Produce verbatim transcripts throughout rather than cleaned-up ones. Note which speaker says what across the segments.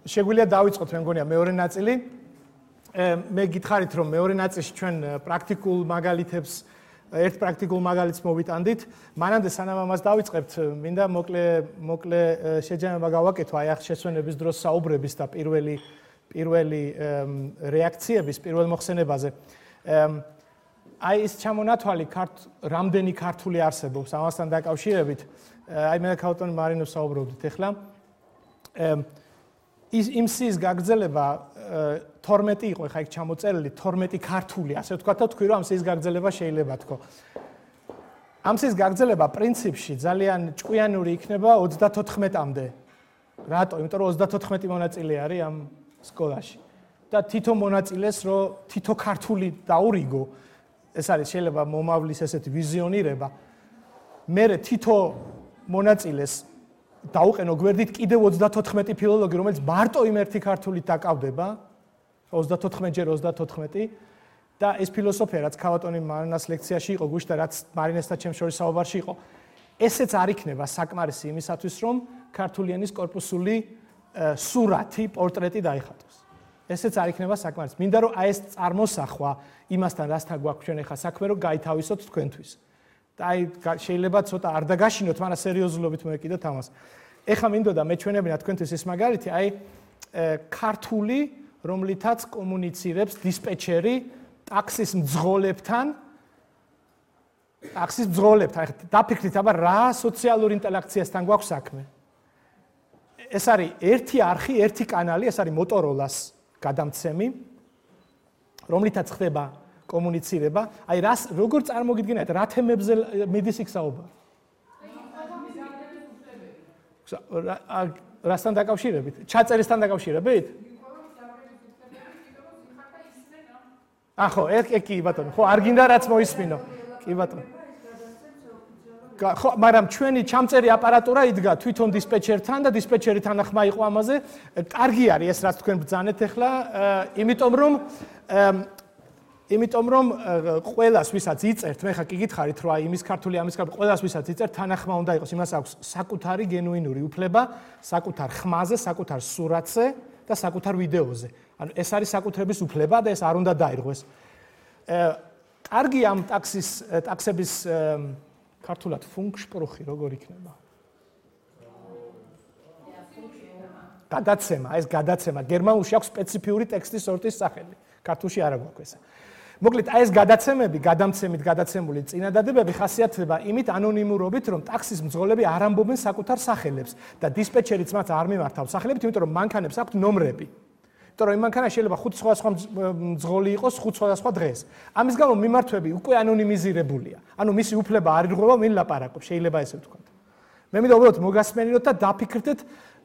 Speaker 1: შეგვიძლია დავიწყოთ მე მგონია მეორე ნაწილი. მე გითხარით რომ მეორე ნაწილში ჩვენ პრაქტიკულ მაგალითებს ერთ პრაქტიკულ მაგალითს მოვიტანდით. მანამდე სანამ ამას დავიწყებთ, მინდა მოკლე მოკლე შეჯამება გავაკეთო აი ახ შესვენების დროს საუბრების და პირველი პირველი რეაქციების პირველ მოხსენებაზე. აი ეს ჩამონათვალი რამდენი ქართული არსებობს ამასთან დაკავშირებით. აი მე და ქაუტონი მარინოს საუბრობდით ახლა. ის იმ სიის გაგრძელება თორმეტი იყო, ხა იქ ჩამოწერილი თორმეტი ქართული, ასე ვთქვათ და თქვი რომ ამ სიის გაგრძელება შეიძლება თქო. ამ სიის გაგრძელება პრინციპში ძალიან ჭკვიანური იქნება ოცდათოთხმეტამდე. რატო? იმიტომ რომ ოცდათოთხმეტი მონაწილე არის ამ სკოლაში. და თითო მონაწილეს რო თითო ქართული დაურიგო, ეს არის შეიძლება მომავლის ესეთი ვიზიონირება. მე თითო მონაწილეს დაუყენო გვერდით კიდევ ოცდათოთხმეტი ფილოლოგი, რომელიც მარტო იმ ერთი ქართულით დაკავდება, ოცდათოთხმეტი ჯერ ოცდათოთხმეტი და ეს ფილოსოფია, რაც ქავატონი მარინას ლექციაში იყო, გუშტა რაც მარინესთან ჩემს შორის საუბარში იყო, ესეც არ იქნება საკმარისი იმისათვის, რომ ქართული ენის კორპუსული სურათი, პორტრეტი დაიხატოს. ესეც არ იქნება საკმარისი. მინდა რომ აი ეს წარმოსახვა იმასთან, რასთან გვაქვს ჩვენ ახლა საქმე, რომ გაითავისოთ თქვენთვის. და აი შეიძლება ცოტა არ დაგაშინოთ, მაგრამ სერიოზულობით მოეკიდოთ ამას. ეხლა მინდოდა მე ჩვენებინა თქვენთვის ეს მაგალითი, აი ქართული, რომლითაც კომუნიცირებს დისპეჩერი ტაქსის მძღოლებთან. ტაქსის მძღოლებთან. ეხლა დაფიქრდით, აბა რა სოციალურ ინტერაქციასთან გვაქვს საქმე. ეს არის ერთი არხი, ერთი კანალი, ეს არის Motorola-ს გადამცემი, რომლითაც ხდება კომუნიცირება. აი რას როგორ წარმოგიდგენიათ, რა თემებზე მიდის იქ საუბარი? რასთან დაკავშირებით? ჩაწერისთან დაკავშირებით? ახო, ეგ კი ბატონო, ხო, არ გინდა რაც მოისმინო. კი ბატონო. ხო, მაგრამ ჩვენი ჩამწერი აპარატურა იდგა თვითონ დისპეჩერთან და დისპეჩერი თანახმა იყო ამაზე. კარგი არის ეს, რაც თქვენ ბრძანეთ ახლა, იმიტომ რომ იმიტომ რომ ყველას ვისაც იწერთ, მე ხა კი გითხარით რომ აი იმის ქართული ამის ქართული ყველას ვისაც იწერთ, თანახმა უნდა იყოს, იმას აქვს საკუთარი გენუინური უფლება, საკუთარ ხმაზე, საკუთარ სურათზე და საკუთარ ვიდეოზე. ანუ ეს არის საკუთრების უფლება და ეს არ უნდა დაირღვეს. კარგი ამ ტაქსის ტაქსების ქართულად ფუნკშპრუხი როგორ იქნება? გადაცემა, ეს გადაცემა. გერმანულში აქვს სპეციფიური ტექსტის სორტის სახელი. ქართულში არ აქვს ეს. მოკლედ, აი ეს გადაცემები, გადამცემით გადაცემული წინადადებები ხასიათდება იმით ანონიმურობით, რომ ტაქსის მძღოლები არ ამბობენ საკუთარ სახელებს და დისპეჩერიც მათ არ მიმართავს სახელებით, იმიტომ რომ მანქანებს აქვთ ნომრები. იმიტომ რომ იმ მანქანაში შეიძლება ხუთი სხვადასხვა მძღოლი იყოს ხუთ სხვადასხვა დღეს. ამის გამო მიმართვები უკვე ანონიმიზირებულია. ანუ მისი უფლება არ ირღვევა, ვინ ლაპარაკობს, შეიძლება ესე ვთქვათ. მე მინდა უბრალოდ მოგასმენინოთ და დაფიქრდეთ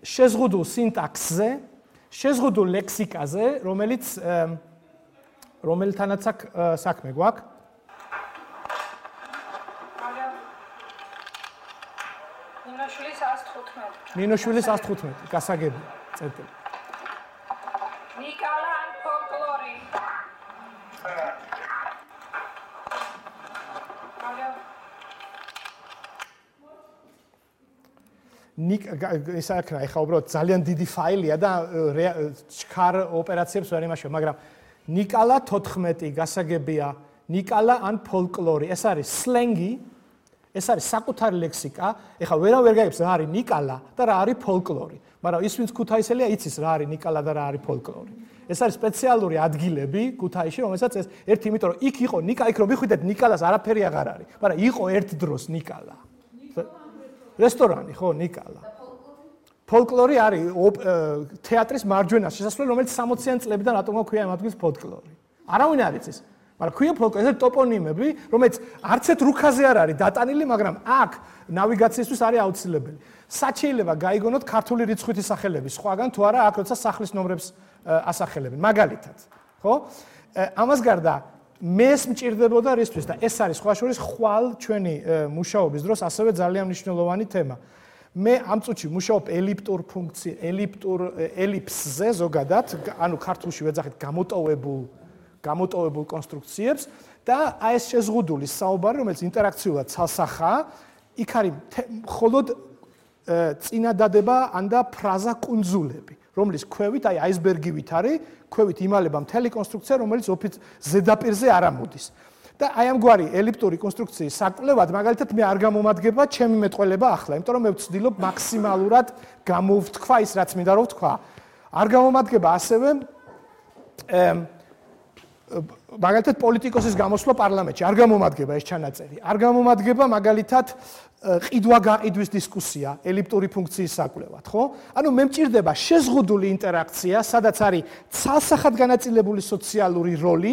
Speaker 1: შეზღუდულ სინტაქსზე, შეზღუდულ ლექსიკაზე, რომელიც რომელთანაც აქ საქმე გვაქვს.
Speaker 2: მინოშვილის ას თხუთმეტი.
Speaker 1: მინოშვილის ას თხუთმეტი, გასაგები, წერტილი.
Speaker 2: ნიკალა ან ფოლკლორი.
Speaker 1: ნიკ ეს აქ ახლა უბრალოდ ძალიან დიდი ფაილია და ჩქარ ოპერაციებს ვერ იმაშო, მაგრამ ნიკალა თოთხმეტი გასაგებია, ნიკალა ან ფოლკლორი. ეს არის სლენგი, ეს არის საკუთარი ლექსიკა. ეხლა ვერა ვერ გაიგებს რა არის ნიკალა და რა არის ფოლკლორი. მაგრამ ის ვინც ქუთაისელია იცის რა არის ნიკალა და რა არის ფოლკლორი. ეს არის სპეციალური ადგილები ქუთაისში, რომელსაც ეს ერთი იმიტომ რომ იქ იყო ნიკა, იქ რომ მიხვიდეთ ნიკალას არაფერი აღარ არის, მაგრამ იყო ერთ დროს ნიკალა. რესტორანი ხო ნიკალა. ფოლკლორი არის თეატრის მარჯვენა შესასვლელი, რომელიც სამოციან წლებიდან რატომ ქვია ამ ადგილს ფოლკლორი. არავინ არ იცის. მაგრამ ქვია ფოლკლორი, ეს ტოპონიმები, რომელიც არც ერთ რუქაზე არ არის დატანილი, მაგრამ აქ ნავიგაციისთვის არის აუცილებელი. სად შეიძლება გაიგონოთ ქართული რიცხვითი სახელები, სხვაგან თუ არა აქ როცა სახლის ნომრებს ასახელებენ, მაგალითად, ხო? ამას გარდა მეს მჭირდებოდა რისთვის და ეს არის სხვა შორის ხვალ ჩვენი მუშაობის დროს ასევე ძალიან მნიშვნელოვანი თემა. მე ამ წუთში მუშაობ ელიფტურ ფუნქცი, ელიფტურ ელიფსზე ზოგადად, ანუ ქართულში ვეძახით გამოტოვებულ გამოტოვებულ კონსტრუქციებს და აი ეს შეზღუდული საუბარი, რომელიც ინტერაქციულად ცალსახაა, იქ არის მხოლოდ წინადადება ან და ფრაზა კუნძულები, რომლის ქვევით, აი აისბერგივით არის, ქვევით იმალება მთელი კონსტრუქცია, რომელიც ზედაპირზე არ ამოდის. და აი ამგვარი ელიფტური კონსტრუქციის საკვლევად, მაგალითად მე არ გამომადგება ჩემი მეტყველება ახლა, იმიტომ რომ მე ვცდილობ მაქსიმალურად გამოვთქვა ის, რაც მინდა რომ ვთქვა. არ გამომადგება ასევე მაგალითად პოლიტიკოსის გამოსვლა პარლამენტში, არ გამომადგება ეს ჩანაწერი. არ გამომადგება მაგალითად ყიდვა-გაყიდვის დისკუსია ელიფტური ფუნქციის საკვლევად, ხო? ანუ მე მჭირდება შეზღუდული ინტერაქცია, სადაც არის ცალსახად განაწილებული სოციალური როლი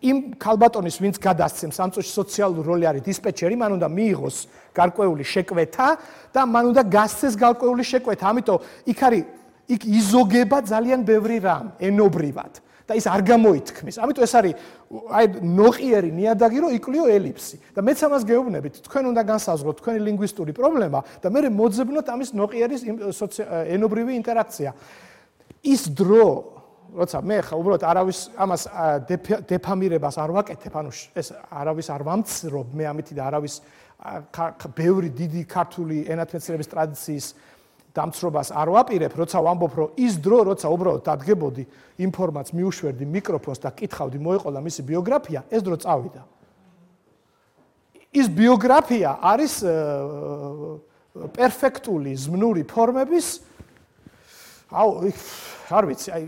Speaker 1: იმ ქალბატონის, ვინც გადასცემს ამ წუთში სოციალური როლი არის დისპეჩერი, მან უნდა მიიღოს გარკვეული შეკვეთა და მან უნდა გასცეს გარკვეული შეკვეთა. ამიტომ იქ არის იქ იზოგება ძალიან ბევრი რამ ენობრივად და ის არ გამოითქმის. ამიტომ ეს არის აი ნოყიერი ნიადაგი, რომ იკლიო ელიფსი. და მეც ამას გეუბნებით, თქვენ უნდა განსაზღვროთ თქვენი ლინგვისტური პრობლემა და მე მოძებნოთ ამის ნოყიერის ენობრივი ინტერაქცია. ის დრო როცა მე ხა უბრალოდ არავის ამას დეფამირებას არ ვაკეთებ, ანუ ეს არავის არ ვამცრობ მე ამითი და არავის ბევრი დიდი ქართული ენათმეცნიერების ტრადიციის დამცრობას არ ვაპირებ, როცა ვამბობ, რომ ის დრო, როცა უბრალოდ დადგებოდი ინფორმაციას, მიუშვერდი მიკროფონს და კითხავდი, მოეყოლა მისი ბიოგრაფია, ეს დრო წავიდა. ის ბიოგრაფია არის პერფექტული ზმნური ფორმების აუ არ ვიცი, აი,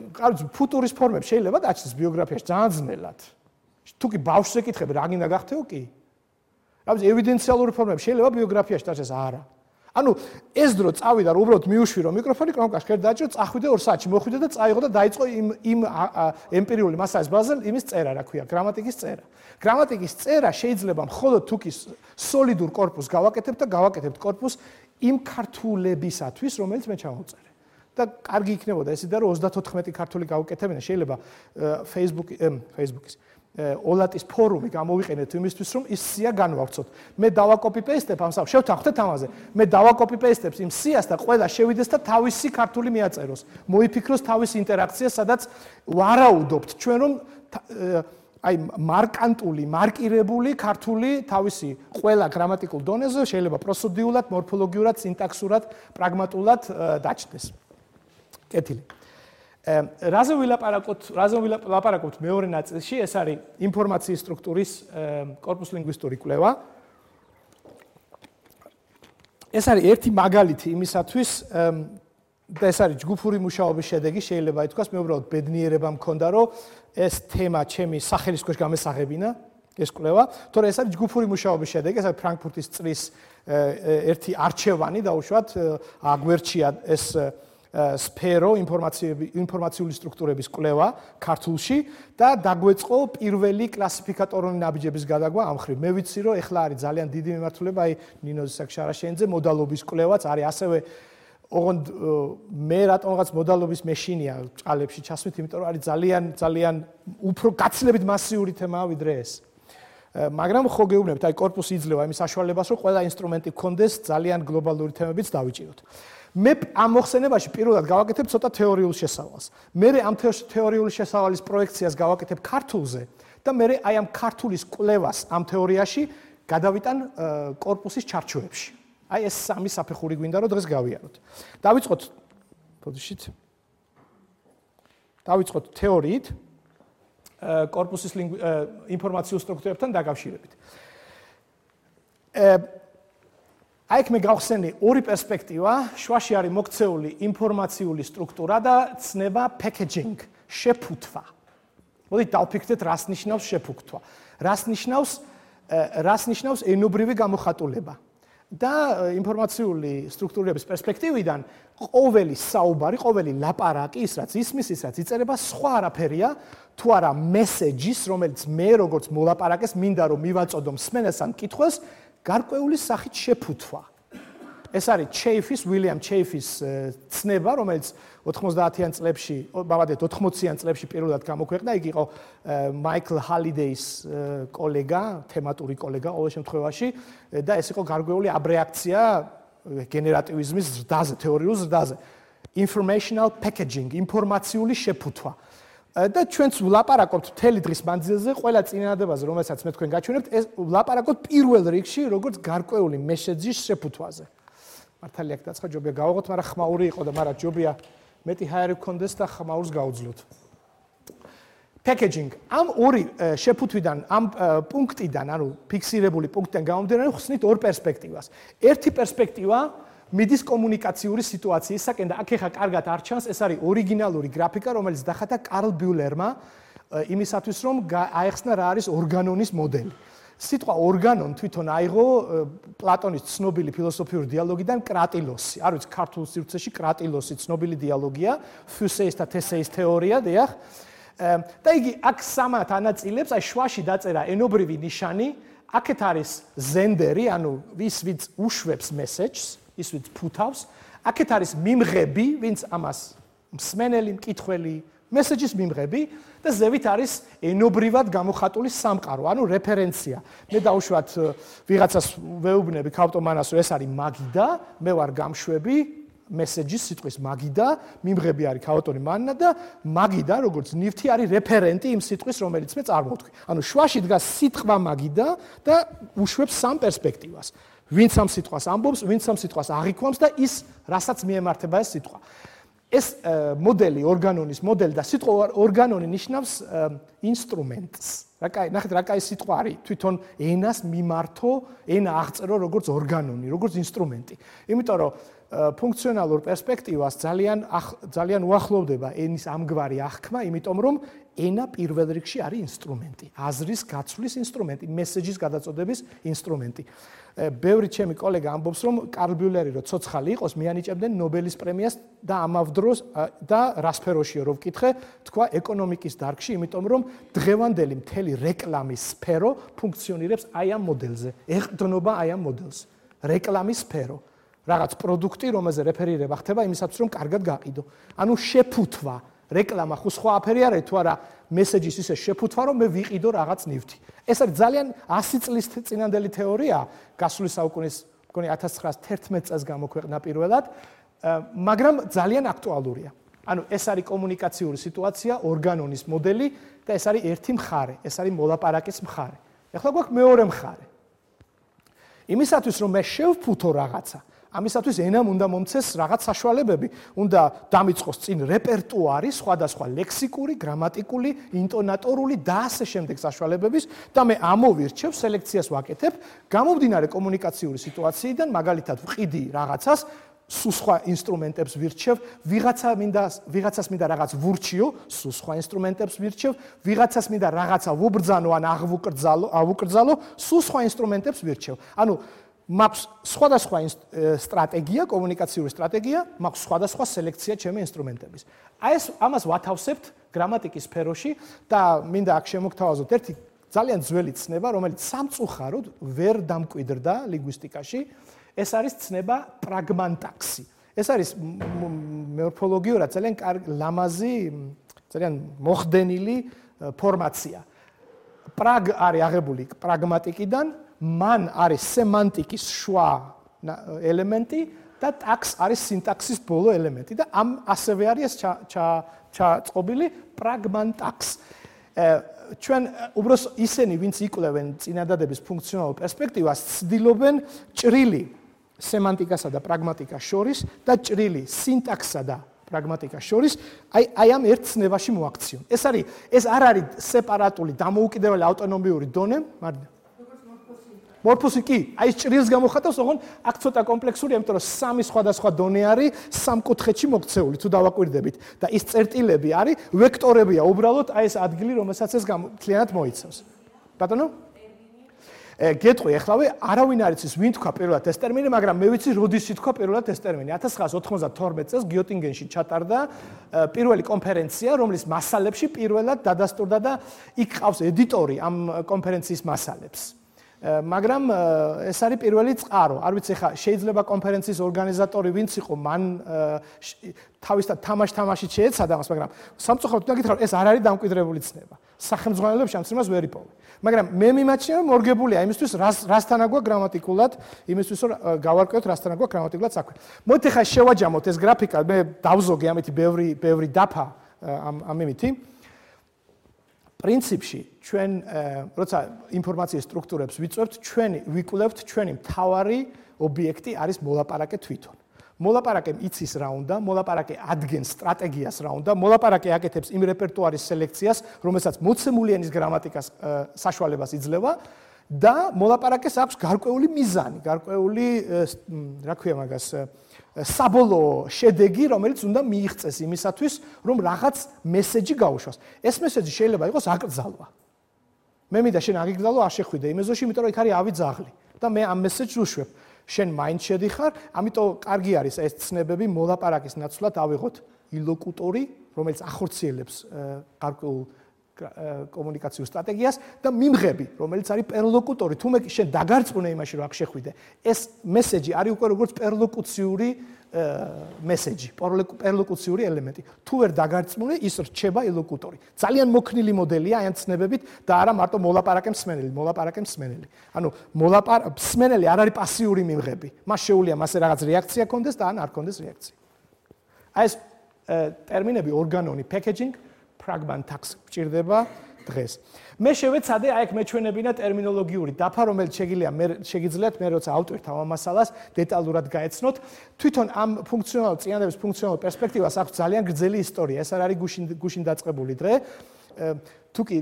Speaker 1: ფუტურის ფორმები შეიძლება დაჩნდეს ბიოგრაფიაში ძალიან ძნელად. თუ კი ბავშვს ეკითხები, რა გინდა გახდეო კი? რა ვიცი, ევიდენციალური ფორმები შეიძლება ბიოგრაფიაში დაჩნდეს არა. ანუ ეს დრო წავიდა, რომ უბრალოდ მიუშვირო მიკროფონი, კნოპკას ხერ დაჭრო, წახვიდე ორ საათში, მოხვიდე და წაიღო და დაიწყო იმ იმ ემპირიული მასალის ბაზაზე იმის წერა, რა ქვია, გრამატიკის წერა. გრამატიკის წერა შეიძლება მხოლოდ თუ კი სოლიდურ კორპუსს გავაკეთებ და გავაკეთებ კორპუსს იმ ქართულებისათვის, რომელიც მე ჩამოვწერე. და კარგი იქნებოდა ესე და რომ ოცდათოთხმეტი ქართული გავუკეთებინა, შეიძლება Facebook Facebook-ის ოლატის ფორუმი გამოვიყენეთ იმისთვის, რომ ის სია განვავრცოთ. მე დავაკოპი-პეისტებ ამ სამ, შევთანხმდეთ ამაზე. მე დავაკოპი-პეისტებ იმ სიას და ყველა შევიდეს და თავისი ქართული მიაწეროს. მოიფიქროს თავისი ინტერაქცია, სადაც ვარაუდობთ ჩვენ რომ აი მარკანტული, მარკირებული ქართული თავისი ყველა გრამატიკულ დონეზე შეიძლება პროსოდიულად, მორფოლოგიურად, სინტაქსურად, პრაგმატულად დაჩნდეს. კეთილი. რაზე ვილაპარაკოთ, რაზე ვილაპარაკოთ მეორე ნაწილში, ეს არის ინფორმაციის სტრუქტურის კორპუს ლინგვისტური კვლევა. ეს არის ერთი მაგალითი იმისათვის და ეს არის ჯგუფური მუშაობის შედეგი, შეიძლება ითქვას, მე უბრალოდ ბედნიერება მქონდა, რომ ეს თემა ჩემი სახელის ქვეშ გამესაღებინა, ეს კვლევა, თორე ეს არის ჯგუფური მუშაობის შედეგი, ეს არის ფრანკფურტის წრის ერთი არჩევანი დაუშვათ, აგვერჩია ეს სფერო ინფორმაციული სტრუქტურების კვლევა ქართულში და დაგვეწყო პირველი კლასიფიკატორული ნაბიჯების გადაგვა ამ მხრივ. მე ვიცი, რომ ეხლა არის ძალიან დიდი მიმართულება, აი ნინოზის საქშარაშენიძე მოდალობის კვლევაც არის ასევე ოღონდ მე რატომღაც მოდალობის მეშინია ჭალებში ჩასვით, იმიტომ რომ არის ძალიან ძალიან უფრო გაცილებით მასიური თემაა ვიდრე ეს. მაგრამ ხო გეუბნებით, აი კორპუსი იძლევა იმის საშუალებას, რომ ყველა ინსტრუმენტი გქონდეს ძალიან გლობალური თემებიც დავიჭიროთ. მე ამ მოხსენებაში პირველად გავაკეთებ ცოტა თეორიულ შესავალს. მე ამ თეორიული შესავალის პროექციას გავაკეთებ ქართულზე და მე აი ამ ქართულის კვლევას ამ თეორიაში გადავიტან კორპუსის ჩარჩოებში. აი ეს სამი საფეხური გვინდა რომ დღეს გავიაროთ. დავიწყოთ ფოტოშით. დავიწყოთ თეორიით კორპუსის ინფორმაციულ სტრუქტურებთან დაკავშირებით. აი მე გავხსენი ორი პერსპექტივა, შვაში არის მოქცეული ინფორმაციული სტრუქტურა და ცნება packaging, შეფუთვა. მოდით დავფიქრდეთ, რას ნიშნავს შეფუთვა. რას ნიშნავს რას ნიშნავს ენობრივი გამოხატულება. და ინფორმაციული სტრუქტურების პერსპექტივიდან ყოველი საუბარი, ყოველი ლაპარაკი, ის რაც ისმის, ის რაც იწერება, სხვა არაფერია, თუ არა მესეჯის, რომელიც მე როგორც მოლაპარაკეს მინდა რომ მივაწოდო მსმენელს ან მკითხველს, გარკვეული სახით შეფუთვა. ეს არის ჩეიფის, უილიამ ჩეიფის ცნება, რომელიც ოთხმოცდაათიან წლებში, ბავადეთ ოთხმოციან წლებში პირველად გამოქვეყნდა, იგი იყო მაიკლ ჰალიდეის კოლეგა, თემატური კოლეგა ყოველ შემთხვევაში და ეს იყო გარკვეული აბრეაქცია გენერატივიზმის ზრდაზე, თეორიულ ზრდაზე. Informational packaging, ინფორმაციული შეფუთვა. და ჩვენც ვლაპარაკობთ მთელი დღის მანძილზე ყველა წინადადებაზე, რომელსაც მე თქვენ გაჩვენებთ, ეს ვლაპარაკობთ პირველ რიგში როგორც გარკვეული მესეჯის შეფუთვაზე. მართალია დაცხა ჯობია გავაღოთ, მაგრამ ხმაური იყო და მაგრამ ჯობია მეტი ჰაერი გქონდეს და ხმაურს გაუძლოთ. Packaging. Am ორი შეფუთვიდან, ამ პუნქტიდან, ანუ ფიქსირებული პუნქტიდან გამომდინარე, ხსნით ორ პერსპექტივას. ერთი პერსპექტივა მიდის კომუნიკაციური სიტუაციისაკენ და აქ ეხა კარგად არ ჩანს, ეს არის ორიგინალური გრაფიკა, რომელიც დახატა კარლ ბიულერმა იმისათვის, რომ აეხსნა რა არის ორგანონის მოდელი. სიტყვა ორგანონ თვითონ აიღო პლატონის ცნობილი ფილოსოფიური დიალოგიდან კრატილოსი. არ ვიცი, ქართულ სივრცეში კრატილოსი ცნობილი დიალოგია, ფუსეის და თესეის თეორია, დიახ. და იგი აქ სამად ანაწილებს, აი შვაში დაწერა ენობრივი ნიშანი, აქეთ არის ზენდერი, ანუ ვის ვინც უშვებს მესეჯს, ის ვინც ფუთავს, აქეთ არის მიმღები, ვინც ამას მსმენელი, მკითხველი, მესეჯის მიმღები და ზევით არის ენობრივად გამოხატული სამყარო, ანუ რეფერენცია. მე დავუშვათ ვიღაცას ვეუბნები ქავტომანას, რომ ეს არის მაგიდა, მე ვარ გამშვები მესეჯის სიტყვის მაგიდა, მიმღები არის ქაოტონი მანნა და მაგიდა, როგორც ნივთი არის რეფერენტი იმ სიტყვის, რომელიც მე წარმოვთქვი. ანუ შვაში დგას სიტყვა მაგიდა და უშვებს სამ პერსპექტივას. ვინც ამ სიტყვას ამბობს, ვინც ამ სიტყვას აღიქვამს და ის, რასაც მიემართება ეს სიტყვა. ეს მოდელი, ორგანონის მოდელი და სიტყვა ორგანონი ნიშნავს ინსტრუმენტს. რა კაი, ნახეთ რა კაი სიტყვა არის, თვითონ ენას მიმართო, ენა აღწერო როგორც ორგანონი, როგორც ინსტრუმენტი. იმიტომ რომ ფუნქციონალურ პერსპექტივას ძალიან ძალიან უახლოვდება ენის ამგვარი აღქმა, იმიტომ რომ ენა პირველ რიგში არის ინსტრუმენტი, აზრის გაცვლის ინსტრუმენტი, მესეჯის გადაწოდების ინსტრუმენტი. ბევრი ჩემი კოლეგა ამბობს, რომ კარლ ბიულერი რო ცოცხალი იყოს, მიანიჭებდნენ ნობელის პრემიას და ამავ დროს და რა სფეროშია რო ვკითხე, თქვა ეკონომიკის დარგში, იმიტომ რომ დღევანდელი მთელი რეკლამის სფერო ფუნქციონირებს აი ამ მოდელზე, ეყრდნობა აი ამ მოდელს. რეკლამის სფერო. რაღაც პროდუქტი, რომელზე რეფერირება ხდება იმისათვის, რომ კარგად გაყიდო. ანუ შეფუთვა, რეკლამა ხო სხვა აფერი არის თუ არა, მესეჯის ისე შეფუთვა, რომ მე ვიყიდო რაღაც ნივთი. ეს არის ძალიან ასი წლის წინანდელი თეორია, გასული საუკუნის, მგონი ათას ცხრაასი თერთმეტ წელს გამოქვეყნა პირველად, მაგრამ ძალიან აქტუალურია. ანუ ეს არის კომუნიკაციური სიტუაცია, ორგანონის მოდელი და ეს არის ერთი მხარე, ეს არის მოლაპარაკის მხარე. ეხლა გვაქვს მეორე მხარე. იმისათვის, რომ მე შევფუთო რაღაცა, ამისათვის ენამ უნდა მომცეს რაღაც საშუალებები, უნდა დამიწყოს წინ რეპერტუარი, სხვადასხვა ლექსიკური, გრამატიკული, ინტონატორული და ასე შემდეგ საშუალებების და მე ამოვირჩევ, სელექციას ვაკეთებ, გამომდინარე კომუნიკაციური სიტუაციიდან, მაგალითად ვყიდი რაღაცას, სულ სხვა ინსტრუმენტებს ვირჩევ, ვიღაცა მინდა, ვიღაცას მინდა რაღაც ვურჩიო, სულ სხვა ინსტრუმენტებს ვირჩევ, ვიღაცას მინდა რაღაცა ვუბრძანო ან აღვუკრძალო, ავუკრძალო, სულ სხვა ინსტრუმენტებს ვირჩევ. ანუ მაქვს სხვადასხვა სტრატეგია, კომუნიკაციური სტრატეგია, მაქვს სხვადასხვა სელექცია ჩემი ინსტრუმენტების. აი ეს ამას ვათავსებთ გრამატიკის სფეროში და მინდა აქ შემოგთავაზოთ ერთი ძალიან ძველი ცნება, რომელიც სამწუხაროდ ვერ დამკვიდრდა ლინგვისტიკაში. ეს არის ცნება პრაგმანტაქსი. ეს არის მორფოლოგიურად ძალიან ლამაზი, ძალიან მოხდენილი ფორმაცია. პრაგ არის აღებული პრაგმატიკიდან, მან არის სემანტიკის შუა ელემენტი და ტაქს არის სინტაქსის ბოლო ელემენტი და ამ ასევე არის ჩაწყობილი პრაგმანტაქს. ჩვენ უბრალოდ ისინი, ვინც იკვლევენ წინადადების ფუნქციონალურ პერსპექტივას, ცდილობენ ჭრილი სემანტიკასა და პრაგმატიკას შორის და ჭრილი სინტაქსსა და პრაგმატიკას შორის აი აი ამ ერთ ცნებაში მოაქციონ. ეს არის ეს არ არის სეპარატული, დამოუკიდებელი ავტონომიური დონე, მაგრამ მორფოსი კი, აი ეს ჭრილს გამოხატავს, ოღონ აქ ცოტა კომპლექსურია, იმიტომ რომ სამი სხვადასხვა დონე არის სამკუთხედში მოქცეული, თუ დავაკვირდებით და ის წერტილები არის, ვექტორებია, უბრალოდ აი ეს ადგილი, რომელსაც ეს მთლიანად მოიცავს. ბატონო? გეტყვი, ეხლავე არავინ არ იცის, ვინ თქვა პირველად ეს ტერმინი, მაგრამ მე ვიცი, როდის ითქვა პირველად ეს ტერმინი. ათას ცხრაას ოთხმოცდათორმეტ წელს გიოტინგენში ჩატარდა პირველი კონფერენცია, რომლის მასალებში პირველად დადასტურდა და იქ ყავს ედიტორი ამ კონფერენციის მასალებს. მაგრამ ეს არის პირველი წყარო. არ ვიცი, ხა შეიძლება კონფერენციის ორგანიზატორი ვინც იყო, მან თავისთან თამაშ-თამაშით შეეცადა მას, მაგრამ სამწუხაროდ უნდა გითხრა, ეს არ არის დამკვიდრებული ცნება. სახელმძღვანელოებში ამ ცნებას ვერ იპოვე. მაგრამ მე მიმაჩნია, რომ მორგებულია იმისთვის, რასთან აგვაქვს გრამატიკულად, იმისთვის, რომ გავარკვევთ, რასთან აგვაქვს გრამატიკულად საქმე. მოდით ხა შევაჯამოთ ეს გრაფიკა, მე დავზოგე ამითი ბევრი ბევრი დაფა ამ ამ იმითი. პრინციპში ჩვენ როცა ინფორმაციის სტრუქტურებს ვიწვევთ, ჩვენი ვიკვლევთ ჩვენი მთავარი ობიექტი არის მოლაპარაკე თვითონ. მოლაპარაკემ იცის რა უნდა, მოლაპარაკე ადგენს სტრატეგიას რა უნდა, მოლაპარაკე აკეთებს იმ რეპერტუარის სელექციას, რომელსაც მოცემულიანის გრამატიკას საშუალებას იძლევა და მოლაპარაკეს აქვს გარკვეული მიზანი, გარკვეული რა ქვია მაგას საბოლოო შედეგი, რომელიც უნდა მიიღწეს იმისათვის, რომ რაღაც მესეჯი გაუშვას. ეს მესეჯი შეიძლება იყოს აკრძალვა. მე მინდა შენ აგიგრძალო, არ შეხვიდე იმ ეზოში, იმიტომ რომ იქ არის ავი ძაღლი და მე ამ მესეჯს უშვებ. შენ მაინც შედიხარ, ამიტომ კარგი არის ეს ცნებები მოლაპარაკის ნაცვლად ავიღოთ ილოკუტორი, რომელიც ახორციელებს გარკვეულ კომუნიკაციურ სტრატეგიას და მიმღები, რომელიც არის პერლოკუტორი. თუ მე შენ დაგარწმუნე იმაში, რომ აქ შეხვიდე, ეს მესეჯი არის უკვე როგორც პერლოკუციური მესეჯი, პერლოკუციური ელემენტი. თუ ვერ დაგარწმუნე, ის რჩება ილოკუტორი. ძალიან მოქნილი მოდელია აი ამ ცნებებით და არა მარტო მოლაპარაკე მსმენელი, მოლაპარაკე მსმენელი. ანუ მოლაპარაკე მსმენელი არ არის პასიური მიმღები. მას შეუძლია მასე რაღაც რეაქცია კონდეს და ან არ კონდეს რეაქცია. აი ეს ტერმინები ორგანონი, packaging ფრაგმენტაქს გჭირდება დღეს. მე შევეცადე აი აქ მეჩვენებინა ტერმინოლოგიური დაფა, რომელიც შეგიძლია მე შეგიძლიათ მე როცა ავტვირთ ამ მასალას დეტალურად გაეცნოთ. თვითონ ამ ფუნქციონალურ წინადების ფუნქციონალურ პერსპექტივას აქვს ძალიან გრძელი ისტორია. ეს არ არის გუშინ გუშინ დაწყებული დღე. თუ კი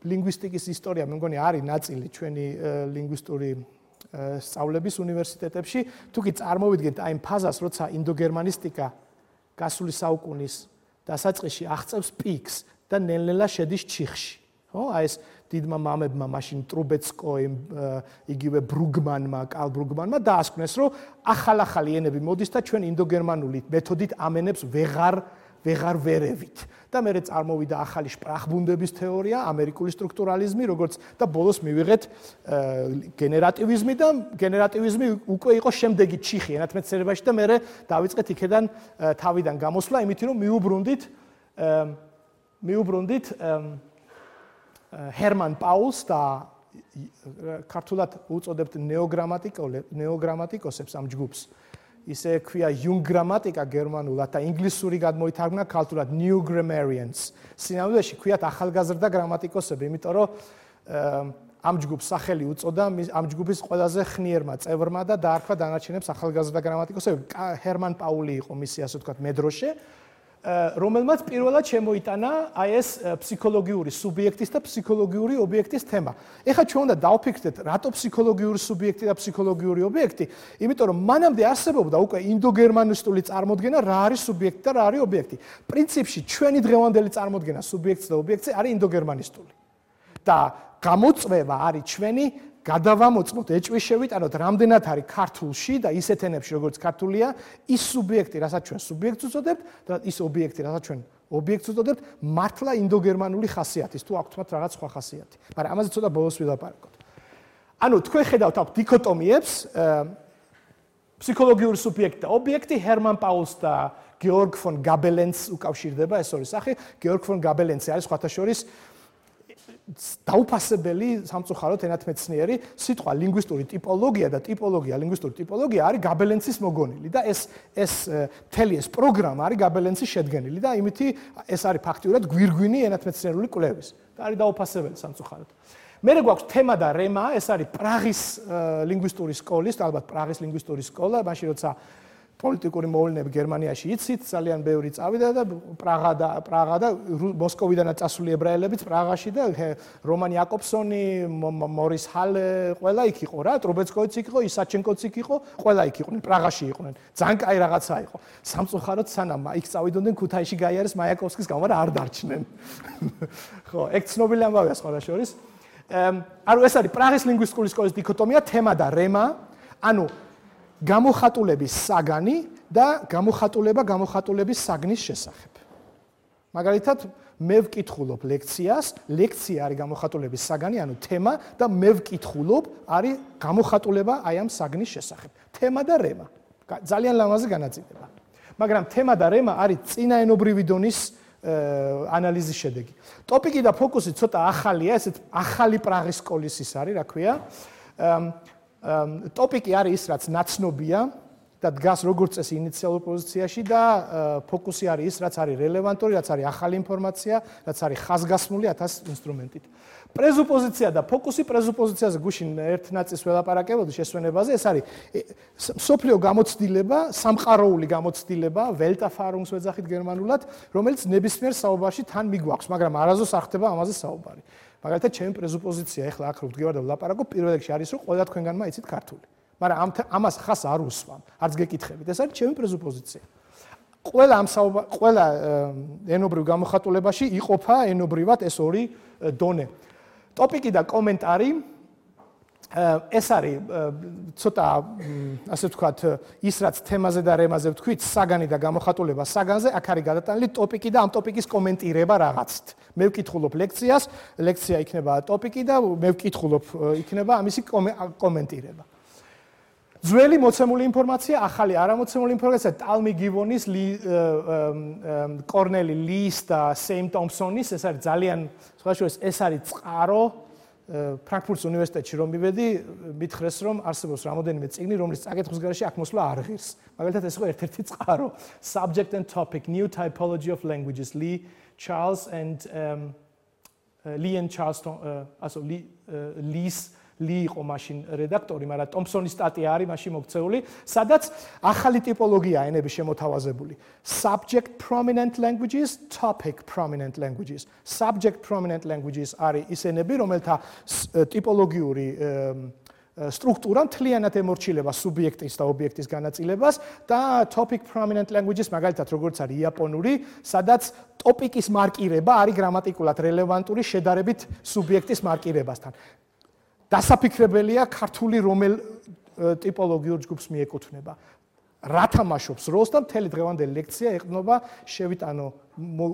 Speaker 1: ლინგვისტიკის ისტორია მე მგონი არის ნაწილი ჩვენი ლინგვისტური სწავლების უნივერსიტეტებში. თუ კი წარმოვიდგენთ აი ამ ფაზას, როცა ინდოგერმანისტიკა გასული საუკუნის დასაწყისში აღწევს პიკს და ნელ-ნელა შედის ჩიხში. ხო? აი ეს დიდმა მამებმა მაშინ ტრუბეცკოიმ, იგივე ბრუგმანმა, კარლ ბრუგმანმა დაასკვნეს, რომ ახალ-ახალი ენები მოდის და ჩვენ ინდოგერმანული მეთოდით ამენებს ვეღარ ვეღარ ვერევით. და მერე წარმოვიდა ახალი შპრახბუნდების თეორია, ამერიკული სტრუქტურალიზმი, როგორც და ბოლოს მივიღეთ გენერატივიზმი და გენერატივიზმი უკვე იყო შემდეგი ჩიხი ენათმეცნიერებაში და მერე დავიწყეთ იქედან თავიდან გამოსვლა, იმით რომ მიუბრუნდით მიუბრუნდით ჰერმან პაულს და ქართულად უწოდებთ ნეოგრამატიკოსებს ამ ჯგუფს. ისე ქვია Jung გრამატიკა გერმანულად და ინგლისური გადმოითარგმნა ქართულად New Grammarians. სინამდვილეში ქვიათ ახალგაზრდა გრამატიკოსები, იმიტომ რომ ამ ჯგუფს სახელი უწოდა ამ ჯგუფის ყველაზე ხნიერმა წევრმა და დაარქვა დანარჩენებს ახალგაზრდა გრამატიკოსები. ჰერმან პაული იყო მისი ასე ვთქვათ მედროშე, რომელმაც პირველად შემოიტანა აი ეს ფსიქოლოგიური სუბიექტის და ფსიქოლოგიური ობიექტის თემა. ეხლა ჩვენ უნდა დავფიქრდეთ, რატო ფსიქოლოგიური სუბიექტი და ფსიქოლოგიური ობიექტი? იმიტომ რომ მანამდე არსებობდა უკვე ინდოგერმანისტული წარმოდგენა, რა არის სუბიექტი და რა არის ობიექტი. პრინციპში ჩვენი დღევანდელი წარმოდგენა სუბიექტს და ობიექტს არის ინდოგერმანისტული. და გამოწვევა არის ჩვენი გადავამოწმოთ, ეჭვი შევიტანოთ, რამდენად არის ქართულში და ისეთ ენებში, როგორც ქართულია, ის სუბიექტი, რასაც ჩვენ სუბიექტს უწოდებთ და ის ობიექტი, რასაც ჩვენ ობიექტს უწოდებთ, მართლა ინდოგერმანული ხასიათის, თუ აქვთ მათ რაღაც სხვა ხასიათი. მაგრამ ამაზე ცოტა ბოლოს ვილაპარაკოთ. ანუ თქვენ ხედავთ აქ დიქოტომიებს, ფსიქოლოგიური სუბიექტი და ობიექტი, ჰერმან პაულს და გეორგ ფონ გაბელენს უკავშირდება ეს ორი სახე. გეორგ ფონ გაბელენსი არის სხვათა შორის დაუფასებელი სამწუხაროდ ენათმეცნიერი სიტყვა ლინგვისტური ტიპოლოგია და ტიპოლოგია, ლინგვისტური ტიპოლოგია არის გაბელენსის მოგონილი და ეს ეს მთელი ეს პროგრამა არის გაბელენსის შედგენილი და იმითი ეს არის ფაქტიურად გვირგვინი ენათმეცნიერული კვლევის და არის დაუფასებელი სამწუხაროდ. მერე გვაქვს თემა და რემა, ეს არის პრაღის ლინგვისტური სკოლის, ალბათ პრაღის ლინგვისტური სკოლა, მაშინ როცა პოლიტიკური მოვლენები გერმანიაში იცით, ძალიან ბევრი წავიდა და პრაღა და პრაღა და მოსკოვიდანაც წასული ებრაელებიც პრაღაში და რომან იაკობსონი, მორის ჰალე, ყველა იქ იყო რა, ტრუბეცკოიც იქ იყო, ისაჩენკოც იქ იყო, ყველა იქ იყვნენ, პრაღაში იყვნენ. ძალიან კაი რაღაცა იყო. სამწუხაროდ სანამ იქ წავიდოდნენ ქუთაისში გაიარეს მაიაკოვსკის გამო და არ დარჩნენ. ხო, ეგ ცნობილი ამბავია სხვა შორის. ანუ ეს არის პრაღის ლინგვისტიკური სკოლის დიქოტომია, თემა და რემა, ანუ გამოხატულების საგანი და გამოხატულება გამოხატულების საგნის შესახებ. მაგალითად, მე ვკითხულობ ლექციას, ლექცია არის გამოხატულების საგანი, ანუ თემა და მე ვკითხულობ არის გამოხატულება აი ამ საგნის შესახებ. თემა და რემა. ძალიან ლამაზი განაწილება. მაგრამ თემა და რემა არის წინაენობრივი დონის ანალიზის შედეგი. ტოპიკი და ფოკუსი ცოტა ახალია, ესეც ახალი პრაღის სკოლის ის არის, რა ქვია. ტოპიკი არის ის, რაც ნაცნობია, და დგას როგორც წესი ინიციალურ პოზიციაში და ფოკუსი არის ის, რაც არის რელევანტური, რაც არის ახალი ინფორმაცია, რაც არის ხაზგასმული ათას ინსტრუმენტით. პრეზუპოზიცია და ფოკუსი პრეზუპოზიციაზე გუშინ ერთ ნაწილს ველაპარაკებოდი შესვენებაზე, ეს არის სოფლიო გამოცდილება, სამყაროული გამოცდილება, Welterfahrungs ვეძახით გერმანულად, რომელიც ნებისმიერ საუბარში თან მიგვაქვს, მაგრამ არასდროს არ ხდება ამაზე საუბარი. მაგალითად, ჩემი პრეზუპოზიცია ახლა აქ რო ვდგევარ და ვლაპარაკობ, პირველ რიგში არის, რომ ყველა თქვენგანმა იცით ქართული. მაგრამ ამ ამას ხას არ უსვამ, არც გეკითხებით. ეს არის ჩემი პრეზუპოზიცია. ყველა ამ საუბარ, ყველა ენობრივ გამოხატულებაში იყოფა ენობრივად ეს ორი დონე. ტოპიკი და კომენტარი ეს არის ცოტა ასე ვთქვათ, ის რაც თემაზე და რემაზე ვთქვით, საგანი და გამოხატულება საგანზე, აქ არის გადატანილი ტოპიკი და ამ ტოპიკის კომენტირება რაღაცით. მე ვკითხულობ ლექციას, ლექცია იქნება ტოპიკი და მე ვკითხულობ იქნება ამისი კომენტირება. ძველი მოცემული ინფორმაცია, ახალი არამოცემული ინფორმაცია, ტალმი გივონის, კორნელი ლის და სეიმ ტომპსონის, ეს არის ძალიან, სხვა შორის, ეს არის წყარო, ფრანკფურტის უნივერსიტეტში რომ მივედი, მითხრეს რომ არსებობს რამოდენიმე წიგნი, რომლის წაკითხვის გარეშე აქ მოსვლა არ ღირს. მაგალითად ეს იყო ერთ-ერთი წყარო, Subject and Topic, New Typology of Languages, Lee Charles and um, uh, Lee and Charles, uh, also Lee, uh, Lee's ალი იყო მაშინ რედაქტორი, მაგრამ ტომპსონის სტატია არის მაშინ მოქცეული, სადაც ახალი ტიპოლოგია ენების შემოთავაზებული. Subject prominent languages, topic prominent languages. Subject prominent languages არის ის ენები, რომელთა ტიპოლოგიური სტრუქტურა მთლიანად ემორჩილება სუბიექტის და ობიექტის განაწილებას და topic prominent languages მაგალითად როგორც არის იაპონური, სადაც ტოპიკის მარკირება არის გრამატიკულად რელევანტური შედარებით სუბიექტის მარკირებასთან. დასაფიქრებელია ქართული რომელ ტიპოლოგიურ ჯგუფს მიეკუთვნება. რა თამაშობს როლს და მთელი დღევანდელი ლექცია ეყრდნობა შევიტანო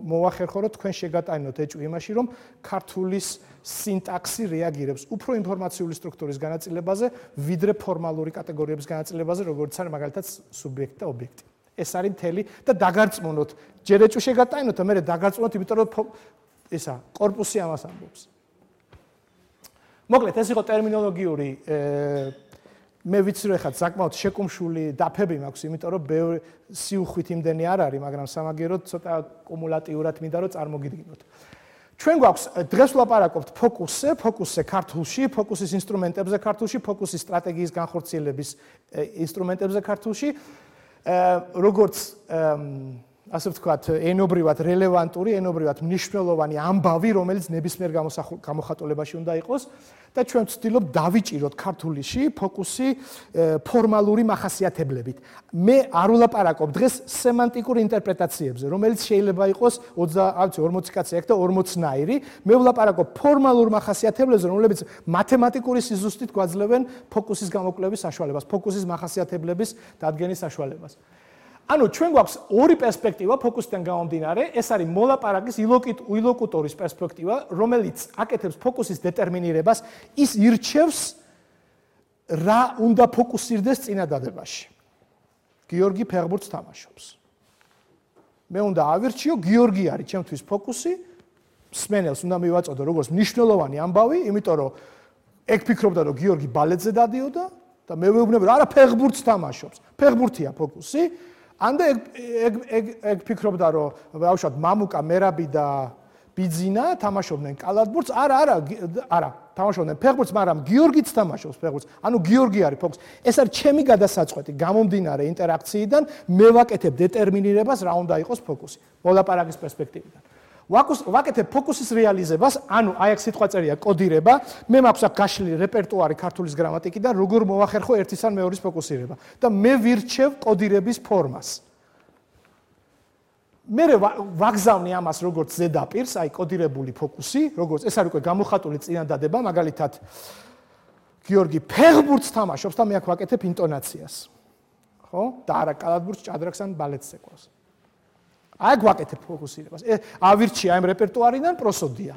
Speaker 1: მოვახერხო რომ თქვენ შეგატანოთ ეჭვი იმაში რომ ქართულის სინტაქსი რეაგირებს უფრო ინფორმაციული სტრუქტურის განაწილებაზე ვიდრე ფორმალური კატეგორიების განაწილებაზე როგორც არის მაგალითად სუბიექტი და ობიექტი. ეს არის მთელი და დაგარწმუნოთ ჯერ ეჭვი შეგატანოთ და მე დაგარწმუნოთ იმიტომ რომ ისა კორპუსი ამას ამბობს. მოკლედ ეს იყო ტერმინოლოგიური მე ვიცი რომ ეხლა საკმაოდ შეკუმშული დაფები მაქვს, იმიტომ რომ ბევრი სიუხვით იმდენი არ არის, მაგრამ სამაგიეროდ ცოტა კუმულატიურად მინდა რომ წარმოგიდგინოთ. ჩვენ გვაქვს დღეს ვლაპარაკობთ ფოკუსზე, ფოკუსზე ქართულში, ფოკუსის ინსტრუმენტებზე ქართულში, ფოკუსის სტრატეგიის განხორციელების ინსტრუმენტებზე ქართულში, როგორც ასე ვთქვათ, ენობრივად რელევანტური, ენობრივად მნიშვნელოვანი ამბავი, რომელიც ნებისმიერ გამოხატულებაში უნდა იყოს და ჩვენ ვცდილობ დავიჭიროთ ქართულიში ფოკუსი ფორმალური მახასიათებლებით. მე არ ვლაპარაკობ დღეს სემანტიკურ ინტერპრეტაციებზე, რომელიც შეიძლება იყოს ოცდაათი კაცი აქ და ორმოცნაირი. მე ვლაპარაკობ ფორმალურ მახასიათებლებზე, რომლებიც მათემატიკური სიზუსტით გვაძლევენ ფოკუსის გამოკვლევის საშუალებას, ფოკუსის მახასიათებლების დადგენის საშუალებას. ანუ ჩვენ გვაქვს ორი პერსპექტივა ფოკუსიდან გამომდინარე, ეს არის მოლაპარაკის ილოკუტორის პერსპექტივა, რომელიც აკეთებს ფოკუსის დეტერმინირებას, ის ირჩევს რა უნდა ფოკუსირდეს წინადადებაში. გიორგი ფეხბურთს თამაშობს. მე უნდა ავირჩიო, გიორგი არის ჩემთვის ფოკუსი, მსმენელს უნდა მივაწოდო როგორც მნიშვნელოვანი ამბავი, იმიტომ რომ ეგ ფიქრობდა რომ გიორგი ბალეტზე დადიოდა და მე ვეუბნები რომ არა ფეხბურთს თამაშობს. ფეხბურთია ფოკუსი. ანდა ეგ ეგ ეგ ეგ ფიქრობდა რომ ბავშვად მამუკა მერაბი და ბიძინა თამაშობდნენ კალათბურთს. არა, არა, არა, თამაშობდნენ ფეხბურთს, მაგრამ გიორგიც თამაშობს ფეხბურთს. ანუ გიორგი არის ფოკუსი. ეს არის ჩემი გადასაწყვეტი, გამომდინარე ინტერაქციიდან მე ვაკეთებ დეტერმინირებას რა უნდა იყოს ფოკუსი. მოლაპარაკის პერსპექტივიდან. ვაკეთებ ფოკუსის რეალიზებას, ანუ აი აქ სიტყვა წერია კოდირება, მე მაქვს აქ გაშლილი რეპერტუარი ქართულის გრამატიკიდან, როგორ მოვახერხო ერთის ან მეორის ფოკუსირება და მე ვირჩევ კოდირების ფორმას. მე ვაგზავნი ამას როგორც ზედაპირს, აი კოდირებული ფოკუსი, როგორც ეს არის უკვე გამოხატული წინადადება, მაგალითად გიორგი ფეხბურთს თამაშობს და მე აქ ვაკეთებ ინტონაციას. ხო? და არა კალათბურთს, ჭადრაკს ან ბალეტს ეკვლევს. აი გვაკეთებ ფოკუსირებას. ავირჩია იმ რეპერტუარიდან პროსოდია.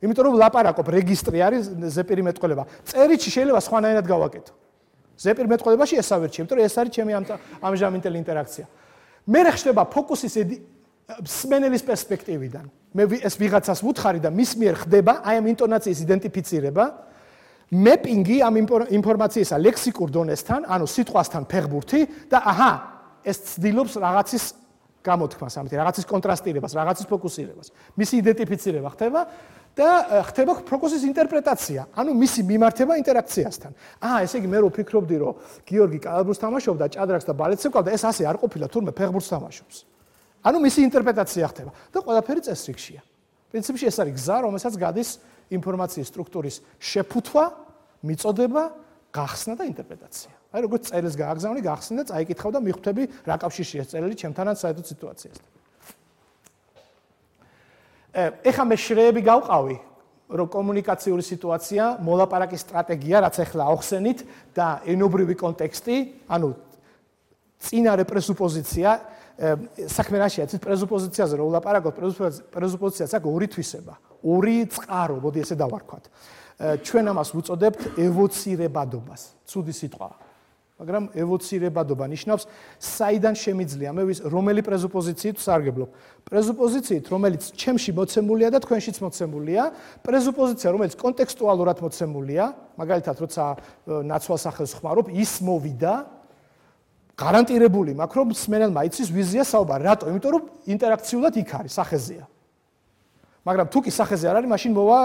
Speaker 1: იმიტომ რომ ლაპარაკობ რეგისტრი არის ზეპირი მეტყველება. წერილში შეიძლება სხვანაირად გავაკეთო. ზეპირ მეტყველებაში ეს ავირჩიე, იმიტომ რომ ეს არის ჩემი ამჟამინდელი ინტერაქცია. მე ხდება ფოკუსის სმენელის პერსპექტივიდან. მე ეს ვიღაცას ვუთხარი და მის მიერ ხდება აი ამ ინტონაციის იდენტიფიცირება mapping-ი ამ ინფორმაციისა ლექსიკურ დონესთან, ანუ სიტყვასთან ფეხბურთი და აჰა, ეს ცდილობს რაღაცის გამოთქმას, ამით რაღაცის კონტრასტირებას, რაღაცის ფოკუსირებას. მისი იდენტიფიცირება ხდება და ხდება ფოკუსის ინტერპრეტაცია, ანუ მისი მიმართება ინტერაქციასთან. აა, ესე იგი მე რო ვფიქრობდი, რომ გიორგი კალათბურთს თამაშობდა, ჭადრაკს და ბალეტს ეკავდა, ეს ასე არ ყოფილა, თურმე ფეხბურთს თამაშობს. ანუ მისი ინტერპრეტაცია ხდება და ყველაფერი წესრიგშია. პრინციპში ეს არის გზა, რომელსაც გადის ინფორმაციის სტრუქტურის შეფუთვა, მიწოდება, გახსნა და ინტერპრეტაცია. აი როგორც წერილს გააგზავნი, გახსნი და წაიკითხავ და მიხვდები რა კავშირშია წერილი ჩემთანაც საერთოდ სიტუაციასთან. ეხლა მე შრეები გავყავი, რომ კომუნიკაციური სიტუაცია, მოლაპარაკის სტრატეგია, რაც ახლა ახსენით და ენობრივი კონტექსტი, ანუ წინარე პრესუპოზიცია, საქმე რაშია, ცით პრესუპოზიციაზე რომ ვლაპარაკობ, პრესუპოზიციას აქვს ორი თვისება, ორი წყარო, მოდი ესე დავარქვათ. ჩვენ ამას ვუწოდებთ ევოცირებადობას, ცუდი სიტყვაა. მაგრამ ევოცირებადობა ნიშნავს, საიდან შემიძლია მე ვის რომელი პრესუპოზიციით ვსარგებლობ. პრესუპოზიციით, რომელიც ჩემში მოცემულია და თქვენშიც მოცემულია, პრესუპოზიცია, რომელიც კონტექსტუალურად მოცემულია, მაგალითად, როცა ნაცვალ სახელს ხმარობ, ის მოვიდა, გარანტირებული მაქვს, რომ მსმენელმა იცის ვიზია საუბარი. რატო? იმიტომ რომ ინტერაქციულად იქ არის, სახეზეა. მაგრამ თუ კი სახეზე არ არის, მაშინ მოვა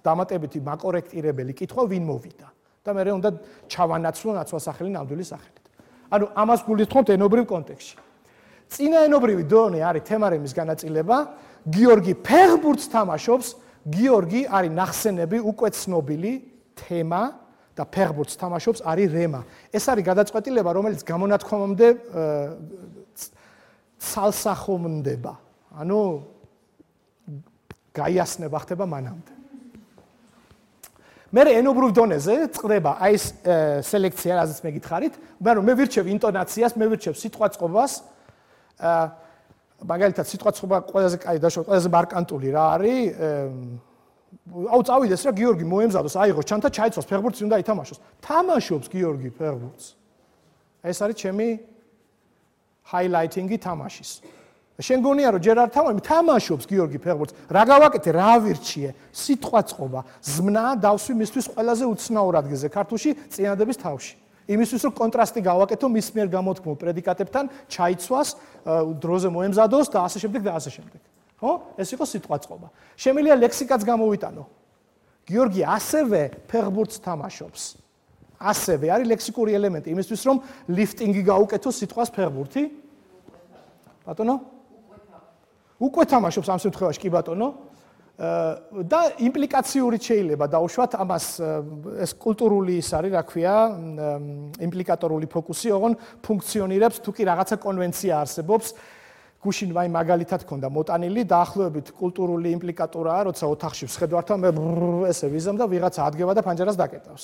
Speaker 1: დამატებითი მაკორექტირებელი კითხვა, ვინ მოვიდა. და მე უნდა ჩავანაცვლო ნაცვალსახელი ნამდვილი სახელით. ანუ ამას გულისხმობთ ენობრივ კონტექსტში. წინა ენობრივი დონე არის თემარემის განაწილება, გიორგი ფეხბურთს თამაშობს, გიორგი არის ნახსენები, უკვე ცნობილი თემა და ფეხბურთს თამაშობს არის რემა. ეს არის გადაწყვეტილება, რომელიც გამონათქვამამდე ცალსახომდება. ანუ გაიასნება ხდება მანამდე. მე ენობრივ დონეზე წდება აი ეს სელექცია, რაზეც მე გითხარით, მაგრამ მე ვირჩევ ინტონაციას, მე ვირჩევ სიტყვაწყობას. მაგალითად, სიტყვაწყობა ყველაზე კაი და ყველაზე მარკანტული რა არის? აუ წავიდეს რა გიორგი მოემზადოს, აიღოს ჩანთა, ჩაიცვას ფეხბურთს უნდა ითამაშოს. თამაშობს გიორგი ფეხბურთს. ეს არის ჩემი ჰაილაითინგი თამაშის. შენ გონია რომ ჯერ არ თამაში, თამაშობს გიორგი ფეხბურთს. რა გავაკეთე, რა ავირჩიე? სიტყვაწყობა, ზმნა დავსვი მისთვის ყველაზე უცნაურ ადგილზე ქართულში წინადების თავში. იმისთვის რომ კონტრასტი გავაკეთო მის მიერ გამოთქმულ პრედიკატებთან, ჩაიცვას, დროზე მოემზადოს და ასე შემდეგ და ასე შემდეგ. ხო? ეს იყო სიტყვაწყობა. შემიძლია ლექსიკაც გამოვიტანო. გიორგი ასევე ფეხბურთს თამაშობს. ასევე არის ლექსიკური ელემენტი იმისთვის რომ ლიფტინგი გაუკეთოს სიტყვას ფეხბურთი. ბატონო? უკვე თამაშობს ამ შემთხვევაში კი ბატონო. და იმპლიკაციური შეიძლება დაუშვათ ამას ეს კულტურული ის არის, რა ქვია, იმპლიკატორული ფოკუსი, ოღონ ფუნქციონირებს თუ კი რაღაცა კონვენცია არსებობს. გუშინ ვაი მაგალითად ქონდა მოტანილი, დაახლოებით კულტურული იმპლიკატორაა, როცა ოთახში ვსხედვართან მე ესე ვიზამ და ვიღაცა ადგება და ფანჯარას დაკეტავს.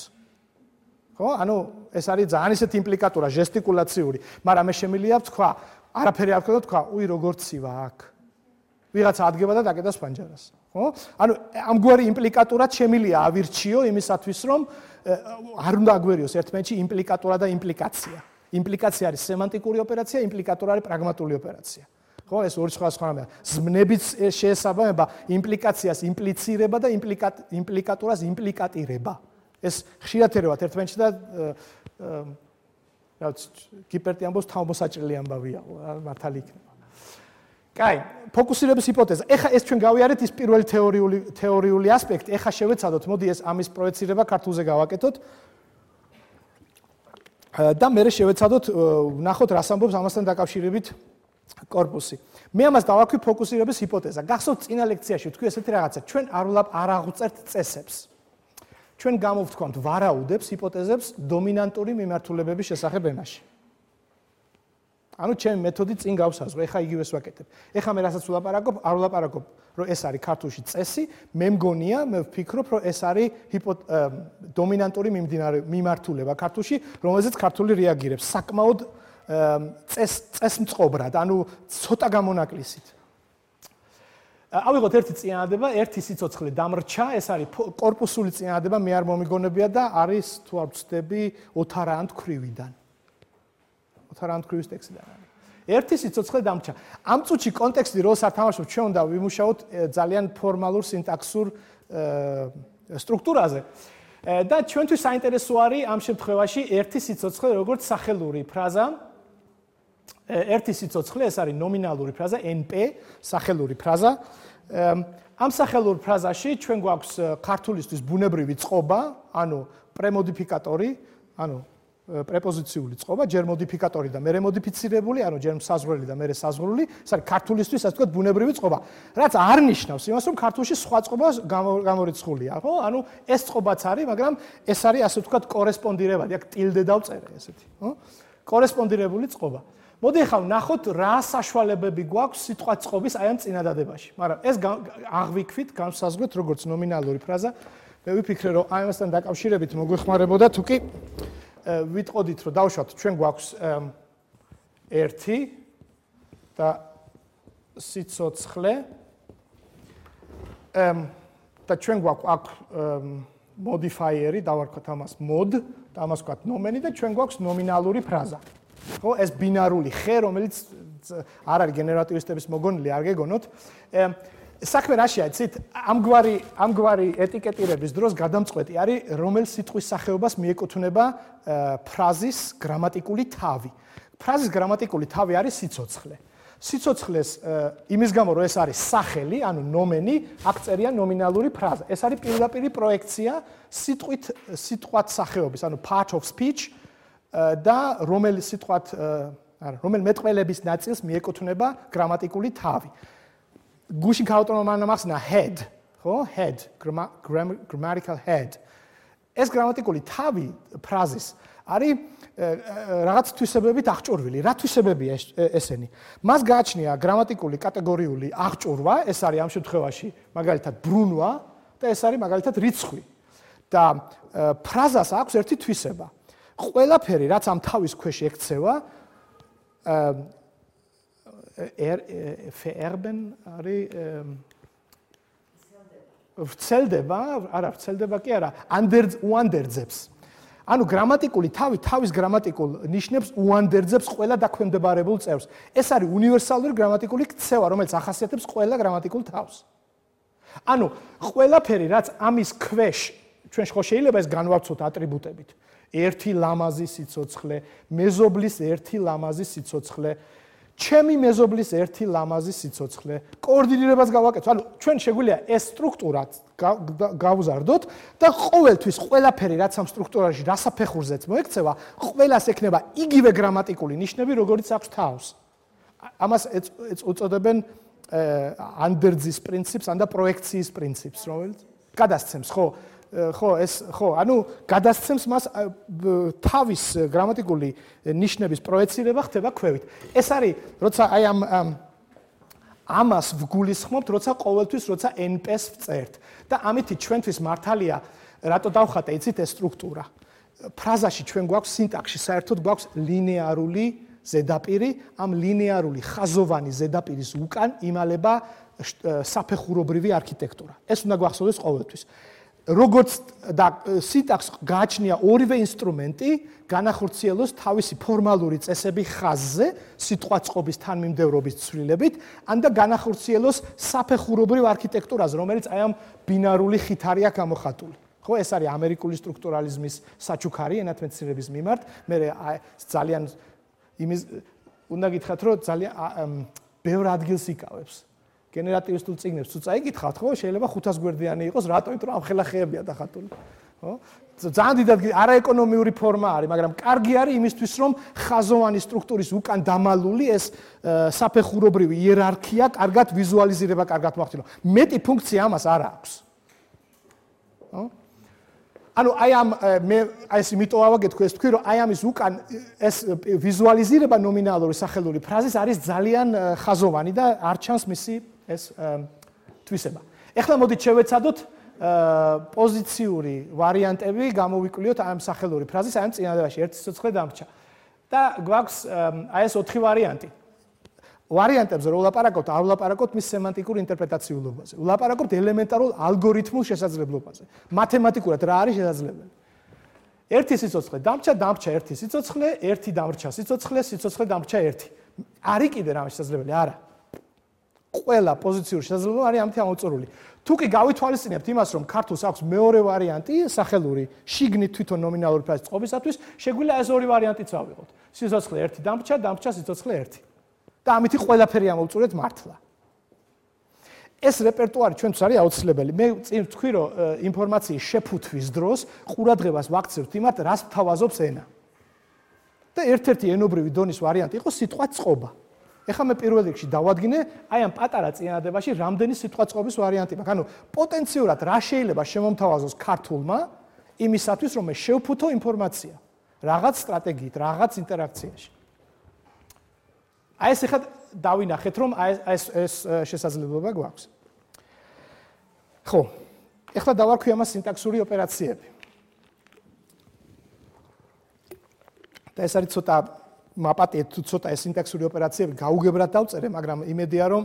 Speaker 1: ხო? ანუ ეს არის ძალიან ისეთი იმპლიკატორა, ჟესტიკულაციური, მაგრამ მე შემიძლია ვთქვა, არაფერი არ ვქნა და თქვა, უი როგორ ცივა აქ. ვიღაცა ადგება და დაკეტავს ფანჯარას. ხო? ანუ ამგვარი იმპლიკატორად შემიძლია ავირჩიო იმისათვის, რომ არ უნდა აგვერიოს ერთმანეთში იმპლიკატორა და იმპლიკაცია. იმპლიკაცია არის სემანტიკური ოპერაცია, იმპლიკატორა არის პრაგმატული ოპერაცია. ხო, ეს ორი სხვადასხვა რამეა. ზმნებით შეესაბამება იმპლიკაციას იმპლიცირება და იმპლიკატორას იმპლიკატირება. ეს ხშირად ერევათ ერთმანეთში და რაც კიპერტი ამბობს თავმოსაჭრელი ამბავია, მართალი იქნება. კაი, ფოკუსირების ჰიპოთეზა. ეხა ეს ჩვენ გავიარეთ ის პირველი თეორიული თეორიული ასპექტი. ეხა შევეცადოთ, მოდი ეს ამის პროექცირება ქართულზე გავაკეთოთ. და მე შევეცადოთ ვნახოთ რას ამბობს ამასთან დაკავშირებით კორპუსი. მე ამას დავაქვი ფოკუსირების ჰიპოთეზა. გახსოვთ წინა ლექციაში ვთქვი ესეთი რაღაცა, ჩვენ არ არ აღვწერთ წესებს. ჩვენ გამოვთქვამთ ვარაუდებს, ჰიპოთეზებს დომინანტური მიმართულებების შესახებ ენაში. ანუ ჩემი მეთოდი წინ გავსაზღვე, ეხა იგივეს ვაკეთებ. ეხა მე რასაც ვლაპარაკობ, არ ვლაპარაკობ, რომ ეს არის ქართულში წესი, მე მგონია, მე ვფიქრობ, რომ ეს არის დომინანტური მიმართულება ქართულში, რომელზეც ქართული რეაგირებს საკმაოდ წეს წესმწყობრად, ანუ ცოტა გამონაკლისით. ავიღოთ ერთი წინადადება, ერთი სიცოცხლე დამრჩა, ეს არის კორპუსული წინადადება, მე არ მომიგონებია და არის თუ არ ვცდები ოთარაანთ ქვრივიდან. ოთარაანთ ქრივის ტექსტიდან არის. ერთი სიცოცხლე დამრჩა. ამ წუთში კონტექსტი როლს არ თამაშობს, ჩვენ უნდა ვიმუშაოთ ძალიან ფორმალურ სინტაქსურ სტრუქტურაზე. და ჩვენთვის საინტერესო არის ამ შემთხვევაში ერთი სიცოცხლე როგორც სახელური ფრაზა. ერთი სიცოცხლე ეს არის ნომინალური ფრაზა ენ პი, სახელური ფრაზა. ამ სახელურ ფრაზაში ჩვენ გვაქვს ქართულისთვის ბუნებრივი წყობა, ანუ პრემოდიფიკატორი, ანუ პრეპოზიციული წყობა, ჯერ მოდიფიკატორი და მერე მოდიფიცირებული, ანუ ჯერ საზღვრელი და მერე საზღვრული, ეს არის ქართულისთვის ასე ვთქვათ ბუნებრივი წყობა. რაც არ ნიშნავს იმას, რომ ქართულში სხვა წყობა გამორიცხულია, ხო? ანუ ეს წყობაც არის, მაგრამ ეს არის ასე ვთქვათ კორესპონდირებადი, აქ ტილდე დავწერე ესეთი, ხო? კორესპონდირებული წყობა. მოდი ახლა ვნახოთ რა საშუალებები გვაქვს სიტყვა წყობის აი ამ წინადადებაში. მაგრამ ეს აღვიქვით, განსაზღვრეთ როგორც ნომინალური ფრაზა. მე ვიფიქრე, რომ აი ამასთან დაკავშირებით მოგვეხმარებოდა თუ კი ვიტყოდით, რომ დავუშვათ, ჩვენ გვაქვს ერთი და სიცოცხლე და ჩვენ გვაქვს აქ მოდიფაიერი, დავარქვათ ამას mod და ამას ვქვათ ნომენი და ჩვენ გვაქვს ნომინალური ფრაზა. ხო, ეს ბინარული ხე, რომელიც არ არის გენერატივისტების მოგონილი, არ გეგონოთ. საქმე რაშია, იცით, ამგვარი ამგვარი ეტიკეტირების დროს გადამწყვეტი არის, რომელ სიტყვის სახეობას მიეკუთვნება ფრაზის გრამატიკული თავი. ფრაზის გრამატიკული თავი არის სიცოცხლე. სიცოცხლეს იმის გამო, რომ ეს არის სახელი, ანუ ნომენი, აქ წერია ნომინალური ფრაზა. ეს არის პირდაპირი პროექცია სიტყვით სიტყვათ სახეობის, ანუ part of speech და რომელი სიტყვათ, არა, რომელ მეტყველების ნაწილს მიეკუთვნება გრამატიკული თავი. გუშინ გაუტოვო მან ახსნა head, ხო? head, grammatical head. ეს გრამატიკული თავი ფრაზის არის რაღაც თვისებებით აღჭურვილი. რა თვისებებია ესენი? მას გააჩნია გრამატიკული კატეგორიული აღჭურვა, ეს არის ამ შემთხვევაში მაგალითად ბრუნვა და ეს არის მაგალითად რიცხვი. და ფრაზას აქვს ერთი თვისება. ყველაფერი, რაც ამ თავის ქვეშ ექცევა, verben არის ვრცელდება, არა, ვრცელდება კი არა, უანდერძებს. ანუ გრამატიკული თავი თავის გრამატიკულ ნიშნებს უანდერძებს ყველა დაქვემდებარებულ წევრს. ეს არის უნივერსალური გრამატიკული ქცევა, რომელიც ახასიათებს ყველა გრამატიკულ თავს. ანუ ყველაფერი, რაც ამის ქვეშ, ჩვენ ხო შეიძლება ეს განვავრცოთ ატრიბუტებით. ერთი ლამაზი სიცოცხლე, მეზობლის ერთი ლამაზი სიცოცხლე, ჩემი მეზობლის ერთი ლამაზი სიცოცხლე, კოორდინირებას გავაკეთოთ. ანუ ჩვენ შეგვიძლია ეს სტრუქტურა გავზარდოთ და ყოველთვის ყველაფერი, რაც ამ სტრუქტურაში რასაფეხურზეც მოექცევა, ყველას ექნება იგივე გრამატიკული ნიშნები, როგორც აქვს თავს. ამას უწოდებენ ანდერძის პრინციპს, ან და პროექციის პრინციპს, რომელიც გადასცემს, ხო? ხო, ეს ხო, ანუ გადასცემს მას თავის გრამატიკული ნიშნების პროექცირება ხდება ქვევით. ეს არის, როცა აი ამ ამას ვგულისხმობთ, როცა ყოველთვის, როცა ენ პი-ს ვწერთ. და ამითი ჩვენთვის მართალია, რატო დავხატე, იცით ეს სტრუქტურა. ფრაზაში ჩვენ გვაქვს სინტაქსში, საერთოდ გვაქვს ლინეარული ზედაპირი, ამ ლინეარული ხაზოვანი ზედაპირის უკან იმალება საფეხურობრივი არქიტექტურა. ეს უნდა გვახსოვდეს ყოველთვის. როგორც და სინტაქსს გააჩნია ორივე ინსტრუმენტი, განახორციელოს თავისი ფორმალური წესები ხაზზე, სიტყვა წყობის თანმიმდევრობის ცვლილებით, ან და განახორციელოს საფეხურობრივ არქიტექტურაზე, რომელიც აი ამ ბინარული ხით არის გამოხატული. ხო, ეს არის ამერიკული სტრუქტურალიზმის საჩუქარი ენათმეცნიერების მიმართ. მე ძალიან იმის უნდა გითხრათ, რომ ძალიან ბევრ ადგილს იკავებს. გენერატივისტულ წიგნებს თუ წაიკითხავთ, ხო, შეიძლება ხუთას გვერდიანი იყოს, რატო? იმიტომ რომ ამხელა ხეებია დახატული. ხო? ძალიან დიდად არაეკონომიური ფორმა არის, მაგრამ კარგი არის იმისთვის, რომ ხაზოვანი სტრუქტურის უკან დამალული ეს საფეხურობრივი იერარქია კარგად ვიზუალიზირება, კარგად მოახდინო. მეტი ფუნქცია ამას არ აქვს. ხო? ანუ აი ამ მე აი ეს იმიტომ ავაგეთქვი ეს თქვი, რომ აი ამის უკან ეს ვიზუალიზირება ნომინალური სახელური ფრაზის არის ძალიან ხაზოვანი და არ ჩანს მისი ეს თვისება. ეხლა მოდით შევეცადოთ პოზიციური ვარიანტები, გამოვიკვლიოთ აი ამ სახელური ფრაზის, აი ამ წინადადებაში ერთი სიცოცხლე დამრჩა. და გვაქვს აი ეს ოთხი ვარიანტი. ვარიანტებზე რო ვლაპარაკობთ, არ ვლაპარაკობთ მის სემანტიკურ ინტერპრეტაციულობაზე. ვლაპარაკობთ ელემენტარულ ალგორითმულ შესაძლებლობაზე. მათემატიკურად რა არის შესაძლებელი? ერთი სიცოცხლე დამრჩა, დამრჩა ერთი სიცოცხლე, ერთი დამრჩა სიცოცხლე, სიცოცხლე დამრჩა ერთი. არის კიდე რამე შესაძლებელი? არა. ყველა პოზიციური შესაძლებლობა არის ამით ამოწურული. თუ კი გავითვალისწინებთ იმას, რომ ქართულს აქვს მეორე ვარიანტი, სახელური, შიგნით თვითონ ნომინალური ფრაზის წყობისათვის, შეგვიძლია ეს ორი ვარიანტიც ავიღოთ. სიცოცხლე ერთი დამრჩა, დამრჩა სიცოცხლე ერთი. და ამით ყველაფერი ამოვწურეთ მართლა. ეს რეპერტუარი ჩვენთვის არის აუცილებელი. მე წინ ვთქვი, რომ ინფორმაციის შეფუთვის დროს ყურადღებას ვაქცევთ იმათ, რას თავაზობს ენა. და ერთ-ერთი ენობრივი დონის ვარიანტი იყო სიტყვა წყობა. ეხლა მე პირველ რიგში დავადგინე, აი ამ პატარა წინადადებაში რამდენი სიტყვა წყობის ვარიანტი მაქვს. ანუ პოტენციურად რა შეიძლება შემომთავაზოს ქართულმა იმისათვის, რომ მე შევფუთო ინფორმაცია რაღაც სტრატეგიით, რაღაც ინტერაქციაში. აი ეს ეხლა დავინახეთ, რომ აი ეს ეს შესაძლებლობა გვაქვს. ხო, ეხლა დავარქვი ამას სინტაქსური ოპერაციები. და ეს არის ცოტა მაპატიეთ თუ ცოტა ეს სინტაქსური ოპერაციები გაუგებრად დავწერე, მაგრამ იმედია რომ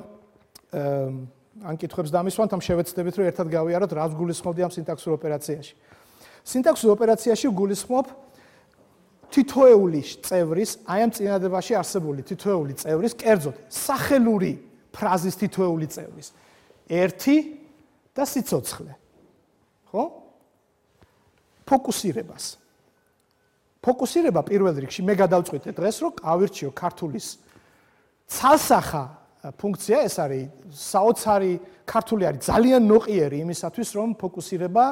Speaker 1: ან კითხვებს დამისვამთ, ამ შევეცდებით რომ ერთად გავიაროთ რას გულისხმობდი ამ სინტაქსურ ოპერაციაში. სინტაქსურ ოპერაციაში გულისხმობ თითოეული წევრის, აი ამ წინადადებაში არსებული თითოეული წევრის, კერძოდ სახელური ფრაზის თითოეული წევრის ერთი და სიცოცხლე. ხო? ფოკუსირებას. ფოკუსირება პირველ რიგში მე გადავწყვიტე დღეს, რომ ავირჩიო ქართულის ცალსახა ფუნქცია, ეს არის საოცარი ქართული არის ძალიან ნოყიერი იმისათვის, რომ ფოკუსირება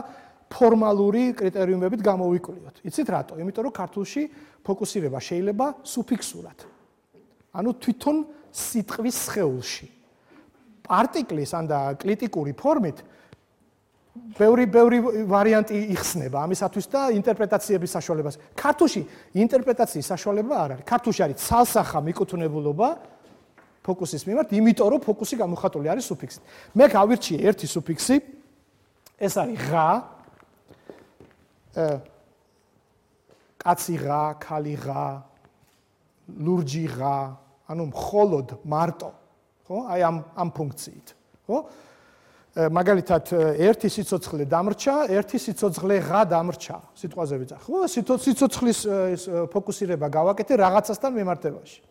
Speaker 1: ფორმალური კრიტერიუმებით გამოვიკვლიოთ. იცით რატო? იმიტომ რომ ქართულში ფოკუსირება შეიძლება სუფიქსურად. ანუ თვითონ სიტყვის სხეულში. არტიკლის ან და კლიტიკური ფორმით ბევრი ბევრი ვარიანტი იხსნება ამისათვის და ინტერპრეტაციების საშუალებას. ქართულში ინტერპრეტაციის საშუალება არ არის. ქართულში არის ცალსახა მიკუთვნებულობა ფოკუსის მიმართ, იმიტომ რომ ფოკუსი გამოხატული არის სუფიქსით. მე გავირჩიე ერთი სუფიქსი, ეს არის ღა, კაცი ღა, ქალი ღა, ლურჯი ღა, ანუ მხოლოდ მარტო, ხო? აი ამ ამ ფუნქციით, ხო? მაგალითად ერთი სიცოცხლე დამრჩა, ერთი სიცოცხლე ღა დამრჩა, სიტყვაზე ვიძახ. ხო, სიცოცხლის ფოკუსირება გავაკეთე რაღაცასთან მიმართებაში.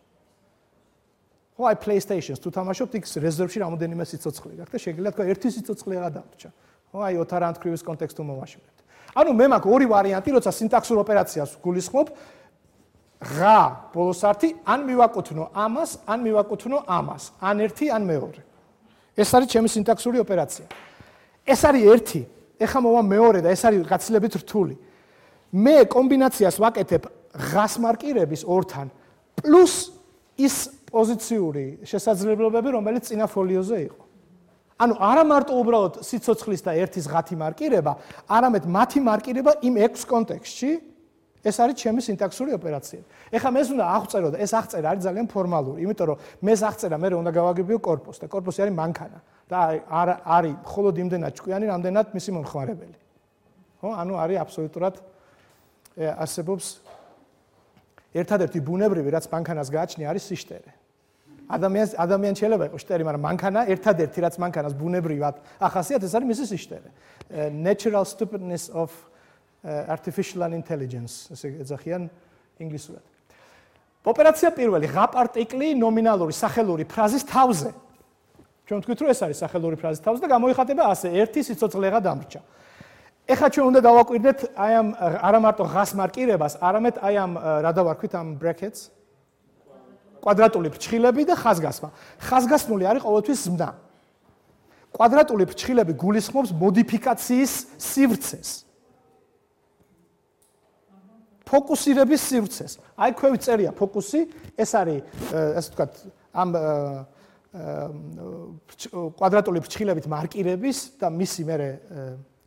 Speaker 1: ხო, აი PlayStation-ს თუ თამაშობთ, იქ რეზერვში რამოდენიმე სიცოცხლე გაქვს და შეგიძლიათ თქვა ერთი სიცოცხლე ღა დამრჩა. ხო, აი ოთარ ანთქრივის კონტექსტ უმოვაშორებთ. ანუ მე მაქვს ორი ვარიანტი, როცა სინტაქსურ ოპერაციას გულისხმობ, ღა ბოლოს ართი, ან მივაკუთვნო ამას, ან მივაკუთვნო ამას, ან ერთი, ან მეორე. ეს არის ჩემი სინტაქსური ოპერაცია. ეს არის ერთი, ეხლა მოვა მეორე და ეს არის გაცილებით რთული. მე კომბინაციას ვაკეთებ ღას მარკირების ორთან პლუს ის პოზიციური შესაძლებლობები, რომელიც წინა ფოლიოზე იყო. ანუ არა მარტო უბრალოდ სიცოცხლის და ერთის ღათი მარკირება, არამედ მათი მარკირება იმ ექვს კონტექსტში, ეს არის ჩემი სინტაქსური ოპერაციები. ეხლა მე უნდა აღწერო და ეს აღწერა არის ძალიან ფორმალური, იმიტომ რომ მე აღწერა მე უნდა გავაგებიო корпуს და корпуსი არის მანქანა და არ არის მხოლოდ იმდენად ჭკვიანი, რამდენად მისი მომხმარებელი. ხო? ანუ არის აბსოლუტურად არსებობს ერთადერთი ბუნებრივი, რაც მანქანას გააჩნია, არის სიშტერე. ადამიანს ადამიანს შეიძლება იყოს შტერი, მაგრამ მანქანა ერთადერთი, რაც მანქანას ბუნებრივად ახასიათებს, ეს არის მისი სიშტერე. Natural stupidness of artificial intelligence, ესე ეძახიან ინგლისურად. ოპერაცია პირველი, ღა პარტიკლი ნომინალური სახელური ფრაზის თავზე. ჩვენ ვთქვით, რომ ეს არის სახელური ფრაზის თავზე და გამოიხატება ასე, ერთი სიცოცხლე ღა დამრჩა. ეხლა ჩვენ უნდა დავაკვირდეთ აი ამ არა მარტო ღას მარკირებას, არამედ აი ამ რა დავარქვით ამ brackets, კვადრატული ფრჩხილები და ხაზგასმა. ხაზგასმული არის ყოველთვის ზმნა. კვადრატული ფრჩხილები გულისხმობს მოდიფიკაციის სივრცეს. ფოკუსირების სივრცეს. აი ქვევით წერია ფოკუსი, ეს არის ასე ვთქვათ ამ კვადრატული ფრჩხილებით მარკირების და მისი მერე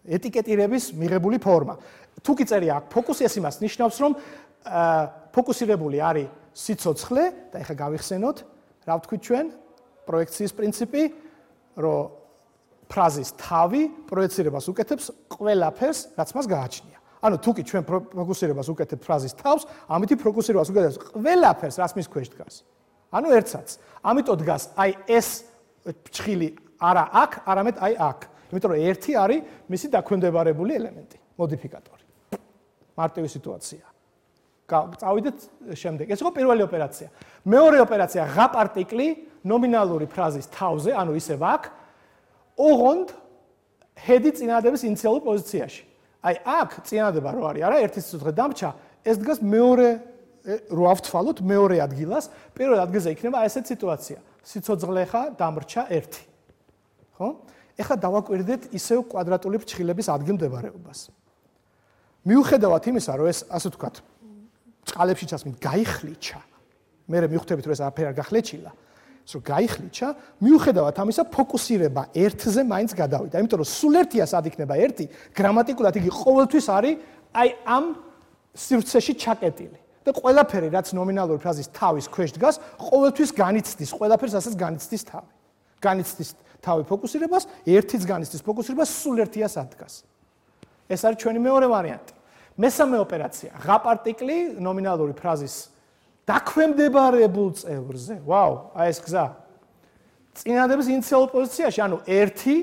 Speaker 1: ეტიკეტირების მიღებული ფორმა. თუ კი წერია აქ ფოკუსი, ეს იმას ნიშნავს, რომ ფოკუსირებული არის სიცოცხლე და ეხლა გავიხსენოთ, რა ვთქვით ჩვენ, პროექციის პრინციპი, რომ ფრაზის თავი პროექცირებას უკეთებს ყველაფერს, რაც მას გააჩნია. ანუ თუ კი ჩვენ ფოკუსირებას უკეთებთ ფრაზის თავს, ამითი ფოკუსირებას უკეთებს ყველაფერს, რაც მის ქვეშ დგას. ანუ ერთსაც. ამიტომ დგას აი ეს ფრჩხილი არა აქ, არამედ აი აქ. იმიტომ რომ ერთი არის მისი დაქვემდებარებული ელემენტი, მოდიფიკატორი. მარტივი სიტუაცია. წავიდეთ შემდეგ. ეს იყო პირველი ოპერაცია. მეორე ოპერაცია ღა პარტიკლი ნომინალური ფრაზის თავზე, ანუ ისევ აქ, ოღონდ ჰედი წინადადების ინიციალურ პოზიციაში. აი აქ წინადადება რო არის, არა, ერთი სიცოცხლე დამრჩა, ეს დგას მეორე რო ავთვალოთ მეორე ადგილას, პირველ ადგილზე იქნება ესეთ სიტუაცია. სიცოცხლე ხა დამრჩა ერთი. ხო? ეხლა დავაკვირდეთ ისევ კვადრატული ფრჩხილების ადგილმდებარეობას. მიუხედავად იმისა, რომ ეს ასე ვთქვათ, წყალებში ჩასმით გაიხლიჩა. მე მივხვდებით, რომ ეს არაფერი არ გახლიჩილა. ეს რომ გაიხლიჩა, მიუხედავად ამისა, ფოკუსირება ერთზე მაინც გადავიდა. იმიტომ რომ სულ ერთია სად იქნება ერთი, გრამატიკულად იგი ყოველთვის არის აი ამ სივრცეში ჩაკეტილი. და ყველაფერი, რაც ნომინალური ფრაზის თავის ქვეშ დგას, ყოველთვის განიცდის, ყველაფერს ასეც განიცდის თავი. განიცდის თავი ფოკუსირებას, ერთიც განიცდის ფოკუსირებას, სულ ერთია სად დგას. ეს არის ჩვენი მეორე ვარიანტი. მესამე ოპერაცია, ღა პარტიკლი ნომინალური ფრაზის დაქვემდებარებულ წევრზე. ვაუ, აი ეს გზა. წინადადების ინიციალურ პოზიციაში, ანუ ერთი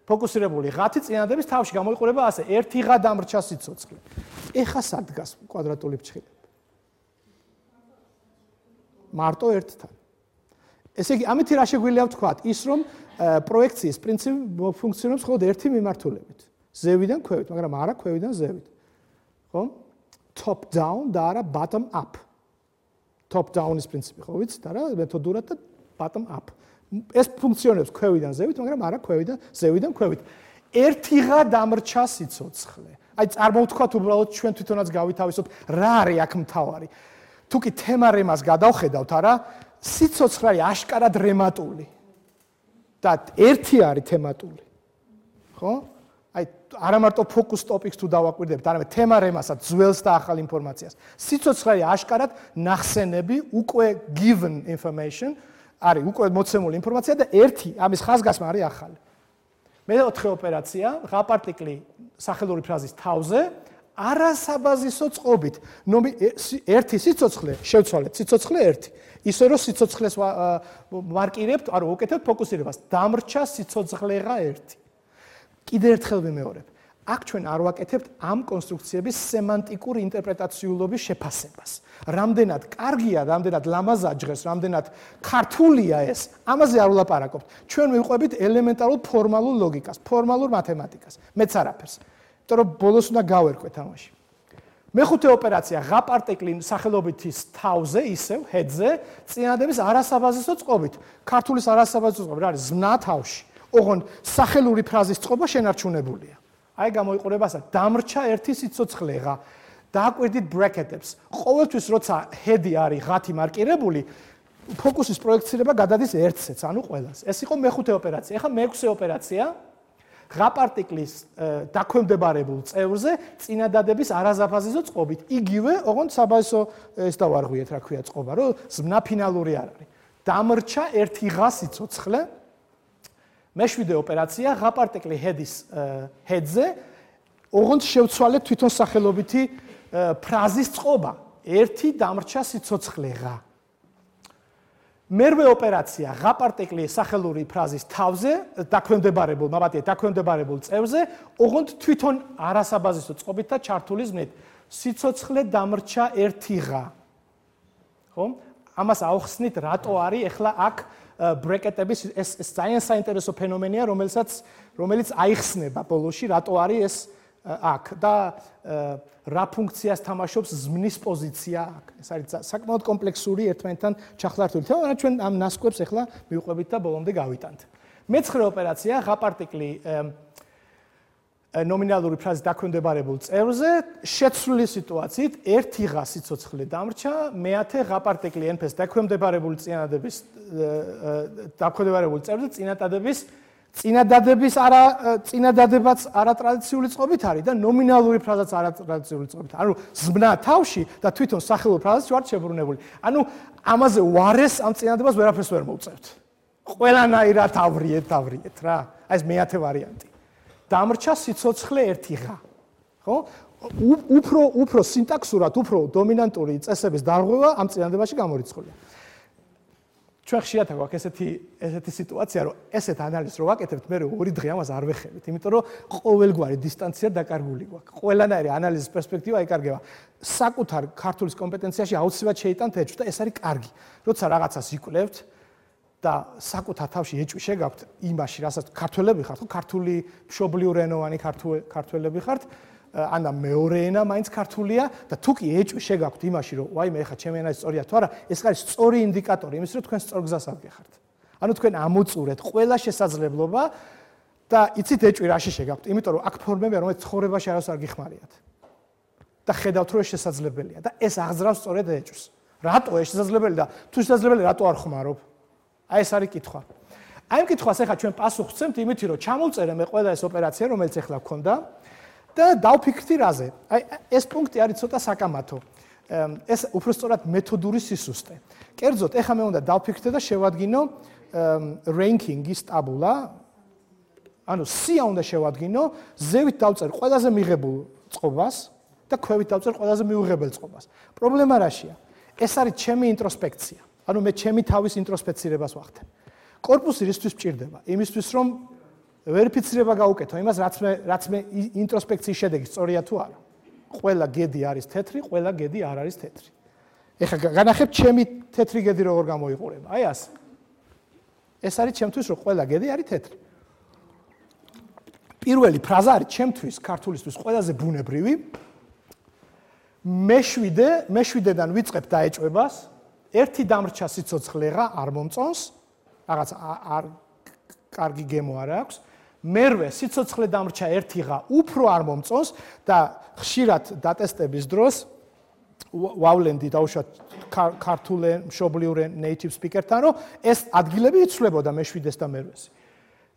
Speaker 1: ფოკუსირებული ღათი წინადადების თავში გამოიყურება ასე, ერთი ღა დამრჩა სიცოცხლე. ეხა სად დგას კვადრატული ფრჩხილები? მარტო ერთთან. ესე იგი, ამით რა შეგვიძლია ვთქვათ? ის რომ პროექციის პრინციპი ფუნქციონობს მხოლოდ ერთი მიმართულებით. ზევიდან ქვევით, მაგრამ არა ქვევიდან ზევით. ხო? Top down და არა bottom up. Top down-ის პრინციპი, ხო ვიცით, არა, მეთოდურად და bottom up. ეს ფუნქციონებს ქვევიდან ზევით, მაგრამ არა ქვევიდან ზევიდან ქვევით. ერთი ღა დამრჩა სიცოცხლე. აი წარმოვთქვათ უბრალოდ ჩვენ თვითონაც გავითავისოთ, რა არის აქ მთავარი. თუ კი თემა რემას გადავხედავთ, არა, სიცოცხლე არის აშკარად რემატული. და ერთი არის თემატული. ხო? აი არა მარტო ფოკუს ტოპიკს თუ დავაკვირდებთ, არამედ თემა რემასაც, ძველს და ახალ ინფორმაციას. სიცოცხლე არის აშკარად ნახსენები, უკვე given information, არის უკვე მოცემული ინფორმაცია და ერთი ამის ხაზგასმა არის ახალი. მეოთხე ოპერაცია, ღა პარტიკლი სახელური ფრაზის თავზე, არასაბაზისო წყობით. ერთი სიცოცხლე, შევცვალეთ, სიცოცხლე ერთი. ისე რომ სიცოცხლეს ვარკირებთ, არ ვუკეთებთ ფოკუსირებას. დამრჩა სიცოცხლეღა ერთი. კიდევ ერთხელ ვიმეორებ. აქ ჩვენ არ ვაკეთებთ ამ კონსტრუქციების სემანტიკური ინტერპრეტაციულობის შეფასებას. რამდენად კარგია, რამდენად ლამაზაჯღეს, რამდენად ქართულია ეს, ამაზე არ ვლაპარაკობთ. ჩვენ მივყვებით ელემენტარულ ფორმალურ ლოგიკას, ფორმალურ მათემატიკას. მეც არაფერს. იმიტომ რომ ბოლოს უნდა გავერკვე თამაში. მეხუთე ოპერაცია, ღა პარტიკლი სახელობითის თავზე, ისევ ჰედზე, წინადადების არასაბაზისო წყობით. ქართულის არასაბაზისო წყობა რა არის? ზმნა თავში. ოღონდ სახელური ფრაზის წყობა შენარჩუნებულია. აი გამოიყურება ასა, დამრჩა ერთი სიცოცხლეღა. დააკვირდით ბრეკეტებს. ყოველთვის როცა ჰედი არის ღათი მარკირებული, ფოკუსის პროექცირება გადადის ერთზეც, ანუ ყველას. ეს იყო მეხუთე ოპერაცია. ეხლა მეექვსე ოპერაცია, ღა პარტიკლის დაქვემდებარებულ წევრზე წინადადების არასაბაზისო წყობით. იგივე, ოღონდ საბაზისო ეს დავარღვიეთ, რა ქვია წყობა, რომ ზმნა ფინალური არ არის. დამრჩა ერთი ღა სიცოცხლე. მეშვიდე ოპერაცია, ღა პარტიკლი ჰედის ჰედზე, ოღონდ შევცვალეთ თვითონ სახელობითი ფრაზის წყობა. ერთი დამრჩა სიცოცხლეღა. მერვე ოპერაცია, ღა პარტიკლი სახელური ფრაზის თავზე, დაქვემდებარებულ, მაბატია, დაქვემდებარებულ წევრზე, ოღონდ თვითონ არასაბაზისო წყობით და ჩართული ზმნით. სიცოცხლე დამრჩა ერთი ღა. ხო? ამას ავხსნით, რატო არის ახლა აქ ბრეკეტების ეს ეს ძალიან საინტერესო ფენომენია, რომელსაც რომელიც აიხსნება ბოლოში, რატო არის ეს აქ და რა ფუნქციას თამაშობს ზმნის პოზიცია აქ. ეს არის საკმაოდ კომპლექსური ერთმანეთთან ჩახლართული თემა, მაგრამ ჩვენ ამ ნასკვებს ახლა მივყვებით და ბოლომდე გავიტანთ. მეცხრე ოპერაცია, ღა პარტიკლი ნომინალური ფრაზის დაქვემდებარებულ წევრზე, შეცვლილი სიტუაციით ერთი ღა სიცოცხლე დამრჩა, მეათე ღა პარტიკლი ენფეს დაქვემდებარებული წინადადების დაქვემდებარებულ წევრზე წინადადების წინადადების არა წინადადებაც არატრადიციული წყობით არის და ნომინალური ფრაზაც არატრადიციული წყობით. ანუ ზმნა თავში და თვითონ სახელური ფრაზაც ვართ შებრუნებული. ანუ ამაზე ვარეს ამ წინადადებას ვერაფერს ვერ მოვწევთ. ყველანაირად ავრიეთ, ავრიეთ რა. აი ეს მეათე ვარიანტი. დამრჩა სიცოცხლე ერთი ღა. ხო? უფრო უფრო სინტაქსურად, უფრო დომინანტური წესების დარღვევა ამ წინადადებაში გამორიცხულია. ჩვენ ხშირად გვაქვს ესეთი ესეთი სიტუაცია, რომ ესეთ ანალიზს რო ვაკეთებთ, მე ორი დღე ამას არ ვეხებით, იმიტომ რომ ყოველგვარი დისტანცია დაკარგული გვაქვს. ყველანაირი ანალიზის პერსპექტივა იკარგება. საკუთარ ქართულის კომპეტენციაში აუცილებლად შეიტანთ ეჭვი და ეს არის კარგი. როცა რაღაცას იკვლევთ და საკუთარ თავში ეჭვი შეგაქვთ იმაში, რასაც ქართველები ხართ, ხო, ქართული მშობლიურ ენოვანი ქართველები ხართ, ანა მეორე ენა მაინც ქართულია და თუ კი ეჭვი შეგაქვთ იმაში, რომ ვაიმე, ეხლა ჩემი ენა სწორია თუ არა, ეს არის სწორი ინდიკატორი იმის, რომ თქვენ სწორ გზას აღგეხართ. ანუ თქვენ ამოწურეთ ყველა შესაძლებლობა და იცით ეჭვი რაში შეგაქვთ, იმიტომ რომ აქ ფორმებია, რომელიც ცხოვრებაში არასდროს არ გიხმარიათ. და ხედავთ, რომ ეს შესაძლებელია და ეს აღძრავს სწორედ ეჭვს. რატო ეს შესაძლებელი და თუ შესაძლებელი, რატო არ ხმარობ? აი ეს არის კითხვა. აი ამ კითხვას ახლა ჩვენ პასუხს ვცემთ იმით, რომ ჩამოვწერე მე ყველა ეს ოპერაცია, რომელიც ახლა გქონდა და დავფიქრდი რაზე. აი ეს პუნქტი არის ცოტა საკამათო. ეს უბრალოდ მეთოდური სისუსტე. კერძოდ, ახლა მე უნდა დავფიქრდე და შევადგინო რენკინგის ტაბულა. ანუ სია უნდა შევადგინო, ზევით დავწერ ყველაზე მიღებულ წყობას და ქვევით დავწერ ყველაზე მიუღებელ წყობას. პრობლემა რაშია? ეს არის ჩემი ინტროსპექცია. ანუ მე ჩემი თავის ინტროსპექცირებას ვახდენ. კორპუსი რისთვის მჭირდება? იმისთვის, რომ ვერიფიცირება გაუკეთო იმას, რაც მე რაც მე ინტროსპექციის შედეგი სწორია თუ არა. ყველა გედი არის თეთრი, ყველა გედი არ არის თეთრი. ეხლა განახებ ჩემი თეთრი გედი როგორ გამოიყურება. აი ასე. ეს არის ჩემთვის, რომ ყველა გედი არის თეთრი. პირველი ფრაზა არის ჩემთვის, ქართულისთვის ყველაზე ბუნებრივი. მეშვიდე, მეშვიდედან ვიწყებ დაეჭვებას. ერთი დამრჩა სიცოცხლე რა არ მომწონს, რაღაც არ კარგი გემო არ აქვს. მერვე სიცოცხლე დამრჩა ერთი ღა უფრო არ მომწონს და ხშირად დატესტების დროს ვავლენდი დაუშვათ ქართულ მშობლიურ native speaker-თან, რომ ეს ადგილები იცვლებოდა მეშვიდეს და მერვეს.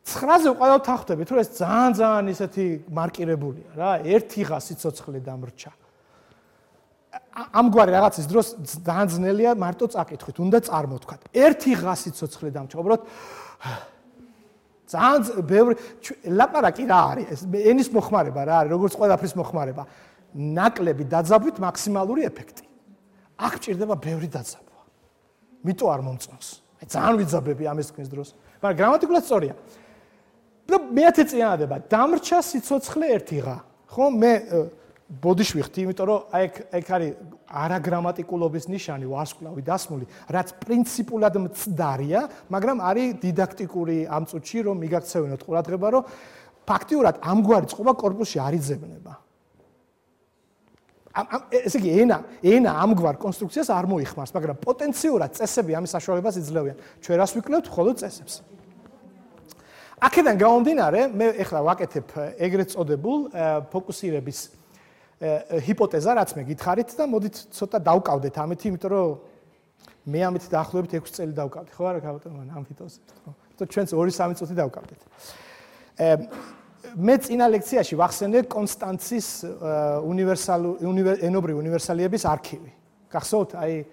Speaker 1: ცხრაზე უყავთ ახტებით, რომ ეს ძალიან ძალიან ისეთი მარკირებულია რა, ერთი ღა სიცოცხლე დამრჩა. ამგვარი რაღაცის დროს ძალიან ძნელია მარტო წაკითხვით, უნდა წარმოთქვათ. ერთი ღა სიცოცხლე დამრჩა, უბრალოდ ძალიან ბევრი ლაპარაკი რა არის? ეს ენის მოხმარება რა არის, როგორც ყველაფრის მოხმარება. ნაკლები დაძაბვით მაქსიმალური ეფექტი. აქ ჭირდება ბევრი დაძაბვა. მიტო არ მომწონს. აი ძალიან ვიძაბები ამის თქვენს დროს. მაგრამ გრამატიკულად სწორია. და მეათე წინადადება, დამრჩა სიცოცხლე ერთი ღა. ხო, მე ბოდიში ვიხდი, იმიტომ რომ აი ეგ არის არაგრამატიკულობის ნიშანი, ვარსკვლავი დასმული, რაც პრინციპულად მცდარია, მაგრამ არის დიდაქტიკური ამ წუთში, რომ მიგაქცევინოთ ყურადღება, რომ ფაქტიურად ამგვარი წყობა კორპუსში არ იძებნება. ესე იგი, ენა, ენა ამგვარ კონსტრუქციას არ მოიხმარს, მაგრამ პოტენციურად წესები ამის საშუალებას იძლევიან. ჩვენ რას ვიკვლევთ, მხოლოდ წესებს. აქედან გამომდინარე, მე ეხლა ვაკეთებ ეგრეთ წოდებულ ფოკუსირების ჰიპოთეზა, რაც მე გითხარით და მოდით ცოტა დავკავდეთ ამით, იმიტომ რომ მე ამით დაახლოებით ექვსი წელი დავკავდი, ხო არა, ბატონო, ამ ჰიპოთეზით, ხო? თო ჩვენც ორი სამი წუთი დავკავდეთ. მე წინა ლექციაში ვახსენე კონსტანცის უნივერსალური ენობრივი უნივერსალიების არქივი. გახსოვთ, აი,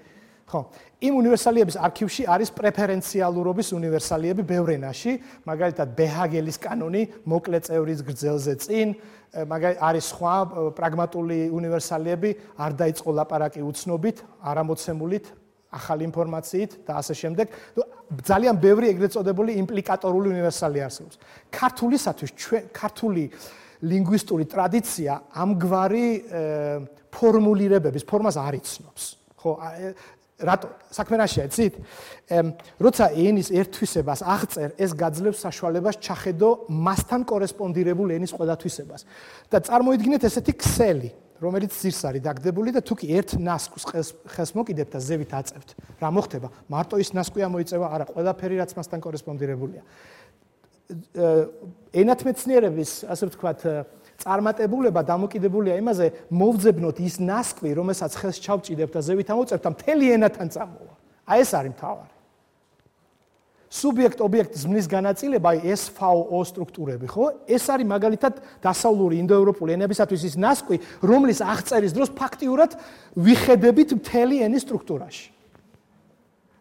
Speaker 1: ხო, იმ უნივერსალიების არქივში არის პრეფერენციალურობის უნივერსალიები ბევრ ენაში, მაგალითად ბეჰაგელის კანონი, მოკლე წევრის გრძელზე წინ, მაგალითად არის სხვა პრაგმატული უნივერსალიები, არ დაიწყო ლაპარაკი უცნობით, არამოცემულით, ახალი ინფორმაციით და ასე შემდეგ. ძალიან ბევრი ეგრეთ წოდებული იმპლიკატორული უნივერსალია არსებობს. ქართულისათვის ჩვენ ქართული ლინგვისტური ტრადიცია ამგვარი ფორმულირებების ფორმას არ იცნობს. ხო, რატო? საქმე რაშია, იცით? როცა ენის ერთთვისებას აღწერ, ეს გაძლევს საშუალებას ჩახედო მასთან კორესპონდირებულ ენის ყველა თვისებას. და წარმოიდგინეთ ესეთი ქსელი, რომელიც ძირს არის დაგდებული და თუ კი ერთ ნასკს ხელს მოკიდებთ და ზევით აწევთ, რა მოხდება? მარტო ის ნასკვი ამოიწევა, არა, ყველაფერი რაც მასთან კორესპონდირებულია. ენათმეცნიერების, ასე ვთქვათ, წარმატებულება დამოკიდებულია იმაზე, მოვძებნოთ ის ნასკვი, რომელსაც ხელს ჩავჭიდებთ და ზევით ამოწევთ და მთელი ენათან წამოვა. აი ეს არის მთავარი. სუბიექტ-ობიექტ ზმნის განაწილება, აი ეს эс эф о სტრუქტურები, ხო? ეს არის მაგალითად დასავლური ინდოევროპული ენებისათვის ის ნასკვი, რომლის აღწერის დროს ფაქტიურად ვიხედებით მთელი ენის სტრუქტურაში.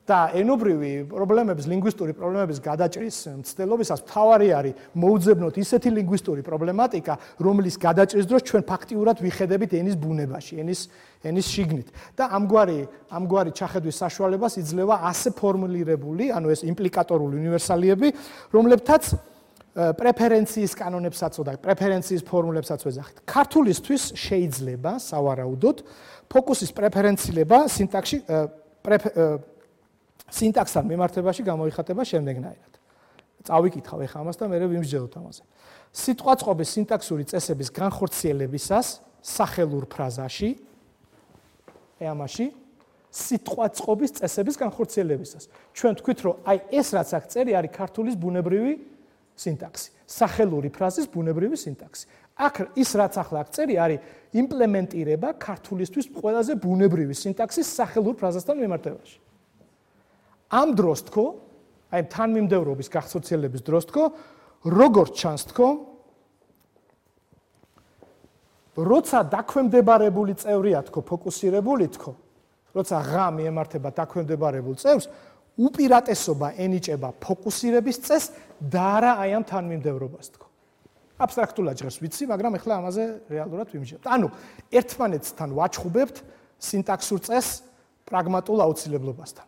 Speaker 1: და ენობრივი პრობლემების, ლინგვისტური პრობლემების გადაჭრის მცდელობისას მთავარი არის მოუძებნოთ ისეთი ლინგვისტური პრობლემატიკა, რომლის გადაჭრის დროს ჩვენ ფაქტიურად ვიხედებით ენის ბუნებაში, ენის ენის შიგნით. და ამგვარი ამგვარი ჩახედვის საშუალებას იძლევა ასე ფორმულირებული, ანუ ეს იმპლიკატორული უნივერსალიები, რომლებთაც პრეფერენციის კანონებსაც და პრეფერენციის ფორმულებსაც ვეძახით. ქართულისთვის შეიძლება სავარაუდოდ ფოკუსის პრეფერენცილება სინტაქსში სინტაქსთან მიმართებაში გამოიხატება შემდეგნაირად. წავიკითხავ ეხლა ამას და მე ვიმსჯელოთ ამაზე. სიტყვაწყობის სინტაქსური წესების განხორციელებისას სახელურ ფრაზაში ამაში სიტყვაწყობის წესების განხორციელებისას. ჩვენ თქვით, რომ აი ეს რაც აქ წერი არის ქართულის ბუნებრივი სინტაქსი, სახელური ფრაზის ბუნებრივი სინტაქსი. აქ ის რაც ახლა აქ წერი არის იმპლემენტირება ქართულისთვის ყველაზე ბუნებრივი სინტაქსის სახელურ ფრაზასთან მიმართებაში. ამ დროს თქო, აი თანმიმდევრობის გახსოვცელების დროს თქო, როგორც ჩანს თქო, როცა დაქვემდებარებული წევრია თქო, ფოკუსირებული თქო, როცა ღა მიემართება დაქვემდებარებულ წევრს, უპირატესობა ენიჭება ფოკუსირების წესს და არა აი ამ თანმიმდევრობას თქო. აბსტრაქტულად ჟღერს ვიცი, მაგრამ ეხლა ამაზე რეალურად ვიმსჯელოთ. ანუ ერთმანეთთან ვაჩხუბებთ სინტაქსურ წესს პრაგმატულ აუცილებლობასთან.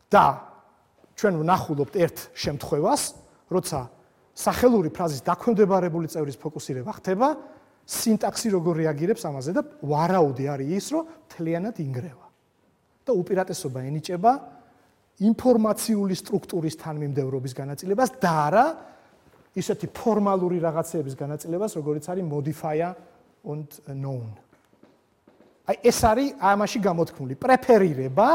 Speaker 1: და ჩვენ ვნახულობთ ერთ შემთხვევას, როცა სახელური ფრაზის დაქვემდებარებული წევრის ფოკუსირება ხდება, სინტაქსი როგორ რეაგირებს ამაზე და ვარაუდი არის ის, რომ მთლიანად ინგრევა. და უპირატესობა ენიჭება ინფორმაციული სტრუქტურის თანმიმდევრობის განაწილებას და არა ისეთი ფორმალური რაღაცეების განაწილებას, როგორიც არის modifier und known. აი ეს არის ამაში გამოთქმული პრეფერირება.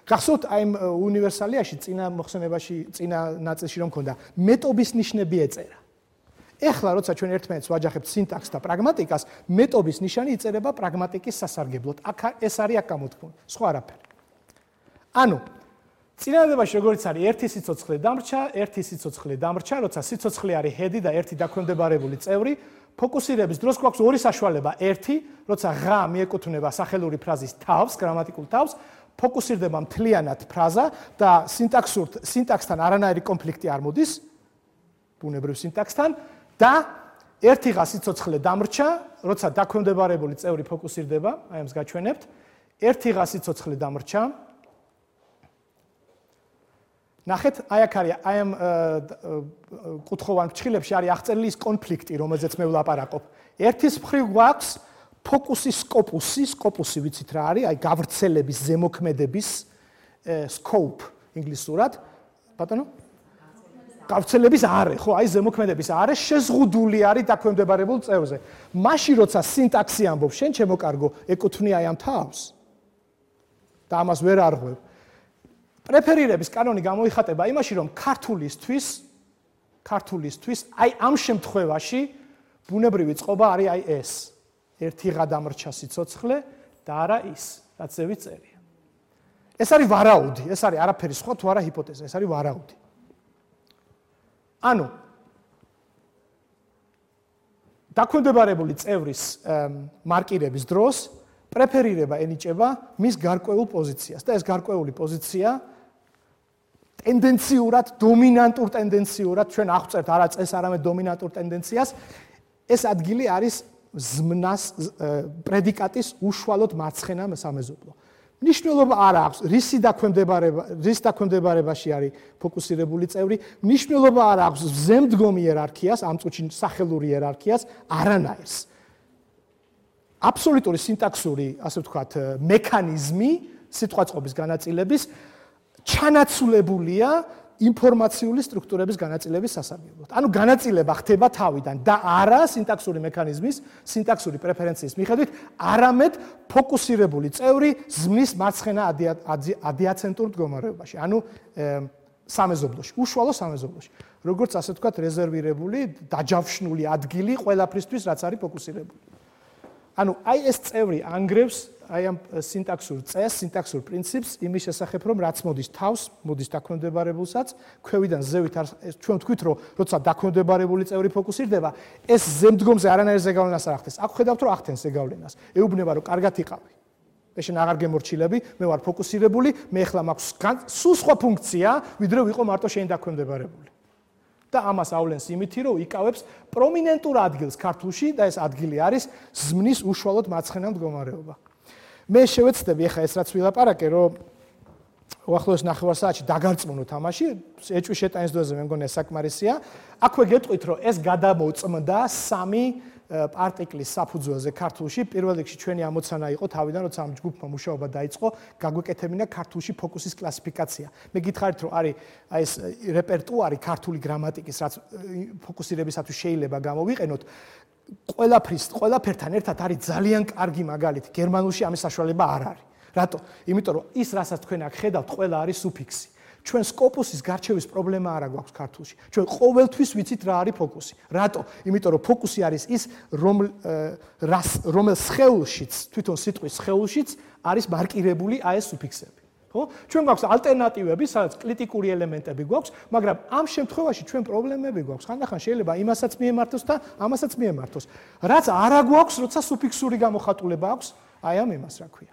Speaker 1: გახსოვთ აი უნივერსალიაში წინა მოხსენებაში, წინა ნაწილში რომ მქონდა მეტობის ნიშნები ეწერა. ეხლა როცა ჩვენ ერთმანეთს ვაჯახებთ სინტაქსს და პრაგმატიკას, მეტობის ნიშანი იწერება პრაგმატიკის სასარგებლოდ. აქ ეს არის აქ გამოთქმული, სხვა არაფერი. ანუ წინადადებაში როგორც არის ერთი სიცოცხლე დამრჩა, ერთი სიცოცხლე დამრჩა, როცა სიცოცხლე არის ჰედი და ერთი დაქვემდებარებული წევრი, ფოკუსირების დროს გვაქვს ორი საშუალება. ერთი, როცა ღა მიეკუთვნება სახელური ფრაზის თავს, გრამატიკულ თავს, ფოკუსირდება მთლიანად ფრაზა და სინტაქსურ სინტაქსთან არანაირი კონფლიქტი არ მოდის, ბუნებრივ სინტაქსთან და ერთი ღა სიცოცხლე დამრჩა, როცა დაქვემდებარებული წევრი ფოკუსირდება, აი ამს გაჩვენებთ, ერთი ღა სიცოცხლე დამრჩა. ნახეთ, აი აქ არის, აი ამ კუთხოვან ფრჩხილებში არის აღწერილი ის კონფლიქტი, რომელზეც მე ვლაპარაკობ. ერთის მხრივ გვაქვს ფოკუსის სკოპუსი, სკოპუსი ვიცით რა არის, აი გავრცელების, ზემოქმედების scope ინგლისურად, ბატონო? გავრცელების არე, ხო, აი ზემოქმედების არე შეზღუდული არის დაქვემდებარებულ წევრზე. მაშინ როცა სინტაქსი ამბობს, შენ ჩემო კარგო, ეკუთვნია აი ამ თავს. და ამას ვერ არღვევ. პრეფერირების კანონი გამოიხატება იმაში, რომ ქართულისთვის, ქართულისთვის აი ამ შემთხვევაში ბუნებრივი წყობა არის აი ეს. ერთი ღა დამრჩა სიცოცხლე და არა ის, რაც ზე წერია. ეს არის ვარაუდი, ეს არის არაფერი სხვა თუ არა ჰიპოთეზა, ეს არის ვარაუდი. ანუ დაქვემდებარებული წევრის მარკირების დროს პრეფერირება ენიჭება მის გარკვეულ პოზიციას და ეს გარკვეული პოზიცია ტენდენციურად, დომინანტურ ტენდენციურად ჩვენ აღწერთ არა წეს, არამედ დომინანტურ ტენდენციას, ეს ადგილი არის ზმნას პრედიკატის უშუალოდ მარცხენა სამეზობლო. მნიშვნელობა არ აქვს რისი დაქვემდებარება, რის დაქვემდებარებაში არის ფოკუსირებული წევრი, მნიშვნელობა არ აქვს ზემდგომი იერარქიას, ამ წუთში სახელური იერარქიას, არანაირს. აბსოლუტური სინტაქსური, ასე ვთქვათ, მექანიზმი სიტყვაწყობის განაწილების ჩანაცვლებულია ინფორმაციული სტრუქტურების განაწილების სასარგებლოდ. ანუ განაწილება ხდება თავიდან და არა სინტაქსური მექანიზმის, სინტაქსური პრეფერენციის მიხედვით, არამედ ფოკუსირებული წევრი ზმნის მარცხენა ადიაცენტურ მდგომარეობაში, ანუ სამეზობლოში, უშუალო სამეზობლოში. როგორც ასე ვთქვათ, რეზერვირებული, დაჯავშნული ადგილი ყველაფრისთვის, რაც არის ფოკუსირებული. ანუ აი ეს წევრი ანგრევს აი ამ სინტაქსურ წესს, სინტაქსურ პრინციპს იმის შესახებ, რომ რაც მოდის თავს, მოდის დაქვემდებარებულსაც, ქვევიდან ზევით ჩვენ ვთქვით, რომ როცა დაქვემდებარებული წევრი ფოკუსირდება, ეს ზემდგომზე არანაირ ზეგავლენას არ ახდენს. აქ ხედავთ, რომ ახდენს ზეგავლენას. ეუბნება, რომ კარგად იყავი. მე შენ აღარ გემორჩილები, მე ვარ ფოკუსირებული, მე ახლა მაქვს სულ სხვა ფუნქცია, ვიდრე ვიყო მარტო შენ დაქვემდებარებული. და ამას ავლენს იმითი, რომ იკავებს პრომინენტურ ადგილს ქართულში და ეს ადგილი არის ზმნის უშუალოდ მარცხენა მდგომარეობა. მე შევეცდები ახლა ეს რაც ვილაპარაკე, რომ უახლოეს ნახევარ საათში დაგარწმუნო თამაში, ეჭვი შეტანის დონეზე მე მგონია საკმარისია. აქვე გეტყვით, რომ ეს გადამოწმდა სამი არტიკლის საფუძველზე ქართულში. პირველ რიგში ჩვენი ამოცანა იყო თავიდან, როცა ამ ჯგუფმა მუშაობა დაიწყო, გაგვეკეთებინა ქართულში ფოკუსის კლასიფიკაცია. მე გითხარით, რომ არის აი ეს რეპერტუარი ქართული გრამატიკის, რაც ფოკუსირებისათვის შეიძლება გამოვიყენოთ, ყველაფრის, ყველაფერთან ერთად არის ძალიან კარგი მაგალითი. გერმანულში ამის საშუალება არ არის. რატო? იმიტომ რომ ის, რასაც თქვენ აქ ხედავთ, ყველა არის სუფიქსი. ჩვენ სკოპუსის გარჩევის პრობლემა არ აქვს ქართულში. ჩვენ ყოველთვის ვიცით რა არის ფოკუსი. რატო? იმიტომ რომ ფოკუსი არის ის, რომელ სხეულშიც, თვითონ სიტყვის სხეულშიც არის მარკირებული აი ეს სუფიქსები. ხო? ჩვენ გვაქვს ალტერნატივები, სადაც კრიტიკული ელემენტები გვაქვს, მაგრამ ამ შემთხვევაში ჩვენ პრობლემები გვაქვს. ხანდახან შეიძლება იმასაც მიემართოს და ამასაც მიემართოს. რაც არა გვაქვს, როცა სუფიქსური გამოხატულება აქვს, აი ამ იმას რა ქვია.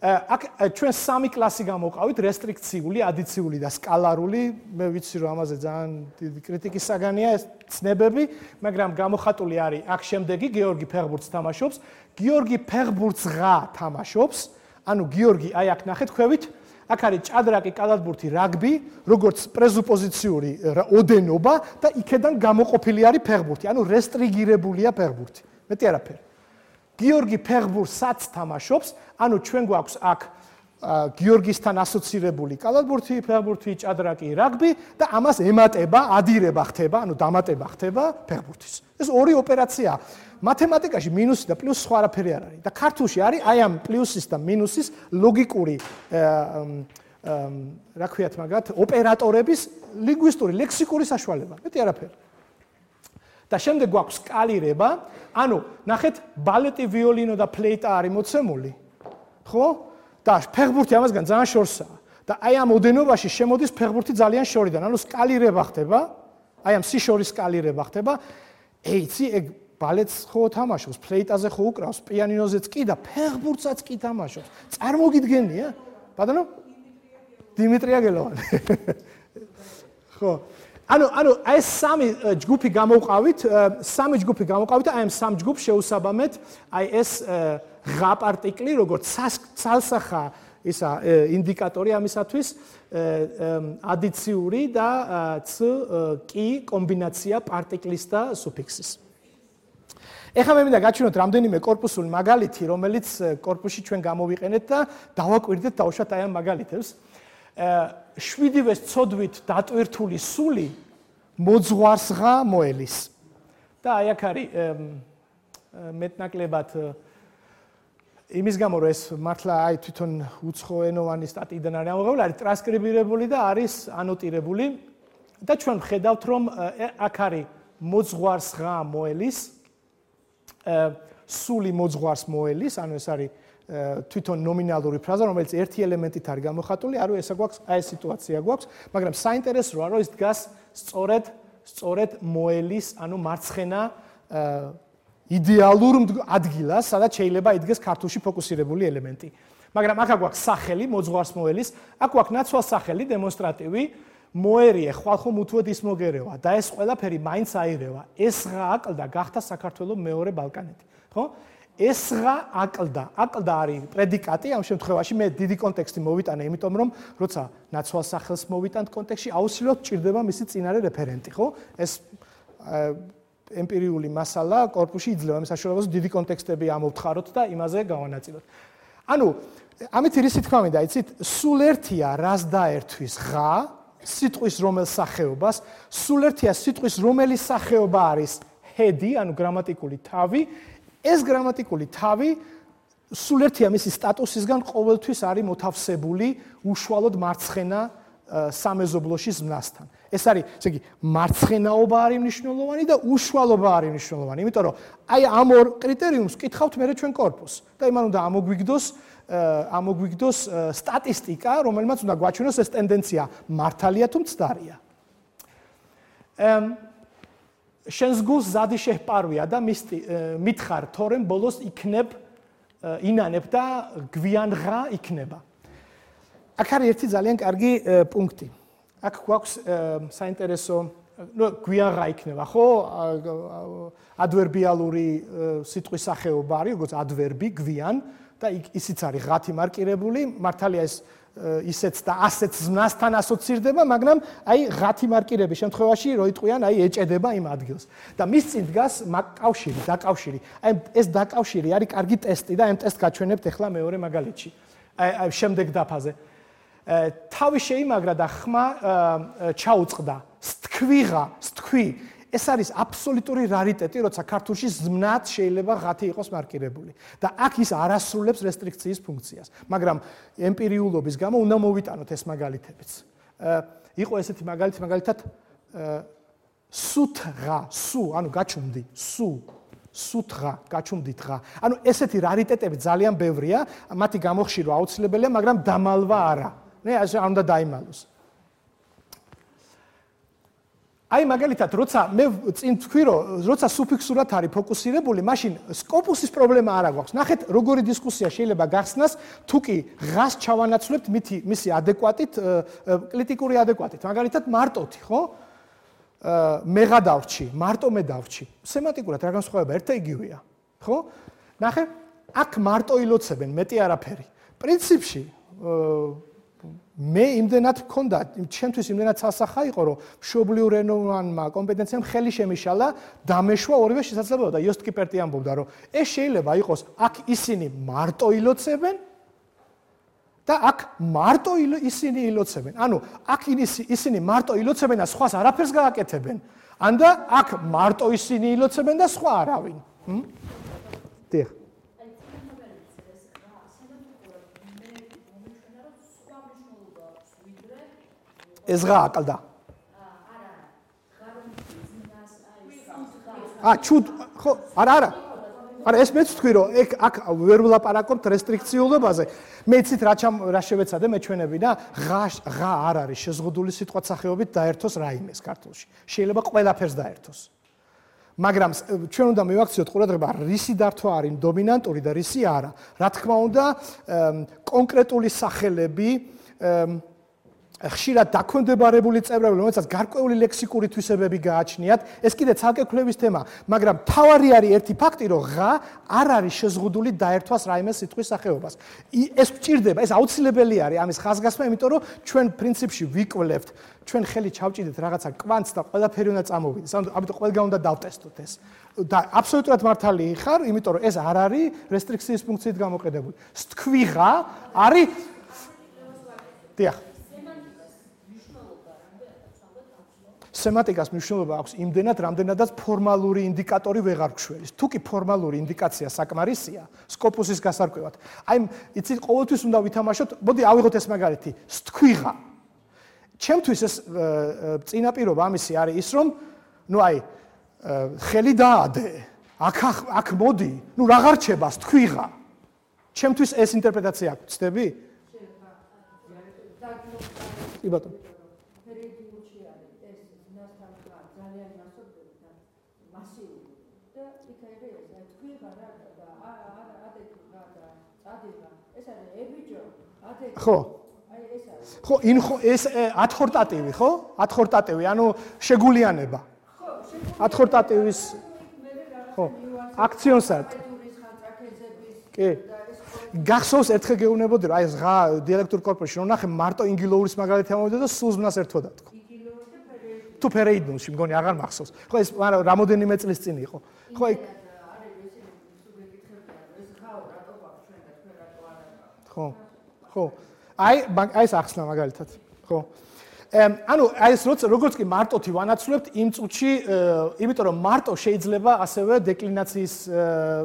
Speaker 1: აქ ჩვენ სამი კლასი გამოვყავით, რესტრიქციული, ადიციული და სკალარული. მე ვიცი რომ ამაზე ძალიან დიდი კრიტიკის საგანია ეს ცნებები, მაგრამ გამოხატული არის აქ შემდეგი გიორგი ფეხბურთს თამაშობს, გიორგი ფეხბურთსღა თამაშობს, ანუ გიორგი აი აქ ნახეთ ხვევით, აქ არის ჭადრაკი, კალათბურთი, რაგბი, როგორც პრეზუპოზიციური ოდენობა და იქედან გამოყოფილი არის ფეხბურთი, ანუ რესტრიგირებულია ფეხბურთი. მეტი არაფერი. გიორგი ფეხბურთსაც თამაშობს, ანუ ჩვენ გვაქვს აქ გიორგისთან ასოცირებული კალათბურთი, ფეხბურთი, ჭადრაკი, რაგბი და ამას ემატება, ადირება ხდება, ანუ დამატება ხდება ფეხბურთის. ეს ორი ოპერაციაა. მათემატიკაში მინუსი და პლუსი სხვა არაფერი არ არის. და ქართულში არის აი ამ პლუსის და მინუსის ლოგიკური რა ქვიათ მაგათ, ოპერატორების ლინგვისტური, ლექსიკური საშუალება. მეტი არაფერი. და შემდეგ გვაქვს სკალირება, ანუ ნახეთ, ბალეტი, ვიოლინო და ფლეიტა არის მოცემული, ხო? და ფეხბურთი ამასგან ძალიან შორსაა. და აი ამ ოდენობაში შემოდის ფეხბურთი ძალიან შორიდან, ანუ სკალირება ხდება, აი ამ სიშორის სკალირება ხდება. ეიცი, ეგ ბალეტს ხო თამაშობს, ფლეიტაზე ხო უკრავს, პიანინოზეც კი და ფეხბურთსაც კი თამაშობს. წარმოგიდგენია? ბატონო? დიმიტრი აგელოვანი. ხო. ანუ ანუ აი ეს სამი ჯგუფი გამოვყავით, სამი ჯგუფი გამოვყავით, აი ამ სამ ჯგუფს შეუსაბამეთ, აი ეს ღა პარტიკლი, როგორც ცალსახა ისა ინდიკატორი ამისათვის, ადიციური და ც კი კომბინაცია პარტიკლის და სუფიქსის. ეხლა მე მინდა გაჩვენოთ რამდენიმე კორპუსული მაგალითი, რომელიც კორპუსში ჩვენ გამოვიყენეთ და დავაკვირდეთ დავუშვათ აი ამ მაგალითებს. შვიდივე ცოდვით დატვირთული სული მოძღვარსღა მოელის. და აი აქ არის მეტნაკლებად იმის გამო რომ ეს მართლა აი თვითონ უცხოენოვანი სტატიიდან არის ამოღებული, არის ტრანსკრიბირებული და არის ანოტირებული და ჩვენ ვხედავთ რომ აქ არის მოძღვარსღა მოელის, სული მოძღვარს მოელის, ანუ ეს არის თვითონ ნომინალური ფრაზა, რომელიც ერთი ელემენტით არის გამოხატული, ანუ ესა გვაქვს, აი ეს სიტუაცია გვაქვს, მაგრამ საინტერესოა, რომ ის დგას სწორედ, სწორედ მოელის, ანუ მარცხენა იდეალურ ადგილას, სადაც შეიძლება იდგეს ქართულში ფოკუსირებული ელემენტი. მაგრამ აქ გვაქვს სახელი, მოძღვარს მოელის, აქ გვაქვს ნაცვალ სახელი, დემონსტრატივი, მოერიე, ხვალხომ უთუოდ ის მოგერევა და ეს ყველაფერი მაინც აირევა. ესღა აკლდა გახდა საქართველოს მეორე ბალკანეთი, ხო? ესღა აკლდა, აკლდა არის პრედიკატი, ამ შემთხვევაში მე დიდი კონტექსტი მოვიტანე, იმიტომ რომ როცა ნაცვალ სახელს მოვიტანთ კონტექსტში, აუცილებლად ჭირდება მისი წინარე რეფერენტი, ხო? ეს ემპირიული მასალა კორპუსში იძლევა ამ საშუალებას დიდი კონტექსტები ამოვთხაროთ და იმაზე გავანაწილოთ. ანუ ამით რისი თქმა მინდა, იცით, სულ ერთია რას დაერთვის ღა, სიტყვის რომელ სახეობას, სულ ერთია სიტყვის რომელი სახეობა არის ჰედი, ანუ გრამატიკული თავი. ეს გრამატიკული თავი სულ ერთია მისი სტატუსისგან ყოველთვის არის მოთავსებული უშუალოდ მარცხენა სამეზობლოში ზმნასთან. ეს არის, ესე იგი, მარცხენაობა არის მნიშვნელოვანი და უშუალობა არის მნიშვნელოვანი, იმიტომ რომ აი ამ ორ კრიტერიუმს კითხავთ მე ჩვენ კორპუსს და იმან უნდა ამოგვიგდოს ამოგვიგდოს სტატისტიკა, რომელმაც უნდა გვაჩვენოს ეს ტენდენცია მართალია თუ მცდარია. შენს გულს ზადი შეჰპარვია და მითხრ თორემ ბოლოს იქნებ ინანებ და გვიანღა იქნება. აქ არის ერთი ძალიან კარგი პუნქტი. აქ გვაქვს საინტერესო, ნუ გვიანღა იქნება, ხო? ადვერბიალური სიტყვის სახეობა არის, როგორც ადვერბი, გვიან და ისიც არის ღათი მარკირებული, მართალია ეს ისეც და ასეც ზმნასთან ასოცირდება, მაგრამ აი ღათი მარკირების შემთხვევაში რო იტყვიან, აი ეჭედება იმ ადგილს. და მის წინ დგას კავშირი, დაკავშირი. აი ეს დაკავშირი არის კარგი ტესტი და ამ ტესტს გაჩვენებთ ახლა მეორე მაგალითში. აი შემდეგ დაფაზე. თავი შეიმაგრა და ხმა ჩაუწყდა. სთქვიღა, სთქვი. ეს არის აბსოლუტური რარიტეტი, როცა ქართულში ზმნად შეიძლება ღათი იყოს მარკირებული. და აქ ის არასრულებს რესტრიქციის ფუნქციას. მაგრამ ემპირიულობის გამო უნდა მოვიტანოთ ეს მაგალითებიც. იყო ესეთი მაგალითი, მაგალითად სუთღა, სუ, ანუ გაჩუმდი, სუ, სუთღა, გაჩუმდი დღა. ანუ ესეთი რარიტეტები ძალიან ბევრია, მათი გამოხშირვა აუცილებელია, მაგრამ დამალვა არა. ნე ასე არ უნდა დაიმალოს. აი მაგალითად, როცა მე წინ თქვი, რომ როცა სუფიქსურად არის ფოკუსირებული, მაშინ სკოპუსის პრობლემა არ აქვს. ნახეთ, როგორი დისკუსია შეიძლება გახსნას, თუ კი ღას ჩავანაცვლებთ მითი მისი ადეკვატით, კრიტიკური ადეკვატით. მაგალითად, მარტოთი, ხო? მეღა დავრჩი, მარტო მე დავრჩი. სემანტიკურად რა განსხვავება ერთ და იგივეა, ხო? ნახე, აქ მარტო ილოცებენ, მეტი არაფერი. პრინციპში მე იმდენად მქონდა, ჩემთვის იმდენად სასახა იყო, რომ მშობლიურ ენოვანმა კომპეტენციამ ხელი შემიშალა, დამეშვა ორივე შესაძლებელობა და იოსტ კიპერტი ამბობდა, რომ ეს შეიძლება იყოს აქ ისინი მარტო ილოცებენ და აქ მარტო ისინი ილოცებენ. ანუ აქ ისინი მარტო ილოცებენ და სხვას არაფერს გააკეთებენ. ან და აქ მარტო ისინი ილოცებენ და სხვა არავინ. დიახ. ეს ღა აკლდა. აა ჩუდ ხო არა არა არა ეს მეც თქვი რომ აქ ვერ ვლაპარაკობთ რესტრიქციულობაზე. მე იცით რა რა შევეცადე მე ჩვენები და ღა ღა არ არის შეზღუდული სიტყვათ სახეობით დაერთოს რაიმეს ქართულში. შეიძლება ყველაფერს დაერთოს. მაგრამ ჩვენ უნდა მივაქციოთ ყურადღება რისი დართვა არის დომინანტური და რისი არა. რა თქმა უნდა კონკრეტული სახელები ხშირად დაქვემდებარებული წევრები, რომელსაც გარკვეული ლექსიკური თვისებები გააჩნიათ, ეს კიდე ცალკე კვლევის თემა, მაგრამ თავარი არის ერთი ფაქტი, რომ ღა არ არის შეზღუდული დაერთვას რაიმე სიტყვის სახეობას. ეს გვჭირდება, ეს აუცილებელი არის ამის ხაზგასმა, იმიტომ რომ ჩვენ პრინციპში ვიკვლევთ, ჩვენ ხელი ჩავჭიდეთ რაღაცა კვანტს და ყველაფერი უნდა წამოვიდეს. ამიტომ ყველგან უნდა დავტესტოთ ეს. და აბსოლუტურად მართალი ხარ, იმიტომ რომ ეს არ არის რესტრიქციის ფუნქციით გამოყენებული. სთქვიღა არის დიახ სემანტიკას მნიშვნელობა აქვს იმდენად, რამდენადაც ფორმალური ინდიკატორი ვეღარ გშველის. თუ კი ფორმალური ინდიკაცია საკმარისია, სკოპუსის გასარკვევად. აი, იცით, ყოველთვის უნდა ვითამაშოთ, მოდი ავიღოთ ეს მაგალითი, სთქვიღა. ჩემთვის ეს წინაპირობა ამისი არის ის, რომ ნუ აი, ხელი დაადე, აქ აქ მოდი, ნუ აღარ რჩება სთქვიღა. ჩემთვის ეს ინტერპრეტაცია აქვს, ცდები? კი ბატონო. ხო. ხო, ინხო ეს ადხორტატივი, ხო? ადხორტატივი, ანუ შეგულიანება. ადხორტატივის ხო, აქციონსად. კი. გახსოვს ერთხელ გეუბნებოდი რა ეს ღა დიალექტურ კორპუსში რომ ნახე მარტო ინგილოურის მაგალითი ამოვიდა და სულ ზმნას ერთვად თქვა. თუ ფერეიდნულში მგონი აღარ მახსოვს. ხო ეს მაგრამ რამოდენიმე წლის წინ იყო. ხო იქ ხო. ხო. აი აი ეს ახსნა მაგალითად. ხო. ანუ აი ეს როგორც კი მარტოთი ვანაცვლებთ იმ წუთში, იმიტომ რომ მარტო შეიძლება ასევე დეკლინაციის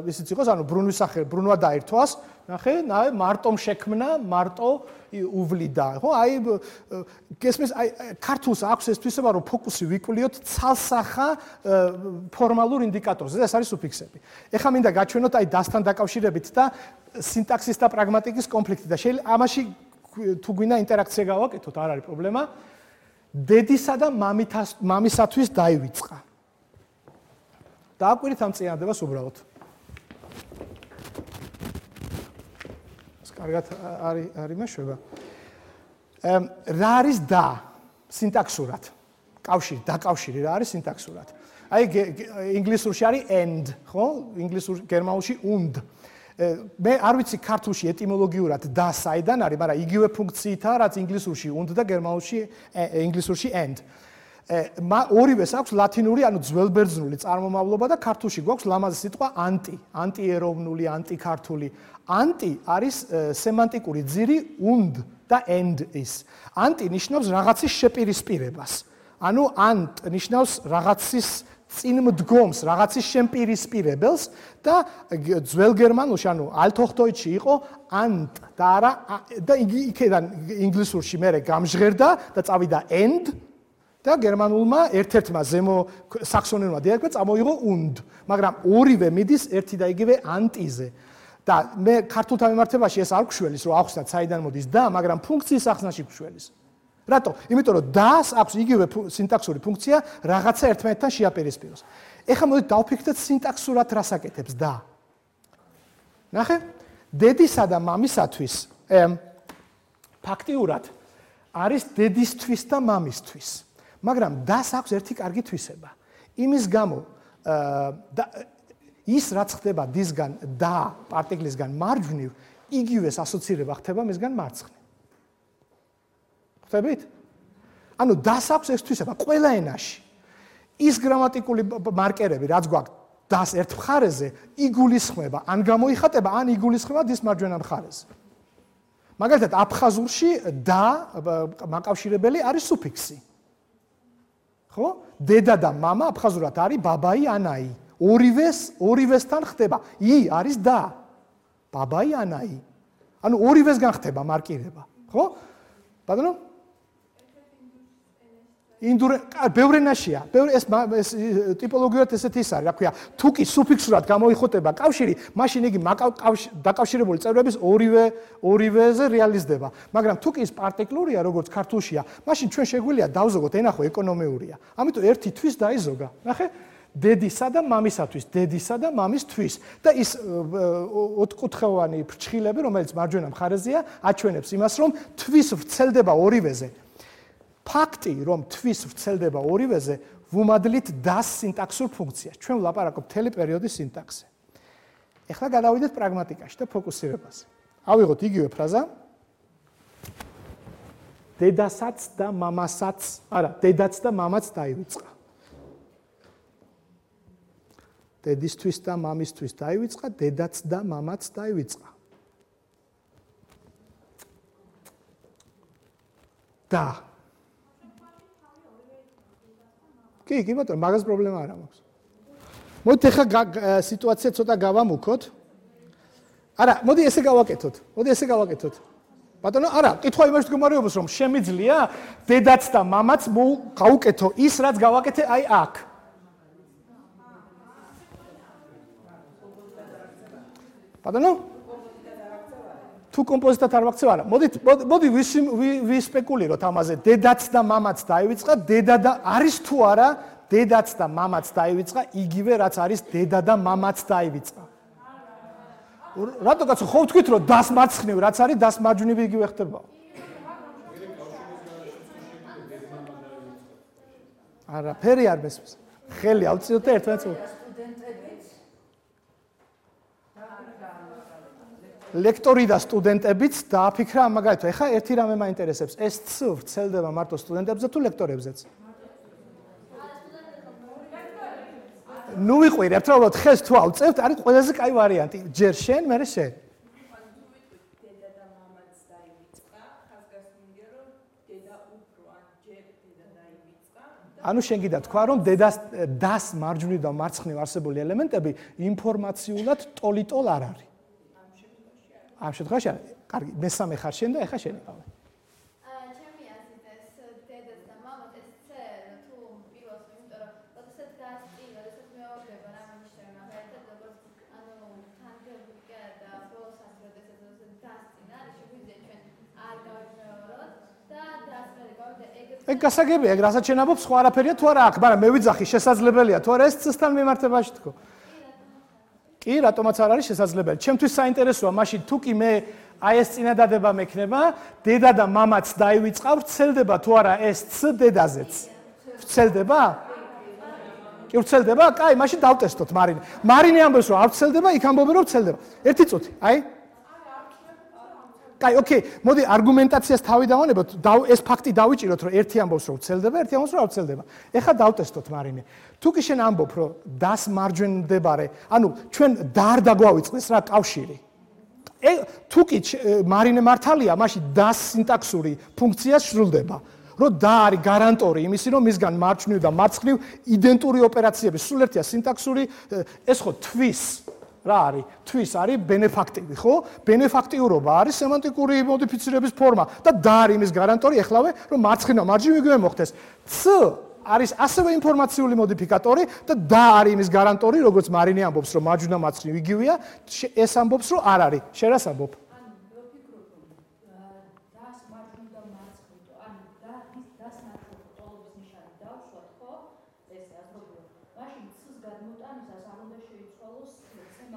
Speaker 1: ისიც იყოს, ანუ ბრუნვის სახე, ბრუნვა დაერთვას, ნახე, ნაე მარტომ შექმნა, მარტო უვლიდა, ხო? აი გესმის, აი ქართულს აქვს ეს თვისება, რომ ფოკუსი ვიკვლიოთ ცალსახა ფორმალურ ინდიკატორზე, ეს არის სუფიქსები. ეხლა მინდა გაჩვენოთ აი დასთან დაკავშირებით და სინტაქსის და პრაგმატიკის კონფლიქტი და შეიძლება ამაში თუ გვინდა ინტერაქცია გავაკეთოთ, არ არის პრობლემა. დედისა და მამისათვის დაივიწყა. დააკვირით ამ წინადებას უბრალოდ. კარგად არის არის მეშვება. რა არის და სინტაქსურად? კავშირი, დაკავშირი რა არის სინტაქსურად? აი ინგლისურში არის and, ხო? ინგლისურ გერმანულში und. მე არ ვიცი ქართულში ეტიმოლოგიურად და საიდან არის, მაგრამ იგივე ფუნქციითაა, რაც ინგლისურში und და გერმანულში ინგლისურში and. ორივეს აქვს ლათინური, ანუ ძველბერძნული წარმომავლობა და ქართულში გვაქვს ლამაზი სიტყვა anti, anti-ეროვნული, anti-ქართული. Anti არის სემანტიკური ძირი und და and is. Anti ნიშნავს რაღაცის შეპირისპირებას. ანუ ant ნიშნავს რაღაცის წინ მდგომს, რაღაცის შემპირისპირებელს და ძველ გერმანულში, ანუ ალტჰოხდოიტში იყო ant და არა და იქიდან ინგლისურში მერე გამჟღერდა და წავიდა and და გერმანულმა ერთ-ერთმა ზემო საქსონურმა დიალექტმა წამოიღო und, მაგრამ ორივე მიდის ერთი და იგივე antiზე. და მე ქართულთან მიმართებაში ეს არ გვშველის, რომ ახსნათ საიდან მოდის და, მაგრამ ფუნქციის ახსნაში გვშველის. რატო? იმიტომ რომ დას აქვს იგივე სინტაქსური ფუნქცია რაღაცა ერთმანეთთან შეაპირისპიროს. ეხლა მოდით დავფიქრდეთ სინტაქსურად რას აკეთებს და. ნახე? დედისა და მამისათვის ფაქტიურად არის დედისთვის და მამისთვის. მაგრამ დას აქვს ერთი კარგი თვისება. იმის გამო ის რაც ხდება დისგან და პარტიკლისგან მარჯვნივ, იგივეს ასოცირება ხდება მისგან მარცხნივ. ხვდებით? ანუ დას აქვს ეს თვისება ყველა ენაში. ის გრამატიკული მარკერები, რაც გვაქვს დას ერთ მხარეზე, იგულისხმება, ან გამოიხატება, ან იგულისხმება დის მარჯვენა მხარეზე. მაგალითად, აფხაზურში და მაკავშირებელი არის სუფიქსი. ხო? დედა და მამა აფხაზურად არის ბაბაი ანაი. ორივეს ორივესთან ხდება. ი არის და. ბაბაი ანაი. ანუ ორივესგან ხდება მარკირება, ხო? ბატონო? ინდურ ბევრ ენაშია. ბევრ ეს ეს ტიპოლოგიურად ესეთი ის არის, რა ქვია, თუ კი სუფიქსურად გამოიხოტება კავშირი, მაშინ იგი დაკავშირებული წევრების ორივე ორივეზე რეალიზდება. მაგრამ თუ კი ის პარტიკლურია, როგორც ქართულშია, მაშინ ჩვენ შეგვიძლია დავზოგოთ ენახო ეკონომიურია. ამიტომ ერთი თვის დაიზოგა. ნახე? დედისა და მამისათვის, დედისა და მამისთვის და ის ოთხკუთხოვანი ფრჩხილები, რომელიც მარჯვენა მხარეზეა, აჩვენებს იმას, რომ თვის ვრცელდება ორივეზე. ფაქტი, რომ თვის ვრცელდება ორივეზე, ვუმადლით დას სინტაქსურ ფუნქციას. ჩვენ ვლაპარაკობთ მთელი პერიოდის სინტაქსზე. ეხლა გადავიდეთ პრაგმატიკაში და ფოკუსირებაზე. ავიღოთ იგივე ფრაზა. დედასაც და მამასაც, არა, დედაც და მამაც დაივიწყა. დედისთვის და მამისთვის დაივიწყა, დედაც და მამაც დაივიწყა. და კი, კი ბატონო, მაგას პრობლემა არ აქვს. მოდით ახლა სიტუაცია ცოტა გავამუქოთ. არა, მოდი ესე გავაკეთოთ. მოდი ესე გავაკეთოთ. ბატონო, არა, კითხვა იმაში მდგომარეობს, რომ შემიძლია დედაც და მამაც გავუკეთო ის, რაც გავაკეთე აი აქ. ბატონო? თუ კომპოზიტად არ ვაქცევ, არა. მოდით, მოდი ვისპეკულიროთ ამაზე. დედაც და მამაც დაივიწყა, დედა და არის თუ არა, დედაც და მამაც დაივიწყა, იგივე რაც არის დედა და მამაც დაივიწყა. რატო კაცო, ხო ვთქვით, რომ დას მარცხნივ რაც არის, დას მარჯვნივ იგივე ხდება. არა, ფერი არ მესმის. ხელი ავწიოთ და ერთმანეთს ლექტორი და სტუდენტებიც დააფიქრა ამ მაგალითად. ეხლა ერთი რამე მაინტერესებს. ეს ც ვრცელდება მარტო სტუდენტებზე თუ ლექტორებზეც? ნუ ვიყვირებთ, რა უბრალოდ ხეს თუ ავწევთ, არის ყველაზე კაი ვარიანტი. ჯერ შენ, მერე შენ.
Speaker 3: დედა და მამაც დაივიწყა, ხაზგასმულია, რომ დედა უფრო ან ჯერ დედა დაივიწყა.
Speaker 1: ანუ შენ გიდა თქვა, რომ დედას დას მარჯვნივ და მარცხნივ არსებული ელემენტები ინფორმაციულად ტოლიტოლ არ არის. ამ შემთხვევაში არა. კარგი, მესამე ხარ შენ და ეხა შენ იყავი.
Speaker 4: აა, ჩემი აზრით ეს დედას და მამას ეს C თუ პირველს, იმიტომ რომ როდესაც დასწინა, როდესაც მეორდება რა მინიშნება, მაგალითად, როგორც ანუ თანხებია და ბოლოსაც როდესაც დასწინა, არის შეგვიძლია ჩვენ არ გავიმეოროთ და დასწრები გავიდა ეგრე.
Speaker 1: ეგ გასაგებია, ეგ რასაც შენ ამბობ, სხვა არაფერია თუ არა აქვს, მაგრამ მე ვიძახი, შესაძლებელია თუ არა ეს C-სთან მიმართებაში თქო. კი, რატომაც არ არის შესაძლებელი. ჩემთვის საინტერესოა, მაშინ თუ კი მე აი ეს წინადადება მექნება, დედა და მამაც დაივიწყა, ვრცელდება თუ არა ეს ც დედაზეც. ვრცელდება? კი ვრცელდება? კაი, მაშინ დავტესტოთ მარინე. მარინე ამბობს რომ არ ვრცელდება, იქ ამბობენ რომ ვრცელდება. ერთი წუთი, აი. კაი, ოკეი, მოდი არგუმენტაციას თავი დავანებოთ, ეს ფაქტი დავიჭიროთ რომ ერთი ამბობს რომ ვრცელდება, ერთი ამბობს რომ არ ვრცელდება. ეხლა დავტესტოთ მარინე. თუ კი შენ ამბობ რომ დას მარჯვენ მდებარე, ანუ ჩვენ და არ დაგვავიწყდეს რა კავშირი. თუ კი მარინე მართალია, მაშინ დას სინტაქსური ფუნქცია სრულდება. რომ და არის გარანტორი იმისი, რომ მისგან მარჯვნივ და მარცხნივ იდენტური ოპერაციები სულ ერთია სინტაქსური, ეს ხო თვის რა არის? თვის არის ბენეფაქტივი, ხო? ბენეფაქტიურობა არის სემანტიკური მოდიფიცირების ფორმა და და არის იმის გარანტორი, ეხლავე რომ მარცხნივ მარჯვნივ იგივე მოხდეს. ც არის ასევე ინფორმაციული მოდიფიკატორი და და არის იმის გარანტორი, როგორც მარინე ამბობს, რომ მარჯვნივ და მარცხნივ იგივეა, ეს ამბობს, რომ არ არის. შენ რას ამბობ?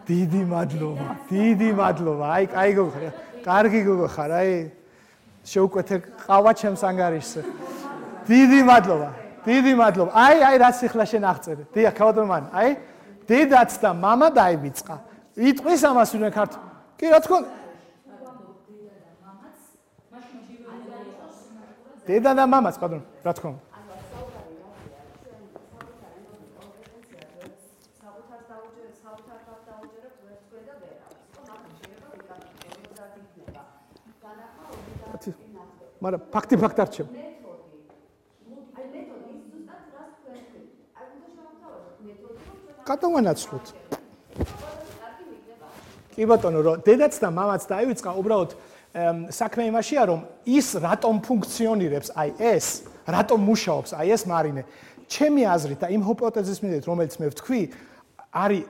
Speaker 1: დიდი მადლობა, დიდი მადლობა. აი, კაი გოგო ხარ. კარგი გოგო ხარ, აი. შეუკვეთე ყავა ჩემს ანგარიშზე. დიდი მადლობა. დიდი მადლობა. აი, აი რაც ახლა შენ აღწერე. დიახ, ქავადმან, აი. დედაც და მამა დაივიწყა. იტყვის ამას ვინმე ქართ. კი, რა თქმა უნდა. დედა და მამაც, პარდონ, რა თქმა უნდა. მაგრამ ფაქტი ფაქტ არჩევ. გადავანაცვლოთ. კი ბატონო, რომ დედაც და მამაც დაივიწყა, უბრალოდ საქმე იმაშია, რომ ის რატომ ფუნქციონირებს, აი ეს, რატომ მუშაობს, აი ეს მარინე. ჩემი აზრით და იმ ჰიპოთეზის მიხედვით, რომელიც მე ვთქვი, არის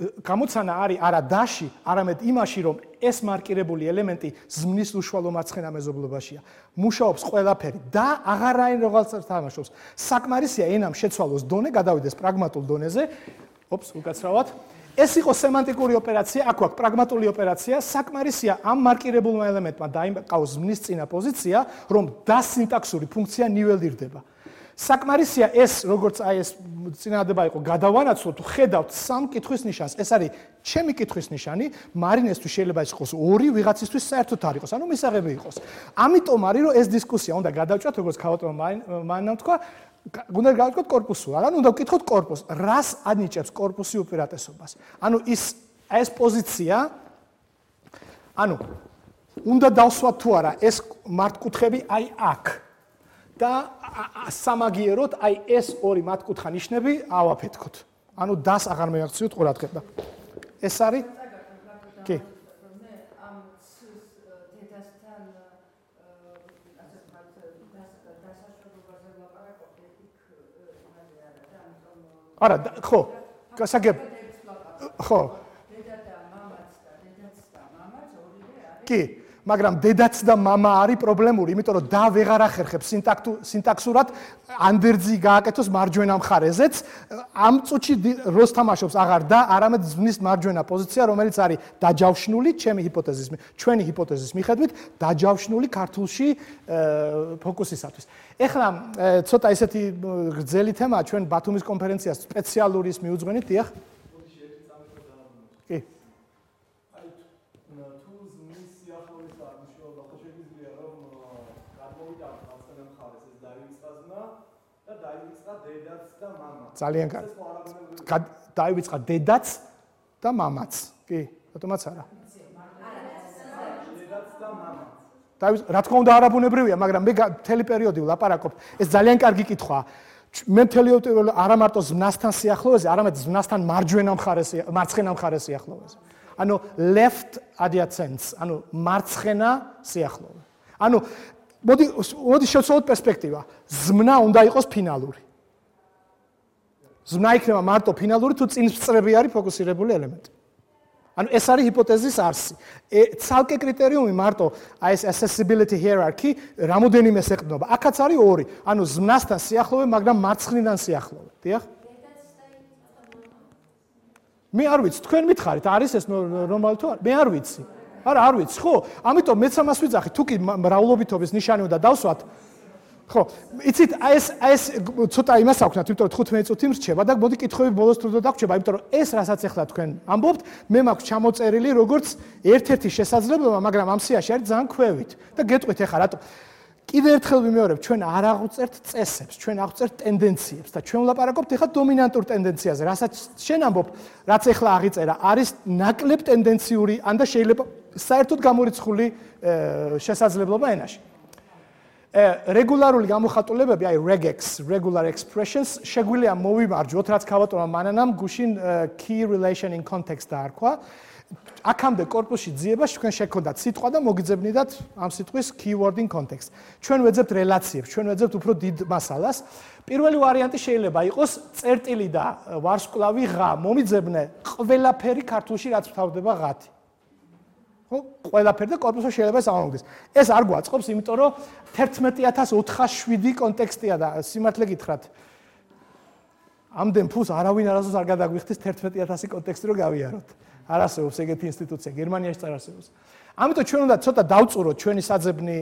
Speaker 1: გამოცანა არის არა დაში, არამედ იმაში, რომ ეს მარკირებული ელემენტი ზმნის უშუალო მარცხენა მეზობლობაშია. მუშაობს ყველაფერი და აღარაინ რაღაცას თამაშობს. საკმარისია ენამ შეცვალოს დონე, გადავიდეს პრაგმატულ დონეზე. ოპს, უკაცრავად. ეს იყო სემანტიკური ოპერაცია, აქ აქვს პრაგმატული ოპერაცია, საკმარისია ამ მარკირებულმა ელემენტმა დაიმყავს ზმნის წინა პოზიცია, რომ და სინტაქსური ფუნქცია ნიველირდება. საკმარისია ეს, როგორც აი ეს წინადადება იყო, გადავანაცვლოთ, ხედავთ სამ კითხვის ნიშანს. ეს არის ჩემი კითხვის ნიშანი, მარინესთვის შეიძლება იყოს ორი, ვიღაცისთვის საერთოდ არ იყოს, ანუ მისაღები იყოს. ამიტომ არის, რომ ეს დისკუსია უნდა გადავჭრათ, როგორც ქავატონმა მანამ თქვა, უნდა გავაკეთოთ კორპუსულ, ანუ უნდა ვკითხოთ კორპუსს. რას ანიჭებს კორპუსი უპირატესობას? ანუ ის ეს პოზიცია, ანუ უნდა დავსვათ თუ არა ეს მართკუთხედი აი აქ. და სამაგიეროდ აი ეს ორი მათკუთხა ნიშნები ავაფეთქოთ. ანუ დას აღარ მეაქციოთ ყურადღება. ეს არის? კი.
Speaker 3: მე ამ დედასთან ასე ვთქვათ, დასაშორებაზე ვლაპარაკობ, იქ იმაზე არა და ამიტომ
Speaker 1: არა, ხო, გასაგებ. ხო.
Speaker 3: დედა და მამაც და დედაც და მამაც ორივე არის.
Speaker 1: კი. მაგრამ დედაც და მამა არის პრობლემური, იმიტომ რომ და ვეღარ ახერხებს სინტაქსურად ანდერძი გააკეთოს მარჯვენა მხარეზეც. ამ წუთში როს თამაშობს აღარ და არამედ ზმნის მარჯვენა პოზიცია, რომელიც არის დაჯავშნული ჩემი ჰიპოთეზის, ჩვენი ჰიპოთეზის მიხედვით, დაჯავშნული ქართულში ფოკუსისათვის. ეხლა ცოტა ესეთი გრძელი თემაა ჩვენ ბათუმის კონფერენციას სპეციალური ის მიუძღვენით, დიახ? კი. ძალიან კარგი. დაივიწყა დედაც და მამაც. კი, რატომაც არა? დედაც და მამაც. დაივიწყა, რა თქმა უნდა არაბუნებრივია, მაგრამ მე მთელი პერიოდი ვლაპარაკობ. ეს ძალიან კარგი კითხვაა. მე მთელი არა მარტო ზმნასთან სიახლოვეზე, არამედ ზმნასთან მარჯვენა მხარეს, მარცხენა მხარეს სიახლოვეზე. ანუ left adjacent, ანუ მარცხენა სიახლოვე. ანუ მოდი მოდი შევცვალოთ პერსპექტივა. ზმნა უნდა იყოს ფინალური. ზმნა იქნება მარტო ფინალური თუ წინსწრები არის ფოკუსირებული ელემენტი. ანუ ეს არის ჰიპოთეზის არსი. ცალკე კრიტერიუმი მარტო აი ეს accessibility hierarchy რამოდენიმეს ეყრდნობა. აქაც არის ორი. ანუ ზმნასთან სიახლოვე, მაგრამ მარცხნიდან სიახლოვე. დიახ? მე არ ვიცი, თქვენ მითხარით, არის ეს ნორმალი თუ არა? მე არ ვიცი. არა, არ ვიცი, ხო? ამიტომ მეც ამას ვიძახი, თუ კი მრავლობითობის ნიშანი უნდა დავსვათ. ხო, იცით, აი ეს აი ეს ცოტა იმას აქვთ, იმიტომ რომ თხუთმეტი წუთი მრჩება და მოდი კითხვები ბოლოს თუ დაგვრჩება, იმიტომ რომ ეს რასაც ახლა თქვენ ამბობთ, მე მაქვს ჩამოწერილი როგორც ერთ-ერთი შესაძლებლობა, მაგრამ ამ სიაში არის ძალიან ქვევით და გეტყვით ახლა რატო კიდევ ერთხელ ვიმეორებ, ჩვენ არ აღვწერთ წესებს, ჩვენ აღვწერთ ტენდენციებს და ჩვენ ვლაპარაკობთ ახლა დომინანტურ ტენდენციაზე, რასაც შენ ამბობ, რაც ახლა აღიწერა, არის ნაკლებ ტენდენციური, ან და შეიძლება საერთოდ გამორიცხული შესაძლებლობა ენაში. რეგულარული გამოხატულებები, აი regex, regular expressions, შეგვიძლია მოვიმარჯვოთ, რაც ქავატორმა მანანამ გუშინ key relation in context დაარქვა. აქამდე კორპუსში ძიებას თქვენ შეგქონდათ სიტყვა და მოგიძებნიდათ ამ სიტყვის keyword in context. ჩვენ ვეძებთ რელაციებს, ჩვენ ვეძებთ უფრო დიდ მასალას. პირველი ვარიანტი შეიძლება იყოს წერტილი და ვარსკვლავი ღა, მომიძებნე ყველაფერი ქართულში რაც მთავრდება ღათი. ხო, ყველაფერი და კორპუსში შეიძლება ეს ამომგდეს. ეს არ გვაწყობს, იმიტომ რომ თერთმეტი ათას ოთხას შვიდი კონტექსტია და სიმართლე გითხრათ. ამდენ ფულს არავინ არასდროს არ გადაგვიხდის თერთმეტი ათასი კონტექსტი რომ გავიაროთ. არ არსებობს ეგეთი ინსტიტუცია, გერმანიაში წარ არსებობს. ამიტომ ჩვენ უნდა ცოტა დავწუროთ ჩვენი საძებნი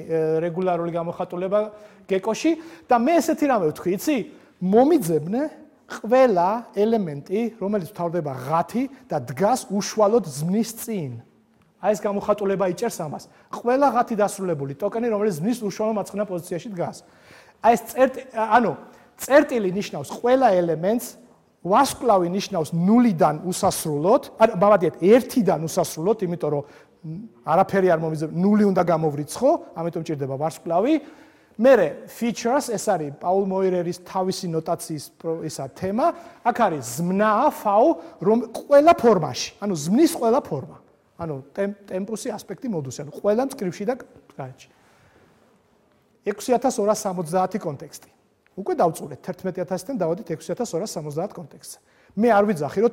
Speaker 1: რეგულარული გამოხატულება გეკოში და მე ესეთი რამე ვთქვი, იცი? მომიძებნე ყველა ელემენტი, რომელიც მთავრდება ღათი და დგას უშუალოდ ზმნის წინ. აი ეს გამოხატულება იჭერს ამას. ყველა ღათი დასრულებული ტოკენი, რომელიც ზმნის უშუალო მარცხენა პოზიციაში დგას. აი ეს წერტილი, ანუ წერტილი ნიშნავს ყველა ელემენტს, ვარსკვლავი ნიშნავს ნულიდან უსასრულოდ, ანუ ბავადიეთ ერთიდან უსასრულოდ, იმიტომ რომ არაფერი არ მომიძებნ, ნული უნდა გამოვრიცხო, ამიტომ ჭირდება ვარსკვლავი. მერე features, ეს არის პაულ მოირერის თავისი ნოტაციის ისა თემა, აქ არის ზმნა, ფაუ, რომ ყველა ფორმაში, ანუ ზმნის ყველა ფორმა. ანუ ტემპუსი, ასპექტი, მოდუსი, ანუ ყველა მწკრივში და გარეთში. ექვსი ათას ორას სამოცდაათი კონტექსტი. უკვე დავწურეთ თერთმეტი ათასიდან დავადით ექვსი ათას ორას სამოცდაათ კონტექსტზე. მე არ ვიძახი, რომ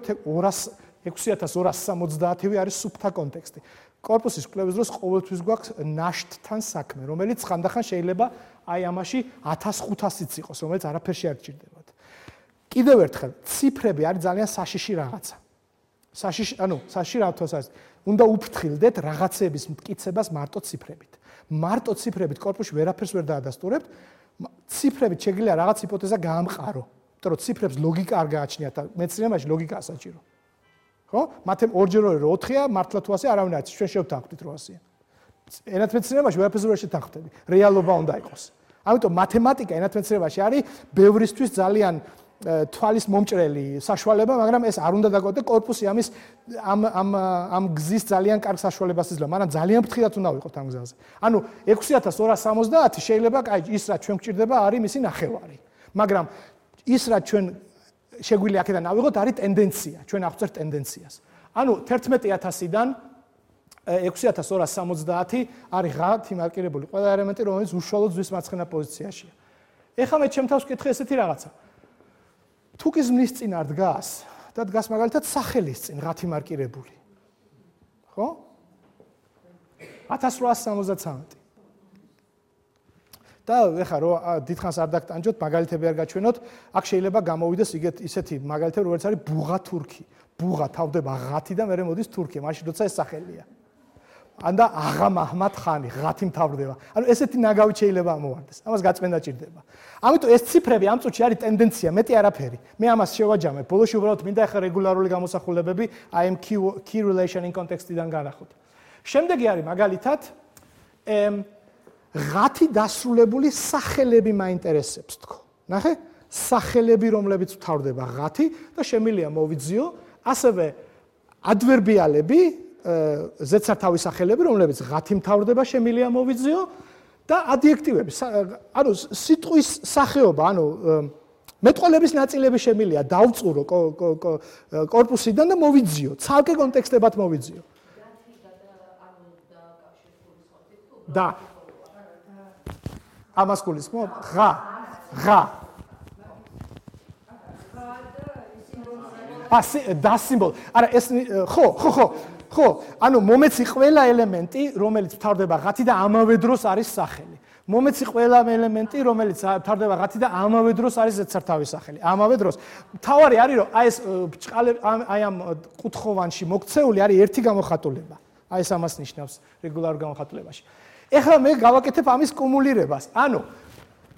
Speaker 1: ექვსი ათას ორას სამოცდაათი არის სუფთა კონტექსტი. კორპუსის კვლევის დროს ყოველთვის გვაქვს ნაშთთან საქმე, რომელიც ხანდახან შეიძლება აი ამაში ათას ხუთასიც იყოს, რომელიც არაფერში არ გჭირდებათ. კიდევ ერთხელ, ციფრები არის ძალიან საშიში რაღაცა. საშიში, ანუ საშიში რაღაცას უნდა უფრთხილდეთ რაღაცების მტკიცებას მარტო ციფრებით. მარტო ციფრებით კორპუსში ვერაფერს ვერ დაადასტურებთ. ციფრებით შეგვიძლია რაღაც ჰიპოთეზა გაამყარო, იმიტომ რომ ციფრებს ლოგიკა არ გააჩნიათ და მეცნიერებაში ლოგიკაა საჭირო. ხო? მათემ ორჯერ ორი რო ოთხია, მართლა თუ ასე არავინ არ იცის, ჩვენ შევთანხმდით რო ასეა. ენათმეცნიერებაში ვერაფერს ვერ შეთანხმდები. რეალობა უნდა იყოს. ამიტომ მათემატიკა ენათმეცნიერებაში არის ბევრისთვის ძალიან თვალის მომჭრელი საშუალება, მაგრამ ეს არ უნდა დაგოთ და კორპუსი ამის ამ ამ ამ გზის ძალიან კარგ საშუალებას იძლევა, მაგრამ ძალიან ფრთხილად უნდა ვიყოთ ამ გზაზე. ანუ ექვსი ათას ორას სამოცდაათი შეიძლება, კაი, ის რაც ჩვენ გვჭირდება არის მისი ნახევარი. მაგრამ ის რაც ჩვენ შეგვიძლია აქედან ავიღოთ არის ტენდენცია, ჩვენ აღვწერთ ტენდენციას. ანუ თერთმეტი ათასიდან ექვსი ათას ორას სამოცდაათი არის ღათი მარკირებული ყველა ელემენტი, რომელიც უშუალოდ ზღვის მარცხენა პოზიციაშია. ეხლა მე ჩემ თავს ვკითხე ესეთი რაღაცა. თუ კი ზმნის წინ არ დგას და დგას მაგალითად სახელის წინ ღათი მარკირებული. ხო? ათას რვაას სამოცდათვრამეტი. და ეხლა რო დიდხანს არ დაგტანჯოთ, მაგალითები არ გაჩვენოთ, აქ შეიძლება გამოვიდეს იგეთ ისეთი მაგალითები, როგორც არის ბუღა თურქი. ბუღა თავდება ღათი და მერე მოდის თურქი, მაშინ როცა ეს სახელია. ანდა აღა მაჰმად ხანი ღათი მთავრდება. ანუ ესეთი ნაგავი შეიძლება ამოვარდეს. ამას გაწმენდა ჭირდება. ამიტომ ეს ციფრები ამ წუთში არის ტენდენცია, მეტი არაფერი. მე ამას შევაჯამებ. ბოლოში უბრალოდ მინდა ახლა რეგულარული გამოსახულებები I am key relation in context-დან განახოთ. შემდეგი არის მაგალითად ღათი დასრულებული სახელები მაინტერესებს თქო. ნახე? სახელები, რომლებიც მთავრდება ღათი და შემიძლია მოვიძიო, ასევე ადვერბიალები ზედსართავი სახელები, რომლებიც ღათი მთავრდება, შემიძლია მოვიძიო და ადიექტივები. ანუ სიტყვის სახეობა, ანუ მეტყველების ნაწილები შემიძლია დავწურო კორპუსიდან და მოვიძიო, ცალკე კონტექსტებად მოვიძიო. და ამას გულისხმობ? ღა, ღა. ასე და სიმბოლო. არა ეს ხო, ხო, ხო. ხო, ანუ მომეცი ყველა ელემენტი, რომელიც მთავრდება ღათი და ამავე დროს არის სახელი. მომეცი ყველა ელემენტი, რომელიც მთავრდება ღათი და ამავე დროს არის ზედსართავი სახელი. ამავე დროს. თავარი არის, რომ აი ეს ბჭყალები აი ამ კუთხოვანში მოქცეული არის ერთი გამოხატულება. აი ეს ამას ნიშნავს რეგულარულ გამოხატულებაში. ეხლა მე გავაკეთებ ამის კუმულირებას. ანუ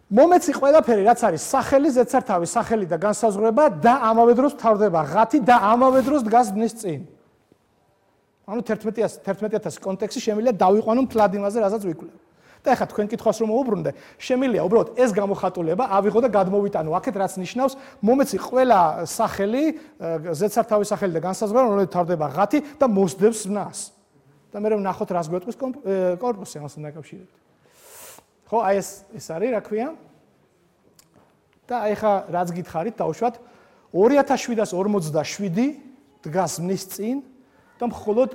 Speaker 1: მომეცი ყველაფერი რაც არის სახელი, ზედსართავი, სახელი და განსაზღვრება და ამავე დროს თავდება ღათი და ამავე დროს დგას ბნის წინ. ანუ თერთმეტი ათასი კონტექსტი შემიძლია დავიყვანო მთლად იმაზე, რასაც ვიკვლევ. და ეხლა თქვენ კითხვას რომ მოუბრუნდე, შემიძლია უბრალოდ ეს გამოხატულება ავიღო და გადმოვიტანო აქეთ, რაც ნიშნავს მომეცი ყველა სახელი, ზედსართავი სახელი და განსაზღვრება, რომელიც თავდება ღათი და მოსდევს ბნას. და მე ვნახოთ რას გვეტყვის კორპუსი ამასთან დაკავშირებით. ხო, აი ეს ეს არის, რა ქვია? და აი ხა რაც გითხარით, დავუშვათ ორი ათას შვიდას ორმოცდაშვიდი დგას მის წინ და მხოლოდ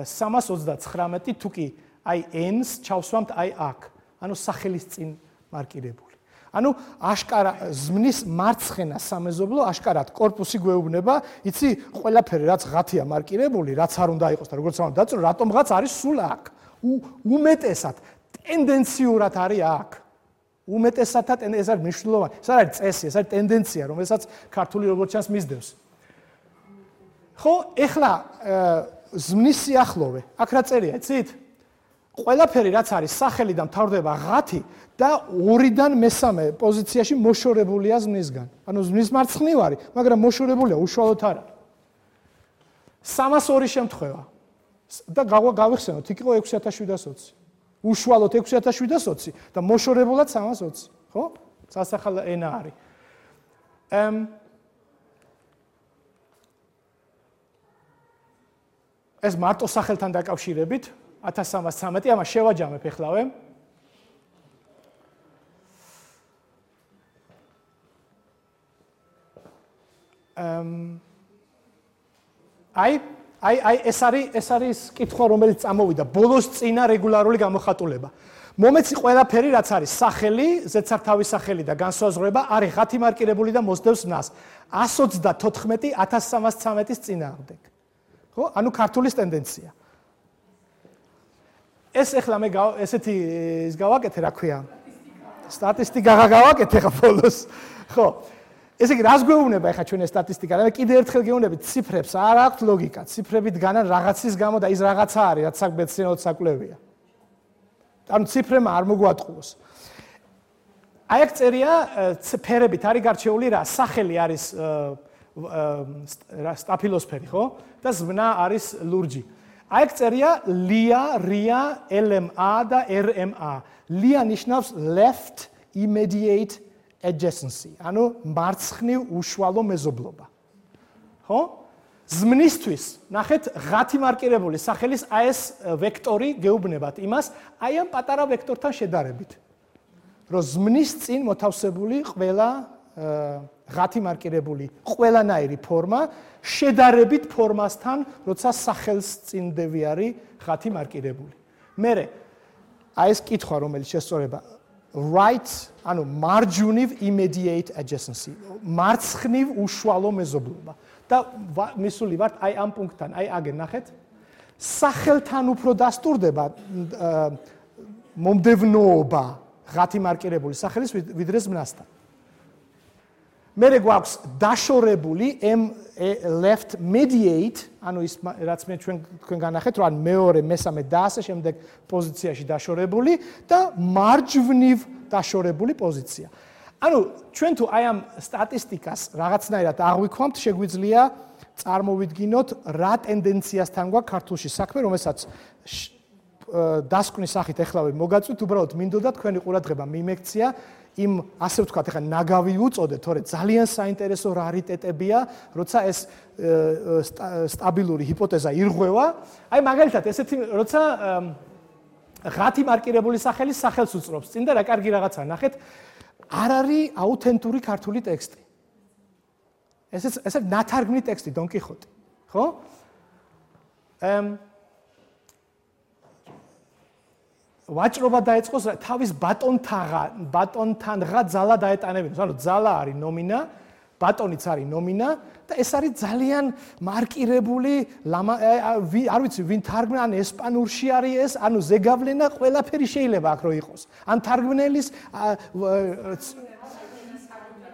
Speaker 1: სამას ოცდაცხრამეტი თუ კი აი n-ს ჩავსვამთ აი აქ. ანუ სახელის წინ მარკირებული. ანუ აშკარა ზმნის მარცხენა სამეზობლო აშკარად კორპუსი გვეუბნება, იცი, ყველაფერი რაც ღათია მარკირებული, რაც არ უნდა იყოს და როგორც ამბობ დაწრო, რატომღაც არის სულ აქ. უმეტესად ტენდენციურად არის აქ. უმეტესადად ეს არის მნიშვნელოვანი. ეს არის წესი, ეს არის ტენდენცია, რომელსაც ქართული როგორც ჩანს მისდევს. ხო, ეხლა ზმნის სიახლოვე. აქ რა წერია, იცით? ყველაფერი რაც არის სახელი და მთავრდება ღათი და ორიდან მესამე პოზიციაში მოშორებულია ზმნისგან. ანუ ზმნის მარცხნივარი, მაგრამ მოშორებულია უშუალოდ არა. სამას ორი შემთხვევა. და გავიხსენოთ, იქ იყო ექვსი ათას შვიდას ოცი. უშუალოდ ექვსი ათას შვიდას ოცი და მოშორებულად სამას ოცი, ხო? სასახალო ენა არის. ემ ეს მარტო სახელთან დაკავშირებით ათას სამას ცხრამეტი, ამას შევაჯამებ ეხლავე. ემ აი აი აი ეს არის ეს არის კითხვა რომელიც წამოვიდა ბოლოს წინა რეგულარული გამოხატულება. მომეცი ყველაფერი რაც არის სახელი, ზედსართავი სახელი და განსაზღვრება არის ღათი მარკირებული და მოსდევს ბნას. ას ოცდათოთხმეტი ათას სამას ცხრამეტის წინააღმდეგ. ხო? ანუ ქართულის ტენდენცია. ეს ეხლა მე ესეთი ის გავაკეთე, რა ქვია? სტატისტიკა გავაკეთე ხა ბოლოს. ხო. ესე იგი რას გვეუბნება ეხა ჩვენ ეს სტატისტიკა? მე კიდე ერთხელ გეუბნებით, ციფრებს არ აქვთ ლოგიკა. ციფრები დგანან რაღაცის გამო და ის რაღაცა არის, რაც საქმეცნიეროდ საკვლევია. ანუ ციფრებმა არ მოგვატყუოს. აი აქ წერია ფერებით არის გარჩეული რა? სახელი არის სტაფილოსფერი, ხო? და ზმნა არის ლურჯი. აი აქ წერია ლია, რია, ელ ემ ა და ер ემ ა. ლია ნიშნავს left immediate adjacency, ანუ მარცხნივ უშუალო მეზობლობა. ხო? ზმნისთვის, ნახეთ, ღათი მარკირებული სახელის აი ეს ვექტორი გეუბნებათ იმას, აი ამ პატარა ვექტორთან შედარებით. რომ ზმნის წინ მოთავსებული ყველა ღათი მარკირებული ყველანაირი ფორმა შედარებით ფორმასთან, როცა სახელს წინდები არის ღათი მარკირებული. მერე აი ეს კითხვა, რომელიც შესწორება right, ანუ marginal immediate adjacency, მარცხნივ უშუალო მეზობლობა. და მისული ვართ აი ამ პუნქტთან, აი აგერ ნახეთ. სახელთან უფრო დასტურდება მომდევნოობა ღათი მარკირებული სახელის ვიდრე ზმნასთან. მერე გვაქვს დაშორებული left mediate, ანუ ის რაც მე ჩვენ თქვენ განახეთ, რომ მეორე, მესამე და ასე შემდეგ პოზიციაში დაშორებული და მარჯვნივ დაშორებული პოზიცია. ანუ ჩვენ თუ აი ამ სტატისტიკას რაღაცნაირად აღვიქვამთ, შეგვიძლია წარმოვიდგინოთ რა ტენდენციასთან გვაქვს ქართულში საქმე, რომელსაც დასკვნის სახით ეხლავე მოგაწვით, უბრალოდ მინდოდა თქვენი ყურადღება მიმექცია იმ ასე ვთქვათ, ეხლა ნაგავი უწოდეთ, თორე ძალიან საინტერესო რარიტეტებია, როცა ეს სტაბილური ჰიპოთეზა ირღვევა. აი მაგალითად, ესეთი როცა ღათი მარკირებული სახელის სახელს უწრობს წინ და რა კარგი რაღაცა ნახეთ, არ არის აუთენტური ქართული ტექსტი. ესეც ესე ნათარგმნი ტექსტი დონ კიხოტი, ხო? ემ ვაჭრობა დაეწყოს თავის ბატონთაღა, ბატონთანღა ძალა დაეტანებინოს. ანუ ძალა არის ნომინა, ბატონიც არის ნომინა და ეს არის ძალიან მარკირებული, არ ვიცი, ვინ თარგმნა, ან ესპანურში არის ეს, ანუ ზეგავლენა ყველაფერი შეიძლება აქ რო იყოს. ან თარგმნელის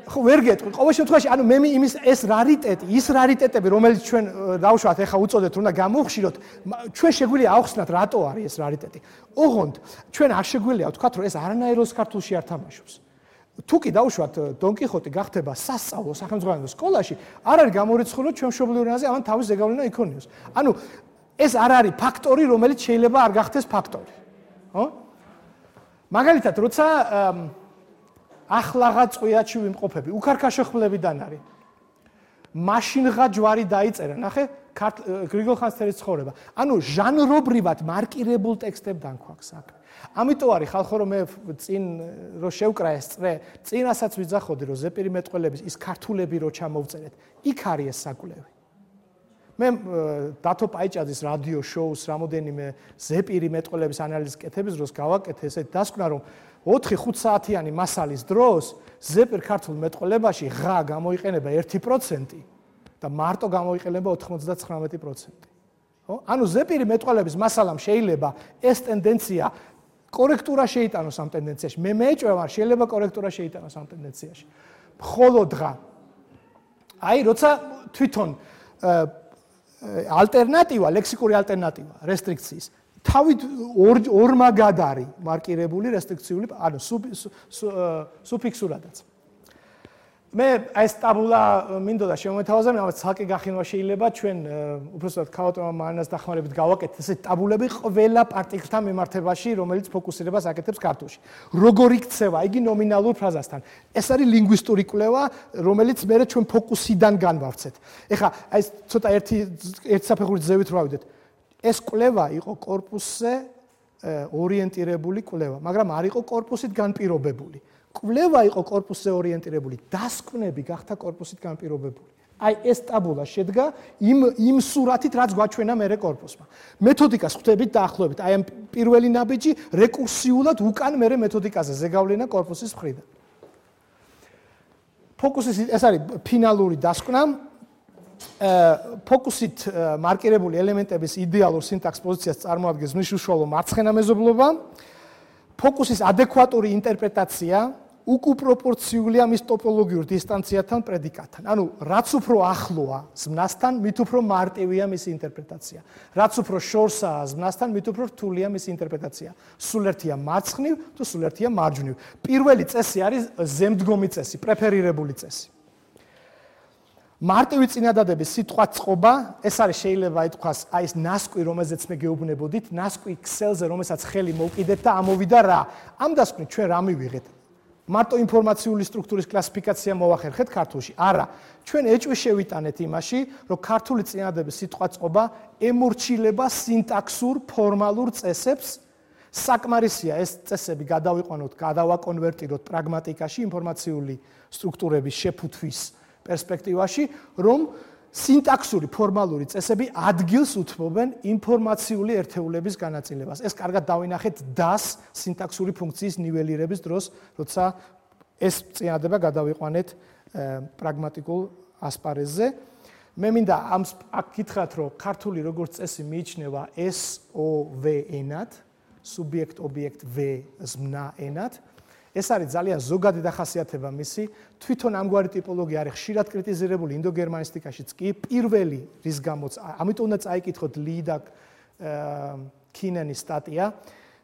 Speaker 1: ხო ვერ გეტყვი. ყოველ შემთხვევაში, ანუ მე იმის ეს რარიტეტი, ის რარიტეტები, რომელიც ჩვენ დავუშვათ, ეხა უწოდეთ, რომ და გამოვხშიროთ, ჩვენ შეგვიძლია ავხსნათ, რატო არის ეს რარიტეტი. ოღონდ ჩვენ არ შეგვიძლია ვთქვათ, რომ ეს არანაიროს ქართულში არ თამაშობს. თუ კი დავუშვათ, დონ კიხოტი გახდება სასწავლო სახელმძღვანელო სკოლაში, არ არის გამორიცხული, რომ ჩვენ მშობლიურ ენაზე ამან თავის ზეგავლენა იქონიოს. ანუ ეს არ არის ფაქტორი, რომელიც შეიძლება არ გახდეს ფაქტორი. ხო? მაგალითად, როცა ახლაღა წვიაჩი ვიმყოფები, უქარქაშო ხმლებიდან არის. მაშინღა ჯვარი დაიწერა, ნახე, გრიგოლ ხანძთელის ცხოვრება. ანუ ჟანრობრივად მარკირებულ ტექსტებთან გვაქვს აქ. ამიტომ არის ხალხო რომ მე წინ რო შევკრა ეს წრე, წინასაც ვიძახოდი რომ ზეპირი მეტყველების ის ქართულები რო ჩამოვწერეთ, იქ არის ეს საკვლევი. მე დათო პაიჭაძის რადიო შოუს რამოდენიმე ზეპირი მეტყველების ანალიზის კეთების დროს გავაკეთე, ესეთ დასკვნა რომ ოთხი ხუთ საათიანი მასალის დროს ზეპირ ქართულ მეტყველებაში ღა გამოიყენება ერთი პროცენტი და მარტო გამოიყენება ოთხმოცდათხრამეტი პროცენტი. ხო? ანუ ზეპირი მეტყველების მასალამ შეიძლება ეს ტენდენცია კორექტურა შეიტანოს ამ ტენდენციაში. მე მეეჭვება, შეიძლება კორექტურა შეიტანოს ამ ტენდენციაში. მხოლოდ ღა. აი, როცა თვითონ ალტერნატივა, ლექსიკური ალტერნატივა რესტრიქციის თავით ორმაგად არის მარკირებული რესტრიქციული, ანუ სუფიქსურადაც. მე ეს ტაბულა მინდოდა შემოვეთავაზე, მაგრამ ცალკე გახინვა შეიძლება ჩვენ უბრალოდ ქაოტმა მანას დახმარებით გავაკეთეთ ესეთ ტაბულები ყველა პარტიკლთან მიმართებაში, რომელიც ფოკუსირებას აკეთებს ქართულში. როგორ იქცევა იგი ნომინალურ ფრაზასთან. ეს არის ლინგვისტური კვლევა, რომელიც მე ჩვენ ფოკუსიდან განვავრცეთ. ეხლა აი ცოტა ერთი ერთ საფეხურით ზევით რა ვიდეთ. ეს კვლევა იყო კორპუსზე ორიენტირებული კვლევა, მაგრამ არ იყო კორპუსით განპირობებული. კვლევა იყო კორპუსზე ორიენტირებული, დასკვნები გახდა კორპუსით განპირობებული. აი ეს ტაბულა შედგა იმ იმ სურათით, რაც გვაჩვენა მერე კორპუსმა. მეთოდიკას ხვდებით დაახლოებით, აი ამ პირველი ნაბიჯი რეკურსიულად უკან მერე მეთოდიკაზე ზეგავლენა კორპუსის მხრიდან. ფოკუსის ეს არის ფინალური დასკვნა. ფოკუსით მარკირებული ელემენტების იდეალურ სინტაქს პოზიციას წარმოადგენს მნიშვნელოვანი მარცხენა მეზობლობა. ფოკუსის ადეკვატური ინტერპრეტაცია უკუპროპორციულია მის ტოპოლოგიურ დისტანციათან პრედიკატთან. ანუ რაც უფრო ახლოა ზმნასთან, მით უფრო მარტივია მისი ინტერპრეტაცია. რაც უფრო შორსაა ზმნასთან, მით უფრო რთულია მისი ინტერპრეტაცია. სულ ერთია მარცხნივ თუ სულ ერთია მარჯვნივ. პირველი წესი არის ზემდგომი წესი, პრეფერირებული წესი. მარტივი წინადადების სიტყვაწყობა, ეს არის შეიძლება ითქვას, აი ეს ნასკვი, რომელზეც მე გეუბნებოდით, ნასკვი ქსელზე, რომელსაც ხელი მოვკიდეთ და ამოვიდა რა. ამ დასკვნით ჩვენ რა მივიღეთ? მარტო ინფორმაციული სტრუქტურის კლასიფიკაცია მოვახერხეთ ქართულში. არა, ჩვენ ეჭვი შევიტანეთ იმაში, რომ ქართული წინადადების სიტყვაწყობა ემორჩილება სინტაქსურ ფორმალურ წესებს. საკმარისია ეს წესები გადავიყვანოთ, გადავაკონვერტიროთ პრაგმატიკაში ინფორმაციული სტრუქტურების შეფუთვის პერსპექტივაში, რომ სინტაქსური ფორმალური წესები ადგილს უთმობენ ინფორმაციული ერთეულების განაწილებას. ეს კარგად დავინახეთ დას სინტაქსური ფუნქციის ნიველირების დროს, როცა ეს წინადადება გადავიყვანეთ პრაგმატიკულ ასპარეზზე. მე მინდა ამ აქ გითხრათ, რომ ქართული როგორც წესი მიიჩნევა ეს ო ვე ენად, სუბიექტ ობიექტ ვე ზმნა ენად. ეს არის ძალიან ზოგადი დახასიათება მისი. თვითონ ამგვარი ტიპოლოგია არის ხშირად კრიტიზირებული ინდოგერმანისტიკაშიც კი. პირველი რის გამოც, ამიტომ უნდა წაიკითხოთ ლი და კინენის სტატია.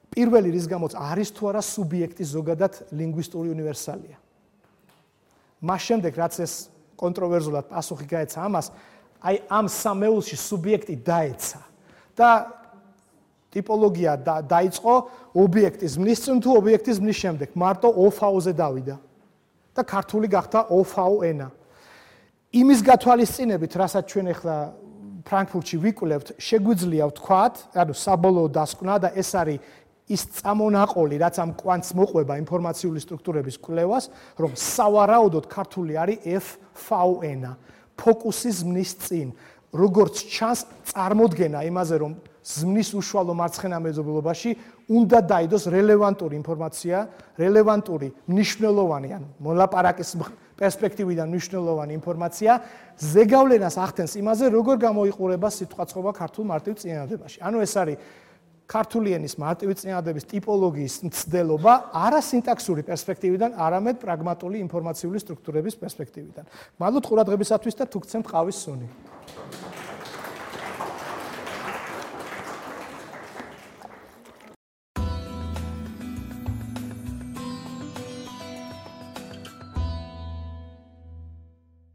Speaker 1: პირველი რის გამოც არის თუ არა სუბიექტი ზოგადად ლინგვისტური უნივერსალია. მას შემდეგ რაც ეს კონტროვერზულად პასუხი გაეცა ამას, აი ამ სამეულში სუბიექტი დაეცა და ტიპოლოგია დაიწყო ობიექტის მნის წინ თუ ობიექტის მნის შემდეგ. მარტო ოფაოზე დავიდა და ქართული გახდა ოფაო ენა. იმის გათვალისწინებით, რასაც ჩვენ ახლა ფრანკფურტში ვიკვლევთ, შეგვიძლია ვთქვათ, ანუ საბოლოო დასკვნა და ეს არის ის წამონაყოლი, რაც ამ კვანტს მოყვება ინფორმაციული სტრუქტურების კვლევას, რომ სავარაუდოდ ქართული არის ეფ ფაო ენა. ფოკუსის მნის წინ, როგორც ჩანს, წარმოდგენა იმაზე, რომ ზმნის უშუალო მარცხენა მეზობლობაში უნდა დაიდოს რელევანტური ინფორმაცია, რელევანტური მნიშვნელოვანი, ანუ მოლაპარაკის პერსპექტივიდან მნიშვნელოვანი ინფორმაცია, ზეგავლენას ახდენს იმაზე, როგორ გამოიყურება სიტყვაწყობა ქართულ მარტივ წინადადებაში. ანუ ეს არის ქართული ენის მარტივი წინადადების ტიპოლოგიის მცდელობა არა სინტაქსური პერსპექტივიდან, არამედ პრაგმატული ინფორმაციული სტრუქტურების პერსპექტივიდან. მადლობთ ყურადღებისათვის და თუ გცემთ ყავის სუნი.